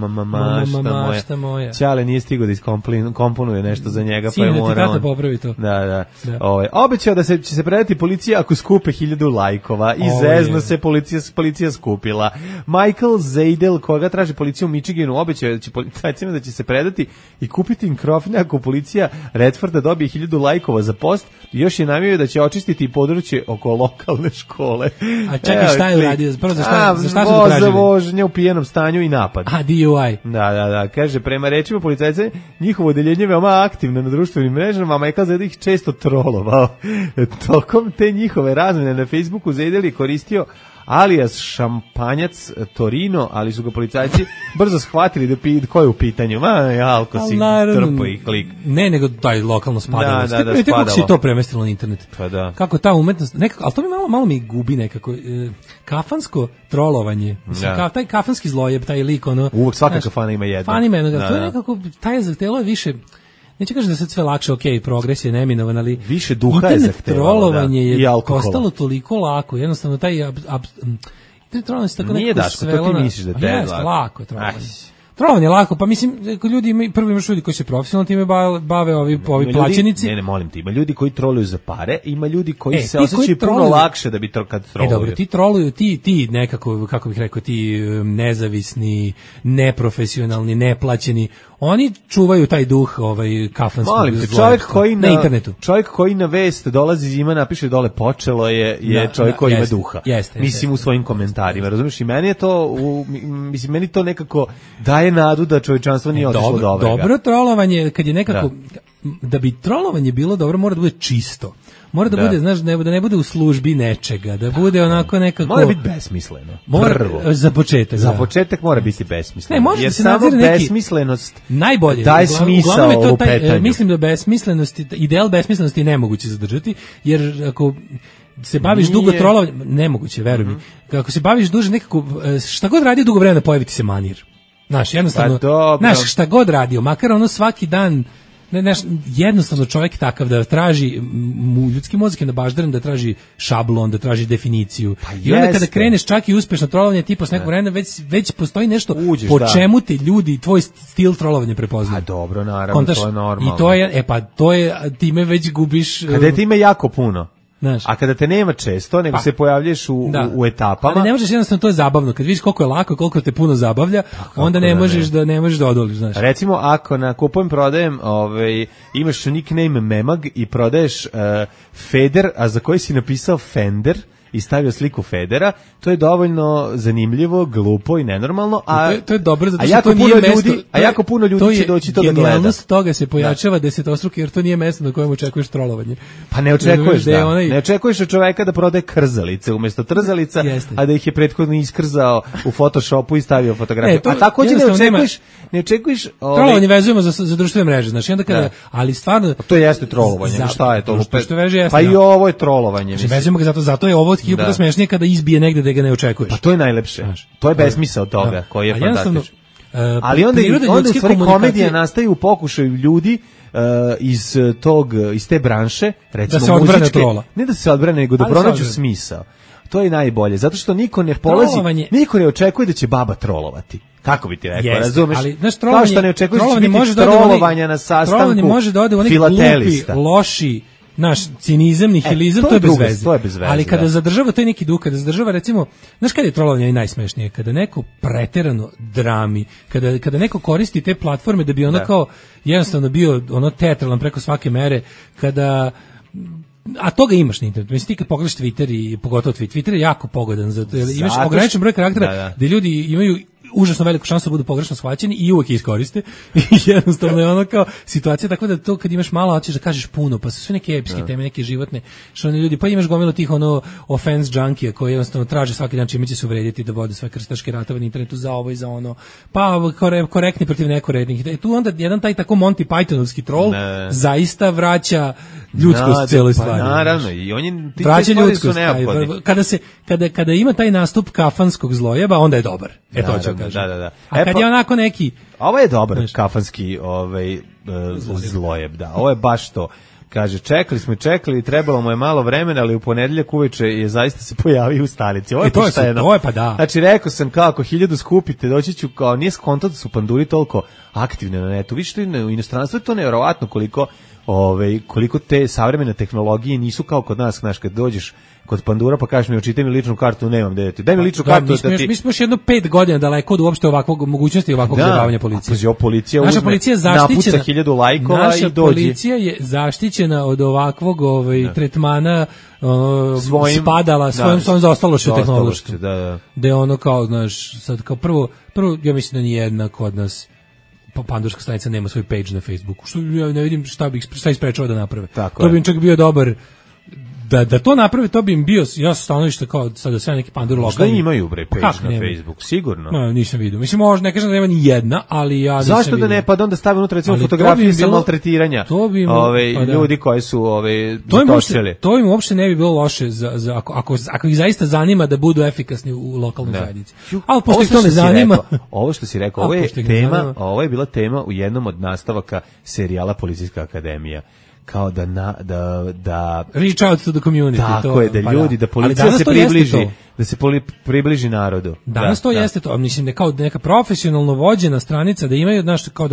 mašta moja. Ćale nije stigao da iskomponuje nešto za njega, pa je morao. Sine, da ti tata popravi to. Da. Obećao da će se predati policija ako skupe 1000 lajkova. I zezno se policija skupila. Michael Zaidel, koga traži policija u Michiganu, obećao da će policajcima da će se predati i kupiti mikrofone ako policija Redforda dobije 1000 lajkova za post. I još je namio da će očistiti područje oko lokalne škole. A čekaj, šta je uradio? Prvo za šta su za vožnje u pijenom stanju i napad. A, DUI. Da. Kaže, prema rečima policajca, njihovo odeljenje veoma aktivno na društvenim mrežama, a Michael Zaidel ih često trolovao. Tokom te njihove razmene na Facebooku Zaidel je koristio alias šampanjac Torino, ali su ga policajci brzo shvatili da ko je u pitanju. Alko si trpo i klik. Ne, nego taj lokalno spadalo. Da, kako si to premestilo na internet? Pa da. Kako ta umetnost, nekako, ali to mi malo mi gubi nekako. Kafansko trolovanje. Mislim, taj kafanski zlojeb, taj lik, ono. Uvijek svaka kafana ima jedno. To je nekako, taj zahtelo je više. neću kažem da sad sve lakše, progres je neminovan, ali više duha je internet trolovanje je postalo toliko lako, jednostavno taj internet trolovanje se tako nije Daško, to ti misliš da te lako je trolovanje. Trolovanje je lako, pa mislim, ljudi imaju, prvo imaš ljudi koji se profesionalno time bave, ovi plaćenici. Ne, molim te, ima ljudi koji troluju za pare, ima ljudi koji se osjećaju puno lakše da bi kad troluju. Dobro, ti troluju, ti nekako, kako bih rekao, ti nezavisni, neprofesionalni, neplaćeni, oni čuvaju taj duh kafanskog zloja na internetu. Čovjek koji na vest dolazi ima, napiše dole počelo je čovjek koji ima duha. Mislim u svojim komentarima, razumiješ? I meni je to, meni to nekako daje nadu da čovječanstvo nije otišlo do ovoga. Dobro trolovanje, kad je nekako, da bi trolovanje bilo dobro, mora da bude čisto. Mora da bude, znaš, da ne bude u službi nečega, da bude onako nekako... Mora biti besmisleno. Za početak. Za početak mora biti besmisleno. Ne, može jer se samo besmislenost najbolje daje smisao u petanju. Mislim da ideal besmislenosti je nemoguće zadržati, jer ako se baviš dugo trolovanjem, nemoguće, veruj mi. Ako se baviš duže nekako, šta god radi dugo vremena, pojavi ti se manir. Znaš, jednostavno, šta god radio, makar ono svaki dan, jednostavno čovjek takav da traži, ljudski mozak je nabaždaren da traži šablon, da traži definiciju. I onda kada kreneš čak i uspešno trolovanje tipa s nekog vremena, već postoji nešto čemu te ljudi, tvoj stil trolovanja prepoznaju. A dobro, naravno, to je normalno. I to je, time već gubiš... Kada je time jako puno. A kada te nema često, nego se pojavljaš u etapama. Ali ne možeš, jednostavno, to je zabavno. Kad vidiš koliko je lako, koliko te puno zabavlja, onda ne možeš da odoliš, znaš. Recimo, ako na kupujem prodajem, imaš nickname Memag i prodaješ Feder, a za koji si napisao Fender i stavio sliku Federa, to je dovoljno zanimljivo, glupo i nenormalno, to je dobro zato što to nije mesto. A jako puno ljudi će doći to da gleda. Genijalnost toga se pojačava desetostruko, jer to nije mesto na kojem očekuješ trolovanje. Pa ne očekuješ, ne očekuješ od čoveka da prodaje krzalice umjesto trzalica, a da ih je prethodno iskrzao u Photoshopu i stavio fotografiju. A također ne očekuješ... Trolovanje vezujemo za društvene mreže, znači onda kada, ali stvarno... To jeste trolovanje, šta je to? Pa i ovo je trolovanje. Vezujemo ga zato je ovo puta smešnije kada izbije negde da ga ne očekuješ. Pa to je najlepše. To je besmisao toga koji je fantastičan. Ali onda u stvari komedija nastaje u pokušaju ljudi iz te branše, recimo da se odbrane trola. Ne da se odbrane, nego da pronađu smisao. To je najbolje, zato što niko ne polazi, niko ne očekuje da će baba trolovati. Kako bi ti rekao, razumeš? Ali, znaš, kao što ne očekuješ da će biti trolovanja na sastanku Trolovanje može da ode u neki glupi, loši, naš cinizam, nihilizam, to je bez veze. Ali kada zadržava taj neki duh, kada zadržava, recimo, znaš kada je trolovanje najsmešnije? Kada neko preterano drami, kada neko koristi te platforme da bi ono kao jednostavno bio ono teatralan preko svake mere, kada... A toga imaš na internetu. Mislim, ti kad pogledaš Twitter i pogotovo Twitter je jako pogodan, zato imaš ograničen broj karaktera gde ljudi imaju užasno veliku šansu da budu pogrešno shvaćeni i uvek iskoriste. I jednostavno je ono kao situacija tako da to kad imaš malo hoćeš da kažeš puno, pa su sve neke epske teme, neke životne, što oni ljudi, pa imaš gomilu tih offense junkija koji jednostavno traže svaki dan čime će se uvrediti, da vode svoje krstaške ratove na internetu za ovo i za ono, pa korektni protiv nekorektnih. Tu onda jedan taj tako Monty Pythonovski troll zaista vraća ljudskost celoj stvari. Naravno, i on je vraća ljudskost. Kada ima taj nastup kafanskog zlojeba, onda je dobar. To ću kažem. A kad je onako neki... Ovo je dobar kafanski zlojeb, ovo je baš to. Kaže, čekali, trebalo mu je malo vremena, ali u ponedeljak uveče je zaista se pojavio u stanici. Ovo je to je pa da. Znači, rekao sam kako 1000 skupite, doći ću kao, nije skonto da su panduri toliko aktivne na netu. Viš, u inostranstvu je to nevjerovatno koliko te savremene tehnologije nisu kao kod nas, znaš, kad dođeš kod pandura pa kažeš mi očitaj mi ličnu kartu, nemam gde ti. Daj mi ličnu kartu da ti. Mi smo još jedno 5 godina daleko od uopšte ovakvog mogućnosti ovakvog zabavljanja policije. Naša policija je zaštićena. Napuca 1000 lajkova i dođe. Naša policija je zaštićena od ovakvog tretmana spadala svojom zaostalošću tehnološkom. Da ono kao, znaš, sad kao prvo ja mislim da ni jedna kod nas pandurska stanica nema svoj page na Facebooku. Što ja ne vidim šta isprečava da naprave. To bi čak bio da to napravi, to bi im bio, ja sam stanovište kao sada sve neki pandur lokalni. Šta imaju bre page na Facebooku, sigurno? No, nisam vidio. Mislim, možda ne kažem da nema ni jedna, ali ja nisam Zašto da ne, pa da onda stavi unutra recimo fotografije sa maltretiranja ljudi koji su točili. To im uopšte ne bi bilo loše za ako ih zaista zanima da budu efikasni u lokalnoj zajednici. Ali pošto ih to ne zanima. Ovo što si rekao, ovo je bila tema u jednom od nastavaka serijala Policijska akademija. Kao da reach out to the community. Tako je, da ljudi, da policija se približi, da se približi narodu. Danas to jeste to, mislim da kao neka profesionalno vođena stranica, da imaju, znaš, kao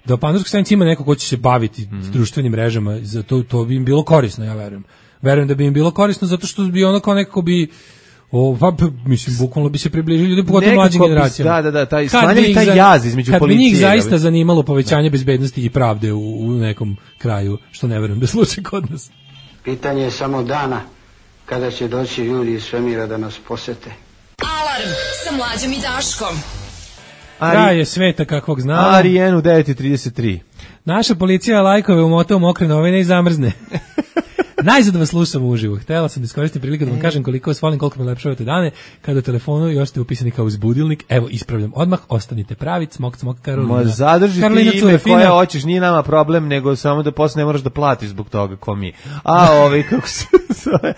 da pandurska stranica ima neko ko će se baviti s društvenim mrežama, za to bi im bilo korisno, ja verujem. Verujem da bi im bilo korisno zato što bi ono kao nekako bi mislim, bukvalno bi se približili ljudi, pogotovo mlađim generacijama. Da, taj jaz između policije. Kad bi njih zaista zanimalo povećanje bezbednosti i pravde u nekom kraju, što ne verujem da slučaj kod nas. Pitanje je samo dana kada će doći ljudi iz svemira da nas posete. Alarm sa Mlađom i Daškom. Kraj je sveta kakvog znamo. Arijenu 9:33. Naša policija lajkove umota u mokre novine i zamrzne. Najzad vas slušam uživo. Htela sam da iskoristim priliku da vam kažem koliko vas volim, koliko me lepšavate dane. Kada u telefonu još ste upisani kao uzbudilnik. Evo, ispravljam odmah, ostanite pravi. Smok, Karolina. Zadrži ti ime koje hoćeš, nije nama problem, nego samo da posle ne moraš da platiš zbog toga ko mi. Kako se zove?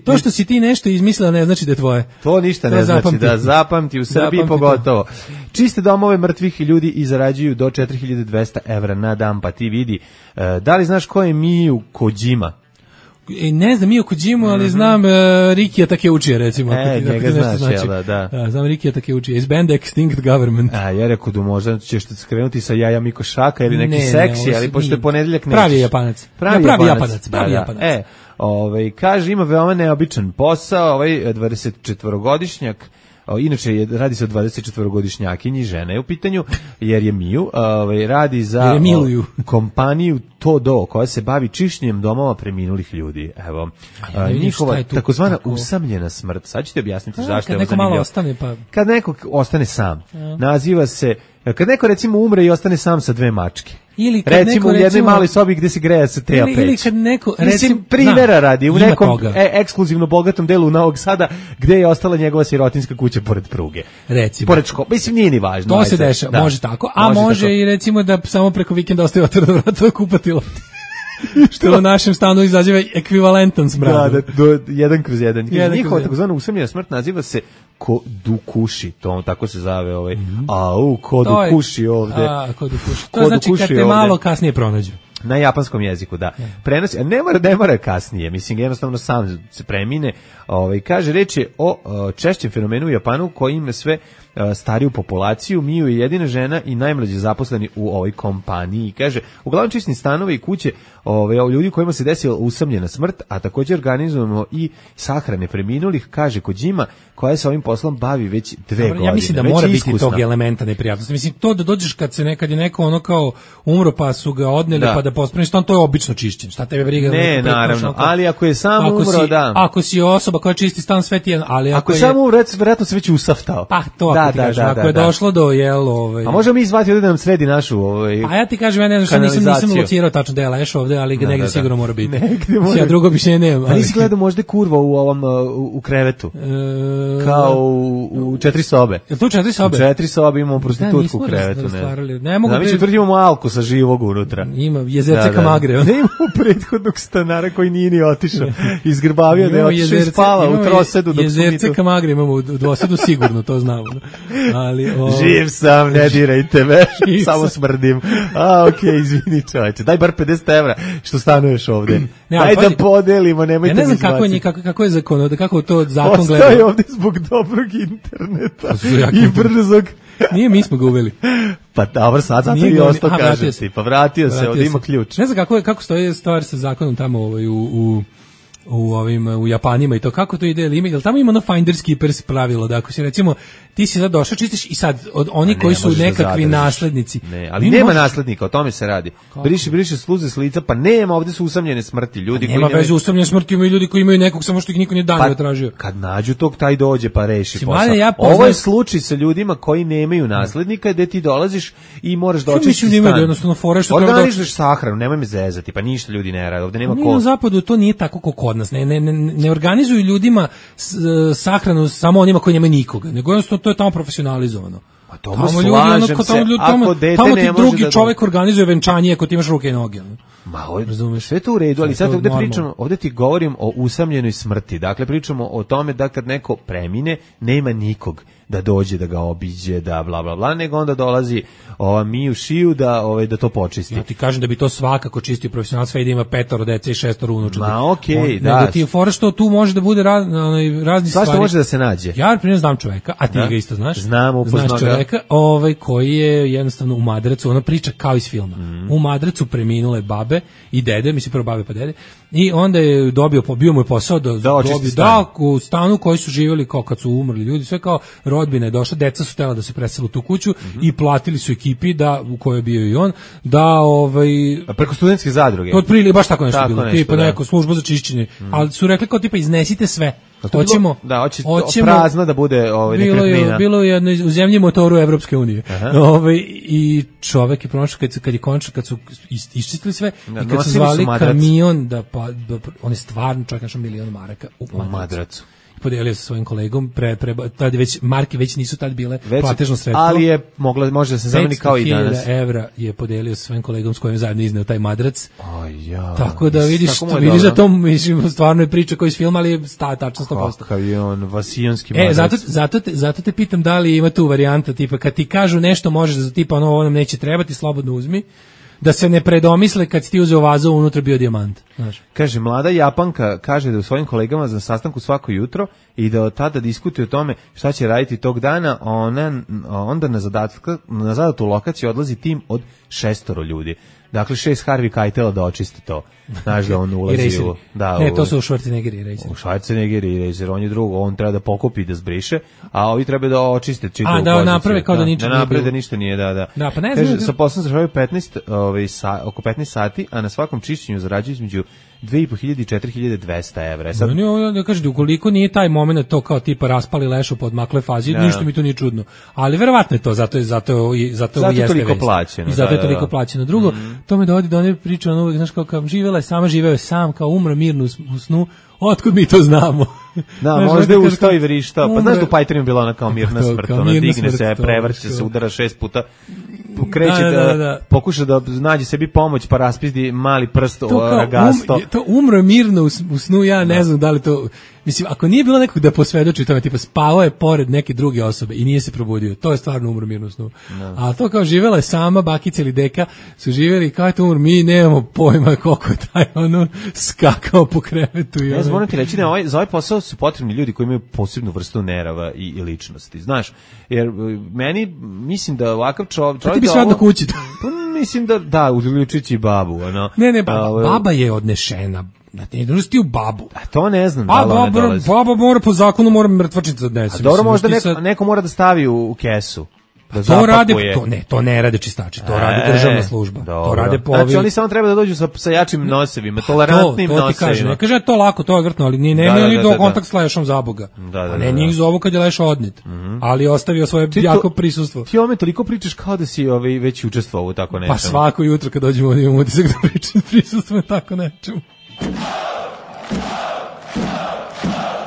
To što si ti nešto izmislila ne znači da je tvoje. To ništa ne znači, da zapamti u Srbiji pogotovo. Čiste domove mrtvih ljudi i zarađuju do 4200 evra na dan, pa ti vidi. Da li znaš ko je Miju Kojima? Ne znam Miju Kojimu, ali znam Rikija Takeuchija, recimo. Njega znaš, da. Znam Rikija Takeuchija iz benda Extinct Government. Ja rekao da možda ćeš skrenuti sa Jaja Miko Šaka ili neki seksi, ali pošto je ponedeljak nećeš. Pravi Japanac. Pravi Japanac. Kaže, ima veoma neobičan posao, 24-godišnjak. Inače, radi se o 24-godišnjakinji, žena je u pitanju, jer je Miju, radi za kompaniju Todo, koja se bavi čišćenjem domova preminulih ljudi. Evo, njihova takozvana usamljena smrt. Sad ću ti objasniti zašto je ovo zanimljivo. Kad neko ostane sam, naziva se, kad neko recimo umre i ostane sam sa dve mačke. Recimo u jednoj maloj sobi gde se greje sa teja peć. Ili kad neko, recimo, primjera radi, u nekom ekskluzivno bogatom delu Novog Sada, gde je ostala njegova sirotinska kuća pored pruge. Recimo. Pored škole. Mislim, nije ni važno. To se dešava, može tako. A može i recimo da samo preko vikenda ostaje otvoreno vrata kupatilo. Što u našem stanu izaziva ekvivalentan smrad. Da, do 1/1. Njihova takozvana usamljena smrt naziva se Kodukushi, to tako se zove Kodukushi ovde. Kodukushi. To znači kad te malo kasnije pronađu. Na japanskom jeziku, da. Prenosi, a ne mora kasnije, mislim, jednostavno sam se premine. Kaže, reč je o češćem fenomenu u Japanu koji ima sve stariju populaciju. Miju je jedina žena i najmlađi zaposleni u ovoj kompaniji. Kaže, uglavnom čistim stanove i kuće ljudi kojima se desila usamljena smrt, a također organizujemo i sahrane preminulih, kaže Kojima, koja se ovim poslom bavi već 2 godine. Ja mislim da mora biti tog elementa neprijatnosti. Mislim, to da dođeš kad je neko ono kao umro pa su ga odneli pa da pospremiš stan, to je obično čišćenje. Šta tebe briga? Ne, naravno, ali ako je sam umro, da. Ako si osoba koja čisti stan, sve ti je, ali ako je sam umro, verovatno se već usaftao. Pa to ako je došlo do A možemo mi izvati ovdje da nam sredi našu A ja ti kažem, ja ne znam što nisam locirao tačno da je Leš ovdje, ali negdje sigurno mora biti. Ja drugo mišljenje nemam. A nisi gledao možda kurva u krevetu? Kao u 4 sobe. Je to 4 sobe? U 4 sobe imamo prostitutku u krevetu. Ne mogu. Mi tvrdimo Alku sa živog unutra. Ima jezerce Kamagre. Ne imamo prethodnog stanara koji nije ni otišao. Izgrbavio da je otišao i spava u trosedu. Jezerce Kamagre imamo u dvosedu sigurno, to znamo. Živ sam, ne dirajte me, samo smrdim. Izvini čovječe, daj bar 50 evra što stanuješ ovde. Daj da podelimo, nemojte mi izbaciti. Ja ne znam kako je zakon, kako to zakon gleda. Ostaje ovde zbog dobrog interneta i brzog. Nije, mi smo ga uveli. Pa dobro, sad zato i ostao kažem ti. Pa vratio se, ovdje ima ključ. Ne znam kako stoji stvar sa zakonom tamo u u Japanima i to kako to ide, jel tamo ima ono finders keepers pravilo, da ako si recimo ti si sad došao čistiš i sad od oni koji su nekakvi naslednici. Ne, ali nema naslednika, o tome se radi. Briše sluze s lica, pa nema, ovde su usamljene smrti, ljudi koji nema veze usamljene smrti, imaju ljudi koji imaju nekog samo što ih niko nije danio tražio. Kad nađu tog, taj dođe pa reši posao. Ovo je slučaj sa ljudima koji nemaju naslednika, gde ti dolaziš i moraš da očistiš stan. Jednostavno fora što organizuješ sahranu, nemoj me zezati, pa ništa ljudi ne rade, ovde nema ko. Na zapadu to nije tako kako kod nas. Ne organizuju ljudima sahranu samo onima koji nemaju nikoga, nego jednostavno to je tamo profesionalizovano. Pa dobro, slažem se, ako dete tamo ne ti može drugi čovjek organizuje venčanje ako ti imaš ruke i noge. Ma, razumeš, sve to u redu, ali sad ovde ti govorim o usamljenoj smrti. Dakle, pričamo o tome da kad neko premine, nema nikog da dođe da ga obiđe, da bla bla bla, nego onda dolazi Miju Šiju da to počisti. Ja ti kažem da bi to svakako čistio profesionalac, sve da ima 5 dece i 6 unučadi. Ma okej, da. Nego ti je fora što tu može da bude razni stvari. Svašta može da se nađe. Ja primjer znam čoveka, a ti ga isto znaš. Znam, upoznao ga. Znaš čoveka koji je jednostavno u Madracu, ona priča kao iz filma. U Madracu preminule babe i dede, mislim prvo babe pa dede, i onda je bio mu je posao da u stanu koji su živjeli kao kad su umrli ljudi, sve kao rodbina je došla, deca su htjela da se presele u tu kuću i platili su ekipi u kojoj je bio i on, preko studentske zadruge. Otprilike baš tako nešto bilo, tipa neka služba za čišćenje, ali su rekli kao tipa iznesite sve. Hoćemo prazna da bude nekretnina. Bilo je jedno u zemlji motoru Evropske unije. I čovek je pronašao kad su iščistili sve i kad su zvali kamion on je stvarno čovjek našao 1.000.000 maraka u Madracu. Podelio sa svojim kolegom, tad već marke već nisu tad bile platežno sredstvo. Ali je može da se zameni kao i danas. 500.000 evra je podelio sa svojim kolegom s kojim zajedno izneo taj Madrac. Tako da vidiš da to stvarno je priča koji iz filma, ali je tačno 100%. Kakav je on vasijonski Madrac. Zato te pitam da li ima tu varijanta, tipa kad ti kažu nešto možeš da tipa ovo nam neće trebati, slobodno uzmi. Da se ne predomisle kad ti uzeo vazu, unutra bio dijamant. Znaš. Kaže, mlada Japanka kaže da u svojim kolegama za sastanku svako jutro i da od tada diskutuje o tome šta će raditi tog dana, onda na zadatu lokaciju odlazi tim od 6 ljudi. Dakle, 6 Harvey Keitela da očiste to. Znaš da on ulazi u... to su u Schwarzenegger i Racer. U Schwarzenegger i Racer, on je drugo, on treba da pokupi i da zbriše, a ovi treba da očiste čitavu poziciju. Da naprave kao da ničeg nije bilo. Da naprave da ništa nije, da. Da, pa ne znam. Kaže, sa poslom završavaju oko 15 sati, a na svakom čišćenju zarađuju između 2.500 i 4.200 evra. Sad... Da kažete, ukoliko nije taj moment to kao tipa raspali lešu pod makle fazi, ništa mi to nije čudno. Ali verovatno je to, zato je toliko plaćeno. I zato je toliko plaćeno. Drugo, to me dovodi do one priče, znaš kao živela je sama, živeo je sam, kao umro mirno u snu. Otkud mi to znamo? Da, možda je ustao i vrištao. Pa znaš da u Pajterima bila ona kao mirna smrt, ona digne se, prevrće se, udara 6 puta, kreće pokuša da nađe sebi pomoć, pa raspizdi mali prst ragasto. To umro mirno u snu, ja ne znam da li to... Mislim, ako nije bilo nekog da posvedoči tome, tipa spavao je pored neke druge osobe i nije se probudio, to je stvarno umro mirno u snu. A to kao živela je sama, bakica ili deka, su živjeli kao je to umro, mi nemamo pojma koliko je taj skakao po krevetu. Ja moram ti reći da za ovaj posao su potrebni ljudi koji imaju posebnu vrstu nerava i ličnosti, znaš, jer meni, mislim da ovakav čovjek... Ti bi sve odno kući. Mislim da, uključujući babu. Ne, baba je odnešena. Ne druži ti u babu. A to ne znam da li ona dolazi. Baba mora po zakonu, mora mrtvačnicu da odnese. A dobro, možda neko mora da stavi u kesu. To ne rade čistači, to radi državna služba. To rade znači oni samo treba da dođu sa jačim nosevima, tolerantnim nosevima. To ti kažem, ne kaže to lako, to je vrtno, ali nemaju do kontakt s lešom za Boga. Ne njih zovu kad je leš odnet, ali ostavio svoje jako prisustvo. Ti ome toliko pričaš kao da si već učestvovao u tako nečemu. Pa svako jutro kad dođemo ovdje imamo utisak da pričam prisustvo tako nečemu.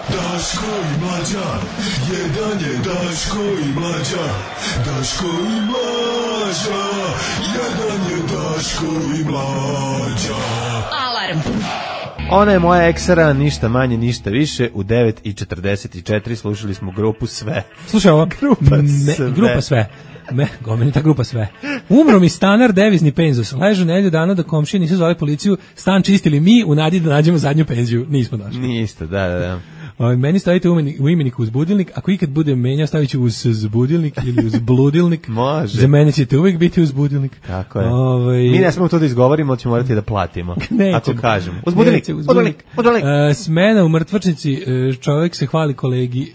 Daško i Mlađa, jedan je Daško i Mlađa, Daško i Mlađa, jedan je Daško i Mlađa. Alarm. Ona je moja eksera, ništa manje, ništa više. U 9:44 slušali smo grupu Sve. Slušaj ovo, grupa Sve. Gomenita grupa Sve. Umro mi stanar devizni penzus. Ležu nedelju dana da komšije nisu zvali policiju, stan čistili mi u nadi da nađemo zadnju penziju. Nismo našli. Niste, da. Meni stavite u imenik uz budilnik, ako ikad budem menjao, stavit ću uz budilnik ili uz bludilnik. Može. Za mene ćete uvijek biti uz budilnik. Tako je. Mi ne smemo to da izgovorimo, ali ćemo morati da platimo. Ako kažemo. Uz budilnik. Smena u mrtvačnici, čovjek se hvali kolegi,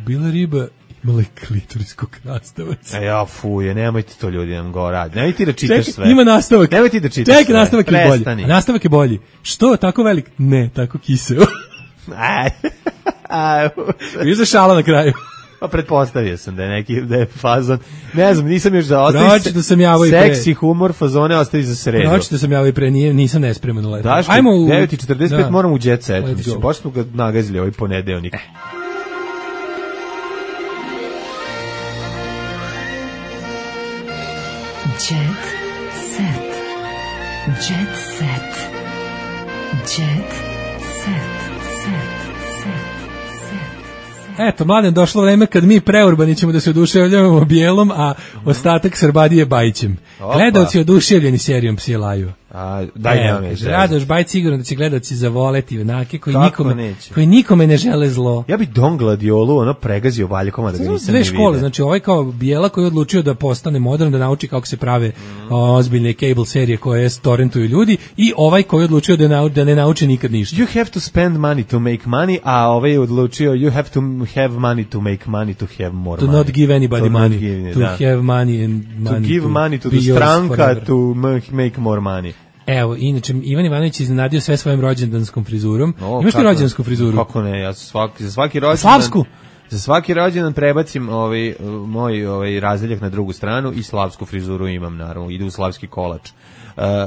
bila riba, imala klitorijskog krastavac. Fuje, nemojte to ljudi nam go radi. Nemoj ti da čitaš sve. Ima nastavak. Nemoj ti da čitaš sve. Nastavak je bolji. A nastavak je bolji. Što, tako velik? Ne, tako kiseo. Viš za šala na kraju. Pa pretpostavio sam da je fazon. Ne znam, nisam još da ostavi seksi humor, fazone ostavi za sredu. Pročito sam javio i pre, nisam nespreman u letu. Daško, 9:45 moram u jet set. Baš smo ga nagazili ovaj ponedeljnik. Jet set. Jet set. Jet set. Eto, mladen, došlo vreme kad mi preurbani ćemo da se oduševljavamo bijelom, a ostatak Srbadije Bajićem. Gledalci oduševljeni serijom Psi laju. Daj nema me žele. Radoš Bajić sigurno da će gledalci zavoleti onake koji nikome ne žele zlo. Ja bi Don Gladiolu pregazio valjkoma da ga nisam ne vidio. Dve škole, znači ovaj kao bijela koji je odlučio da postane modern, da nauči kako se prave ozbiljne cable serije koje torrentuju ljudi, i ovaj koji je odlučio da ne nauči nikad ništa. You have to spend money to make money, a ovaj je odlučio you have to have money to make money to have more money. To not give anybody money. To have money and money. To give money to the stranka to make more money. Evo, inače, Ivan Ivanović iznenadio sve svojim rođendanskom frizurom. Imaš ti rođendansku frizuru? Kako ne, ja za svaki rođendan... Slavsku? Za svaki rođendan prebacim moj razdeljak na drugu stranu i slavsku frizuru imam, naravno, ide u slavski kolač.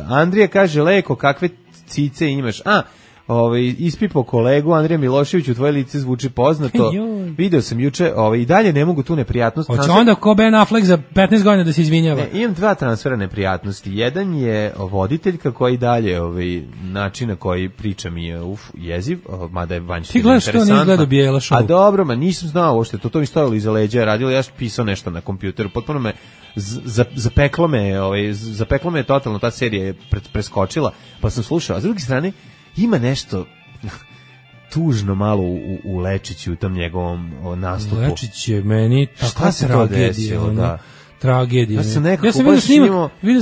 Andrija kaže, Leko, kakve cice imaš? Ispipo kolegu Andrija Miloševiću, tvoje lice zvuči poznato. Video sam juče, i dalje ne mogu tu neprijatnost. Hoće onda ko Ben Affleck za 15 godina da se izvinjava? Imam dva transfera neprijatnosti. Jedan je voditeljka koji dalje način na koji priča mi je jeziv, mada je vanjski interesantna. Ti gledaš to, nije gledao Bijela show? A dobro, nisam znao uopšte, to mi stojalo iza leđa, radilo, ja pisao nešto na kompjuteru, potpuno me zapeklo me totalno, ta serija je preskočila, pa sam slušao, a s druge strane ima nešto tužno malo u Lečiću, u tom njegovom nastupu. Lečić je meni takva tragedija. Tragedija. Ja sam nekako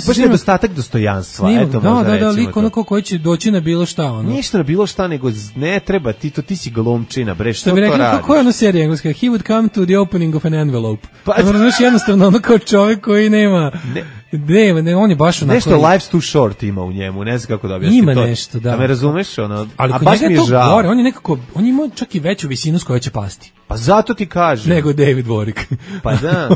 baš nedostatak dostojanstva. Lik onako koji će doći na bilo šta. Ništa na bilo šta, nego ne treba, ti si glumčina, bre, što to radiš? Kako je ona serija engleska? He would come to the opening of an envelope. Znaš, jednostavno ono kao čovjek koji nema... Ne, on je baš onako... Nešto life's too short ima u njemu, ne znam kako da objasnim to. Ima nešto, da. Da me razumeš, ali kod njega je to gore, on ima čak i veću visinu s kojoj će pasti. Pa zato ti kažem. Nego David Warwick. Pa da.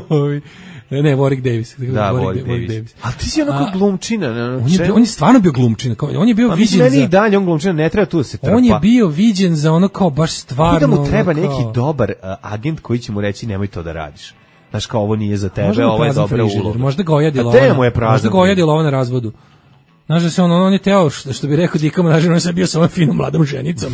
Ne, Warwick Davis. Da, Warwick Davis. Ali ti si onako glumčina. On je stvarno bio glumčina. On je bio viđen za... Meni i dalje on glumčina, ne treba tu da se trpa. On je bio viđen za ono kao baš stvarno... Da mu treba neki dobar agent koji će mu reći nemoj to da radiš. Znaš, kao ovo nije za tebe, ovo je dobra uloga. Možda ga ojadila ovo na razvodu. Znaš da se on je teo, što bi rekao Dika Manažer, on je bio sa ovom finom mladom ženicom.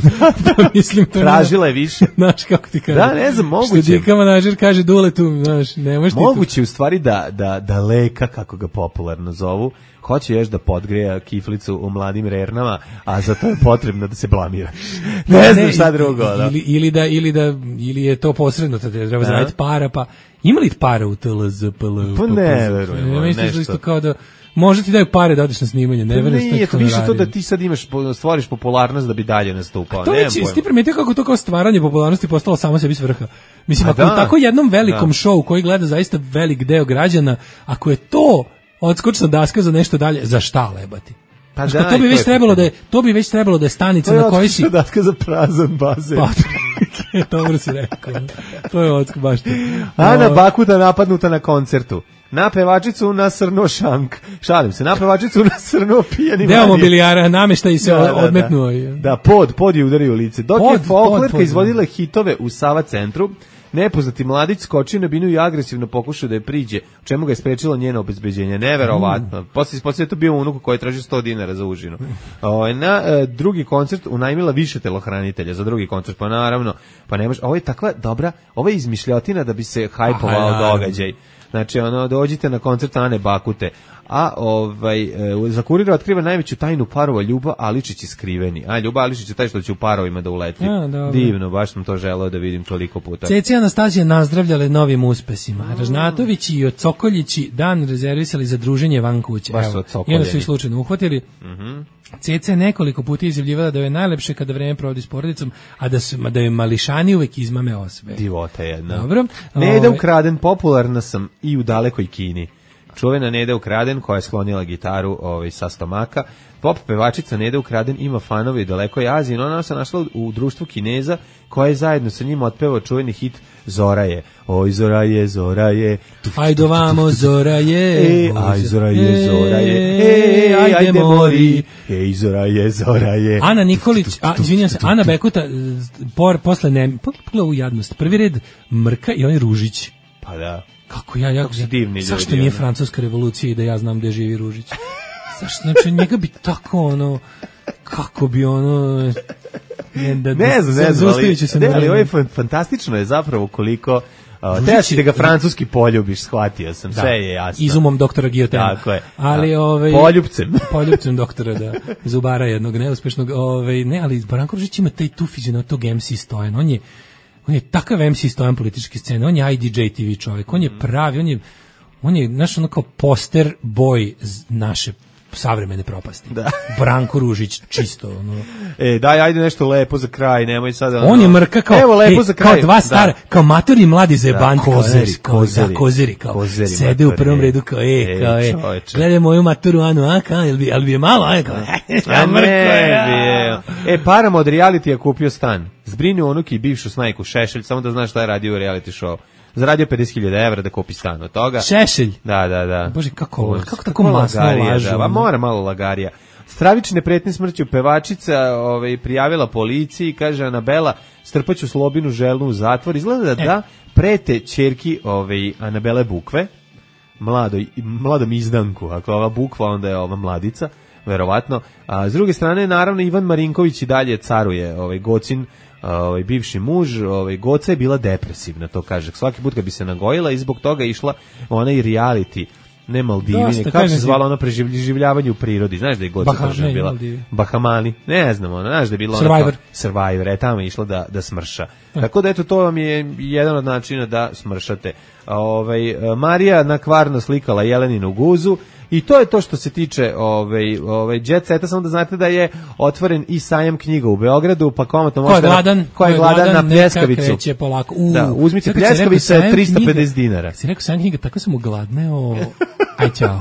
Mislim, to tražila je više. Znaš, kako ti kaže? Da, ne znam, moguće. Što Dika Manažer kaže Duletu, znaš, nemaš ti tu. Moguće u stvari da Leka, kako ga popularno zovu, hoće još da podgreja kiflicu u mladim rernama, a za to je potrebno da se blamira. Ne znam šta drugo. Ili je to posredno, treba zaraditi para, pa ima li para u TLZPL? Pa ne verujem, nešto. Kao da možda ti daju pare da odeš na snimanje, ne verujem. Nije, to više to da ti sad stvoriš popularnost da bi dalje nastupao. A to već, ti primetio kako to kao stvaranje popularnosti postalo samo sebi svrha. Mislim, ako tako jednom velikom šovu koji gleda zaista velik deo građana, ako je to odskočna daska za nešto dalje, za šta lebati? Pa da, to bi već trebalo da je stanica na kojoj si... To je odskočna daska za prazan bazen. Dobro si rekao. To je odskok baš to. Ana Bakuta napadnuta na koncertu. Na pevačicu nasrnuo šank. Šalim se, na pevačicu nasrnuo pijani manje. Deo mobilijara nameštaj se odmetnuo. Da, pod je udario u lice. Dok je folklerka izvodila hitove u Sava centru, nepoznati mladić skočio na binu i agresivno pokušao da je priđe, u čemu ga je sprečilo njeno obezbeđenje. Neverovatno. Poslije je to bio unuku koji je tražio 100 dinara za užinu. Na drugi koncert unajmila više telohranitelja za drugi koncert, pa naravno, pa nemaš, ovo je takva dobra, ovo je izmišljotina da bi se hajpovao događaj. Znači, dođite na koncert Ane Bakute. A za Kurir otkriva najveću tajnu parova Ljuba Aličić i skriveni. A Ljuba Aličić je taj što će u parovima da uleti. Divno, baš sam to želeo da vidim toliko puta. Ceci Anastasija nazdravljale novim uspesima. Ražnatović i Cokoljići dan rezervisali za druženje van kuće. Baš su odcokoljeni. I su ih slučajno uhvatili. Ceca je nekoliko puta izjavljivala da je najlepše kada vreme provodi s porodicom, a da je mališani uvek izmame osve. Divota jedna. Dobro. Neda Ukraden, popularna sam i u dalekoj Kini. Čuvena Neda Ukraden koja je sklonila gitaru sa stomaka. Pop pevačica Neda Ukraden ima fanove i dalekoj Aziji, no ona se našla u društvu Kineza koja je zajedno sa njim otpevao čuveni hit Zoraje. Oj Zoraje, Zoraje. Ajde vamo Zoraje. Aj Zoraje, Zoraje. Ajde mori. Ej Zoraje, Zoraje. Ana Nikolić, izvinjam se, Ana Bekuta posle ne, pogledaj u jadnost. Prvi red Mrka i onaj Ružić. Pa da. Kako zašto nije francuska revolucija i da ja znam gde živi Ružić? Zašto, znači, njega bi tako, kako bi ne znam, ali ovo je fantastično je zapravo koliko teći da ga francuski poljubiš, shvatio sam, sve je jasno. Izumom doktora Guillotena. Tako je. Ali, poljupcem doktora, da, zubara jednog neuspešnog, ne, ali Branko Ružić ima tu fizionomiju tog MC Stojan, on je takav MC Stojan političke scene, on je IDJ TV čovjek, on je pravi, on je naš kao poster boy naše savremene propasti. Da. Branko Ružić, čisto. Daj, ajde nešto lepo za kraj, nemoj sada... On je Mrka kao, evo, lepo za kraj. Kao dva stara, kao matori mladi zebanti. Kozeri. Sede u prvom redu kao, gledaj moju maturu, ali bi je malo, Param od realitija kupio stan. Zbrinio unuki i bivšu snajku Šešelj, samo da znaš šta je radio u reality show. Zaradio 50.000 evra da kupi stan od toga. Šešelj? Da. Bože, kako tako masno lažu. Mora malo lagarija. Stravične pretnje smrću pevačica prijavila policiji, kaže Anabela, strpaću Slobinu Želnu u zatvor. Izgleda da prete ćerki Anabele Bukve, mladom izdanku. Ako ova Bukva, onda je ova mladica, verovatno. A s druge strane, naravno, Ivan Marinković i dalje caruje, Gocin, bivši muž, Goca je bila depresivna, to kaže. Svaki put kad bi se nagojila i zbog toga išla ona i reality, ne Maldivi, kako se zvala ono preživljavanje u prirodi, znaš da je Goca kažem bila? Bahamani, ne znam, znaš da je bila Survivor, tamo je išla da smrša. Tako da eto, to vam je jedan od načina da smršate. Marija nakvarno slikala Jeleninu guzu. I to je to što se tiče Jet Seta, samo da znate da je otvoren i sajam knjiga u Beogradu, pa komotno možete... Ko je gladan na pljeskavicu. Da, uzmite pljeskavicu 350 dinara. Si rekao sajam knjiga, tako sam ugladneo. Aj, čao.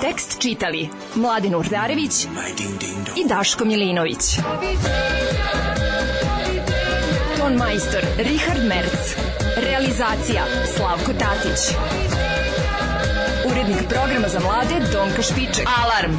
Tekst čitali Mladin Urdarević i Daško Milinović. Ton majstor Richard Merc. Realizacija Slavko Tatić. Urednik programa za mlade Donka Špiček. Alarm!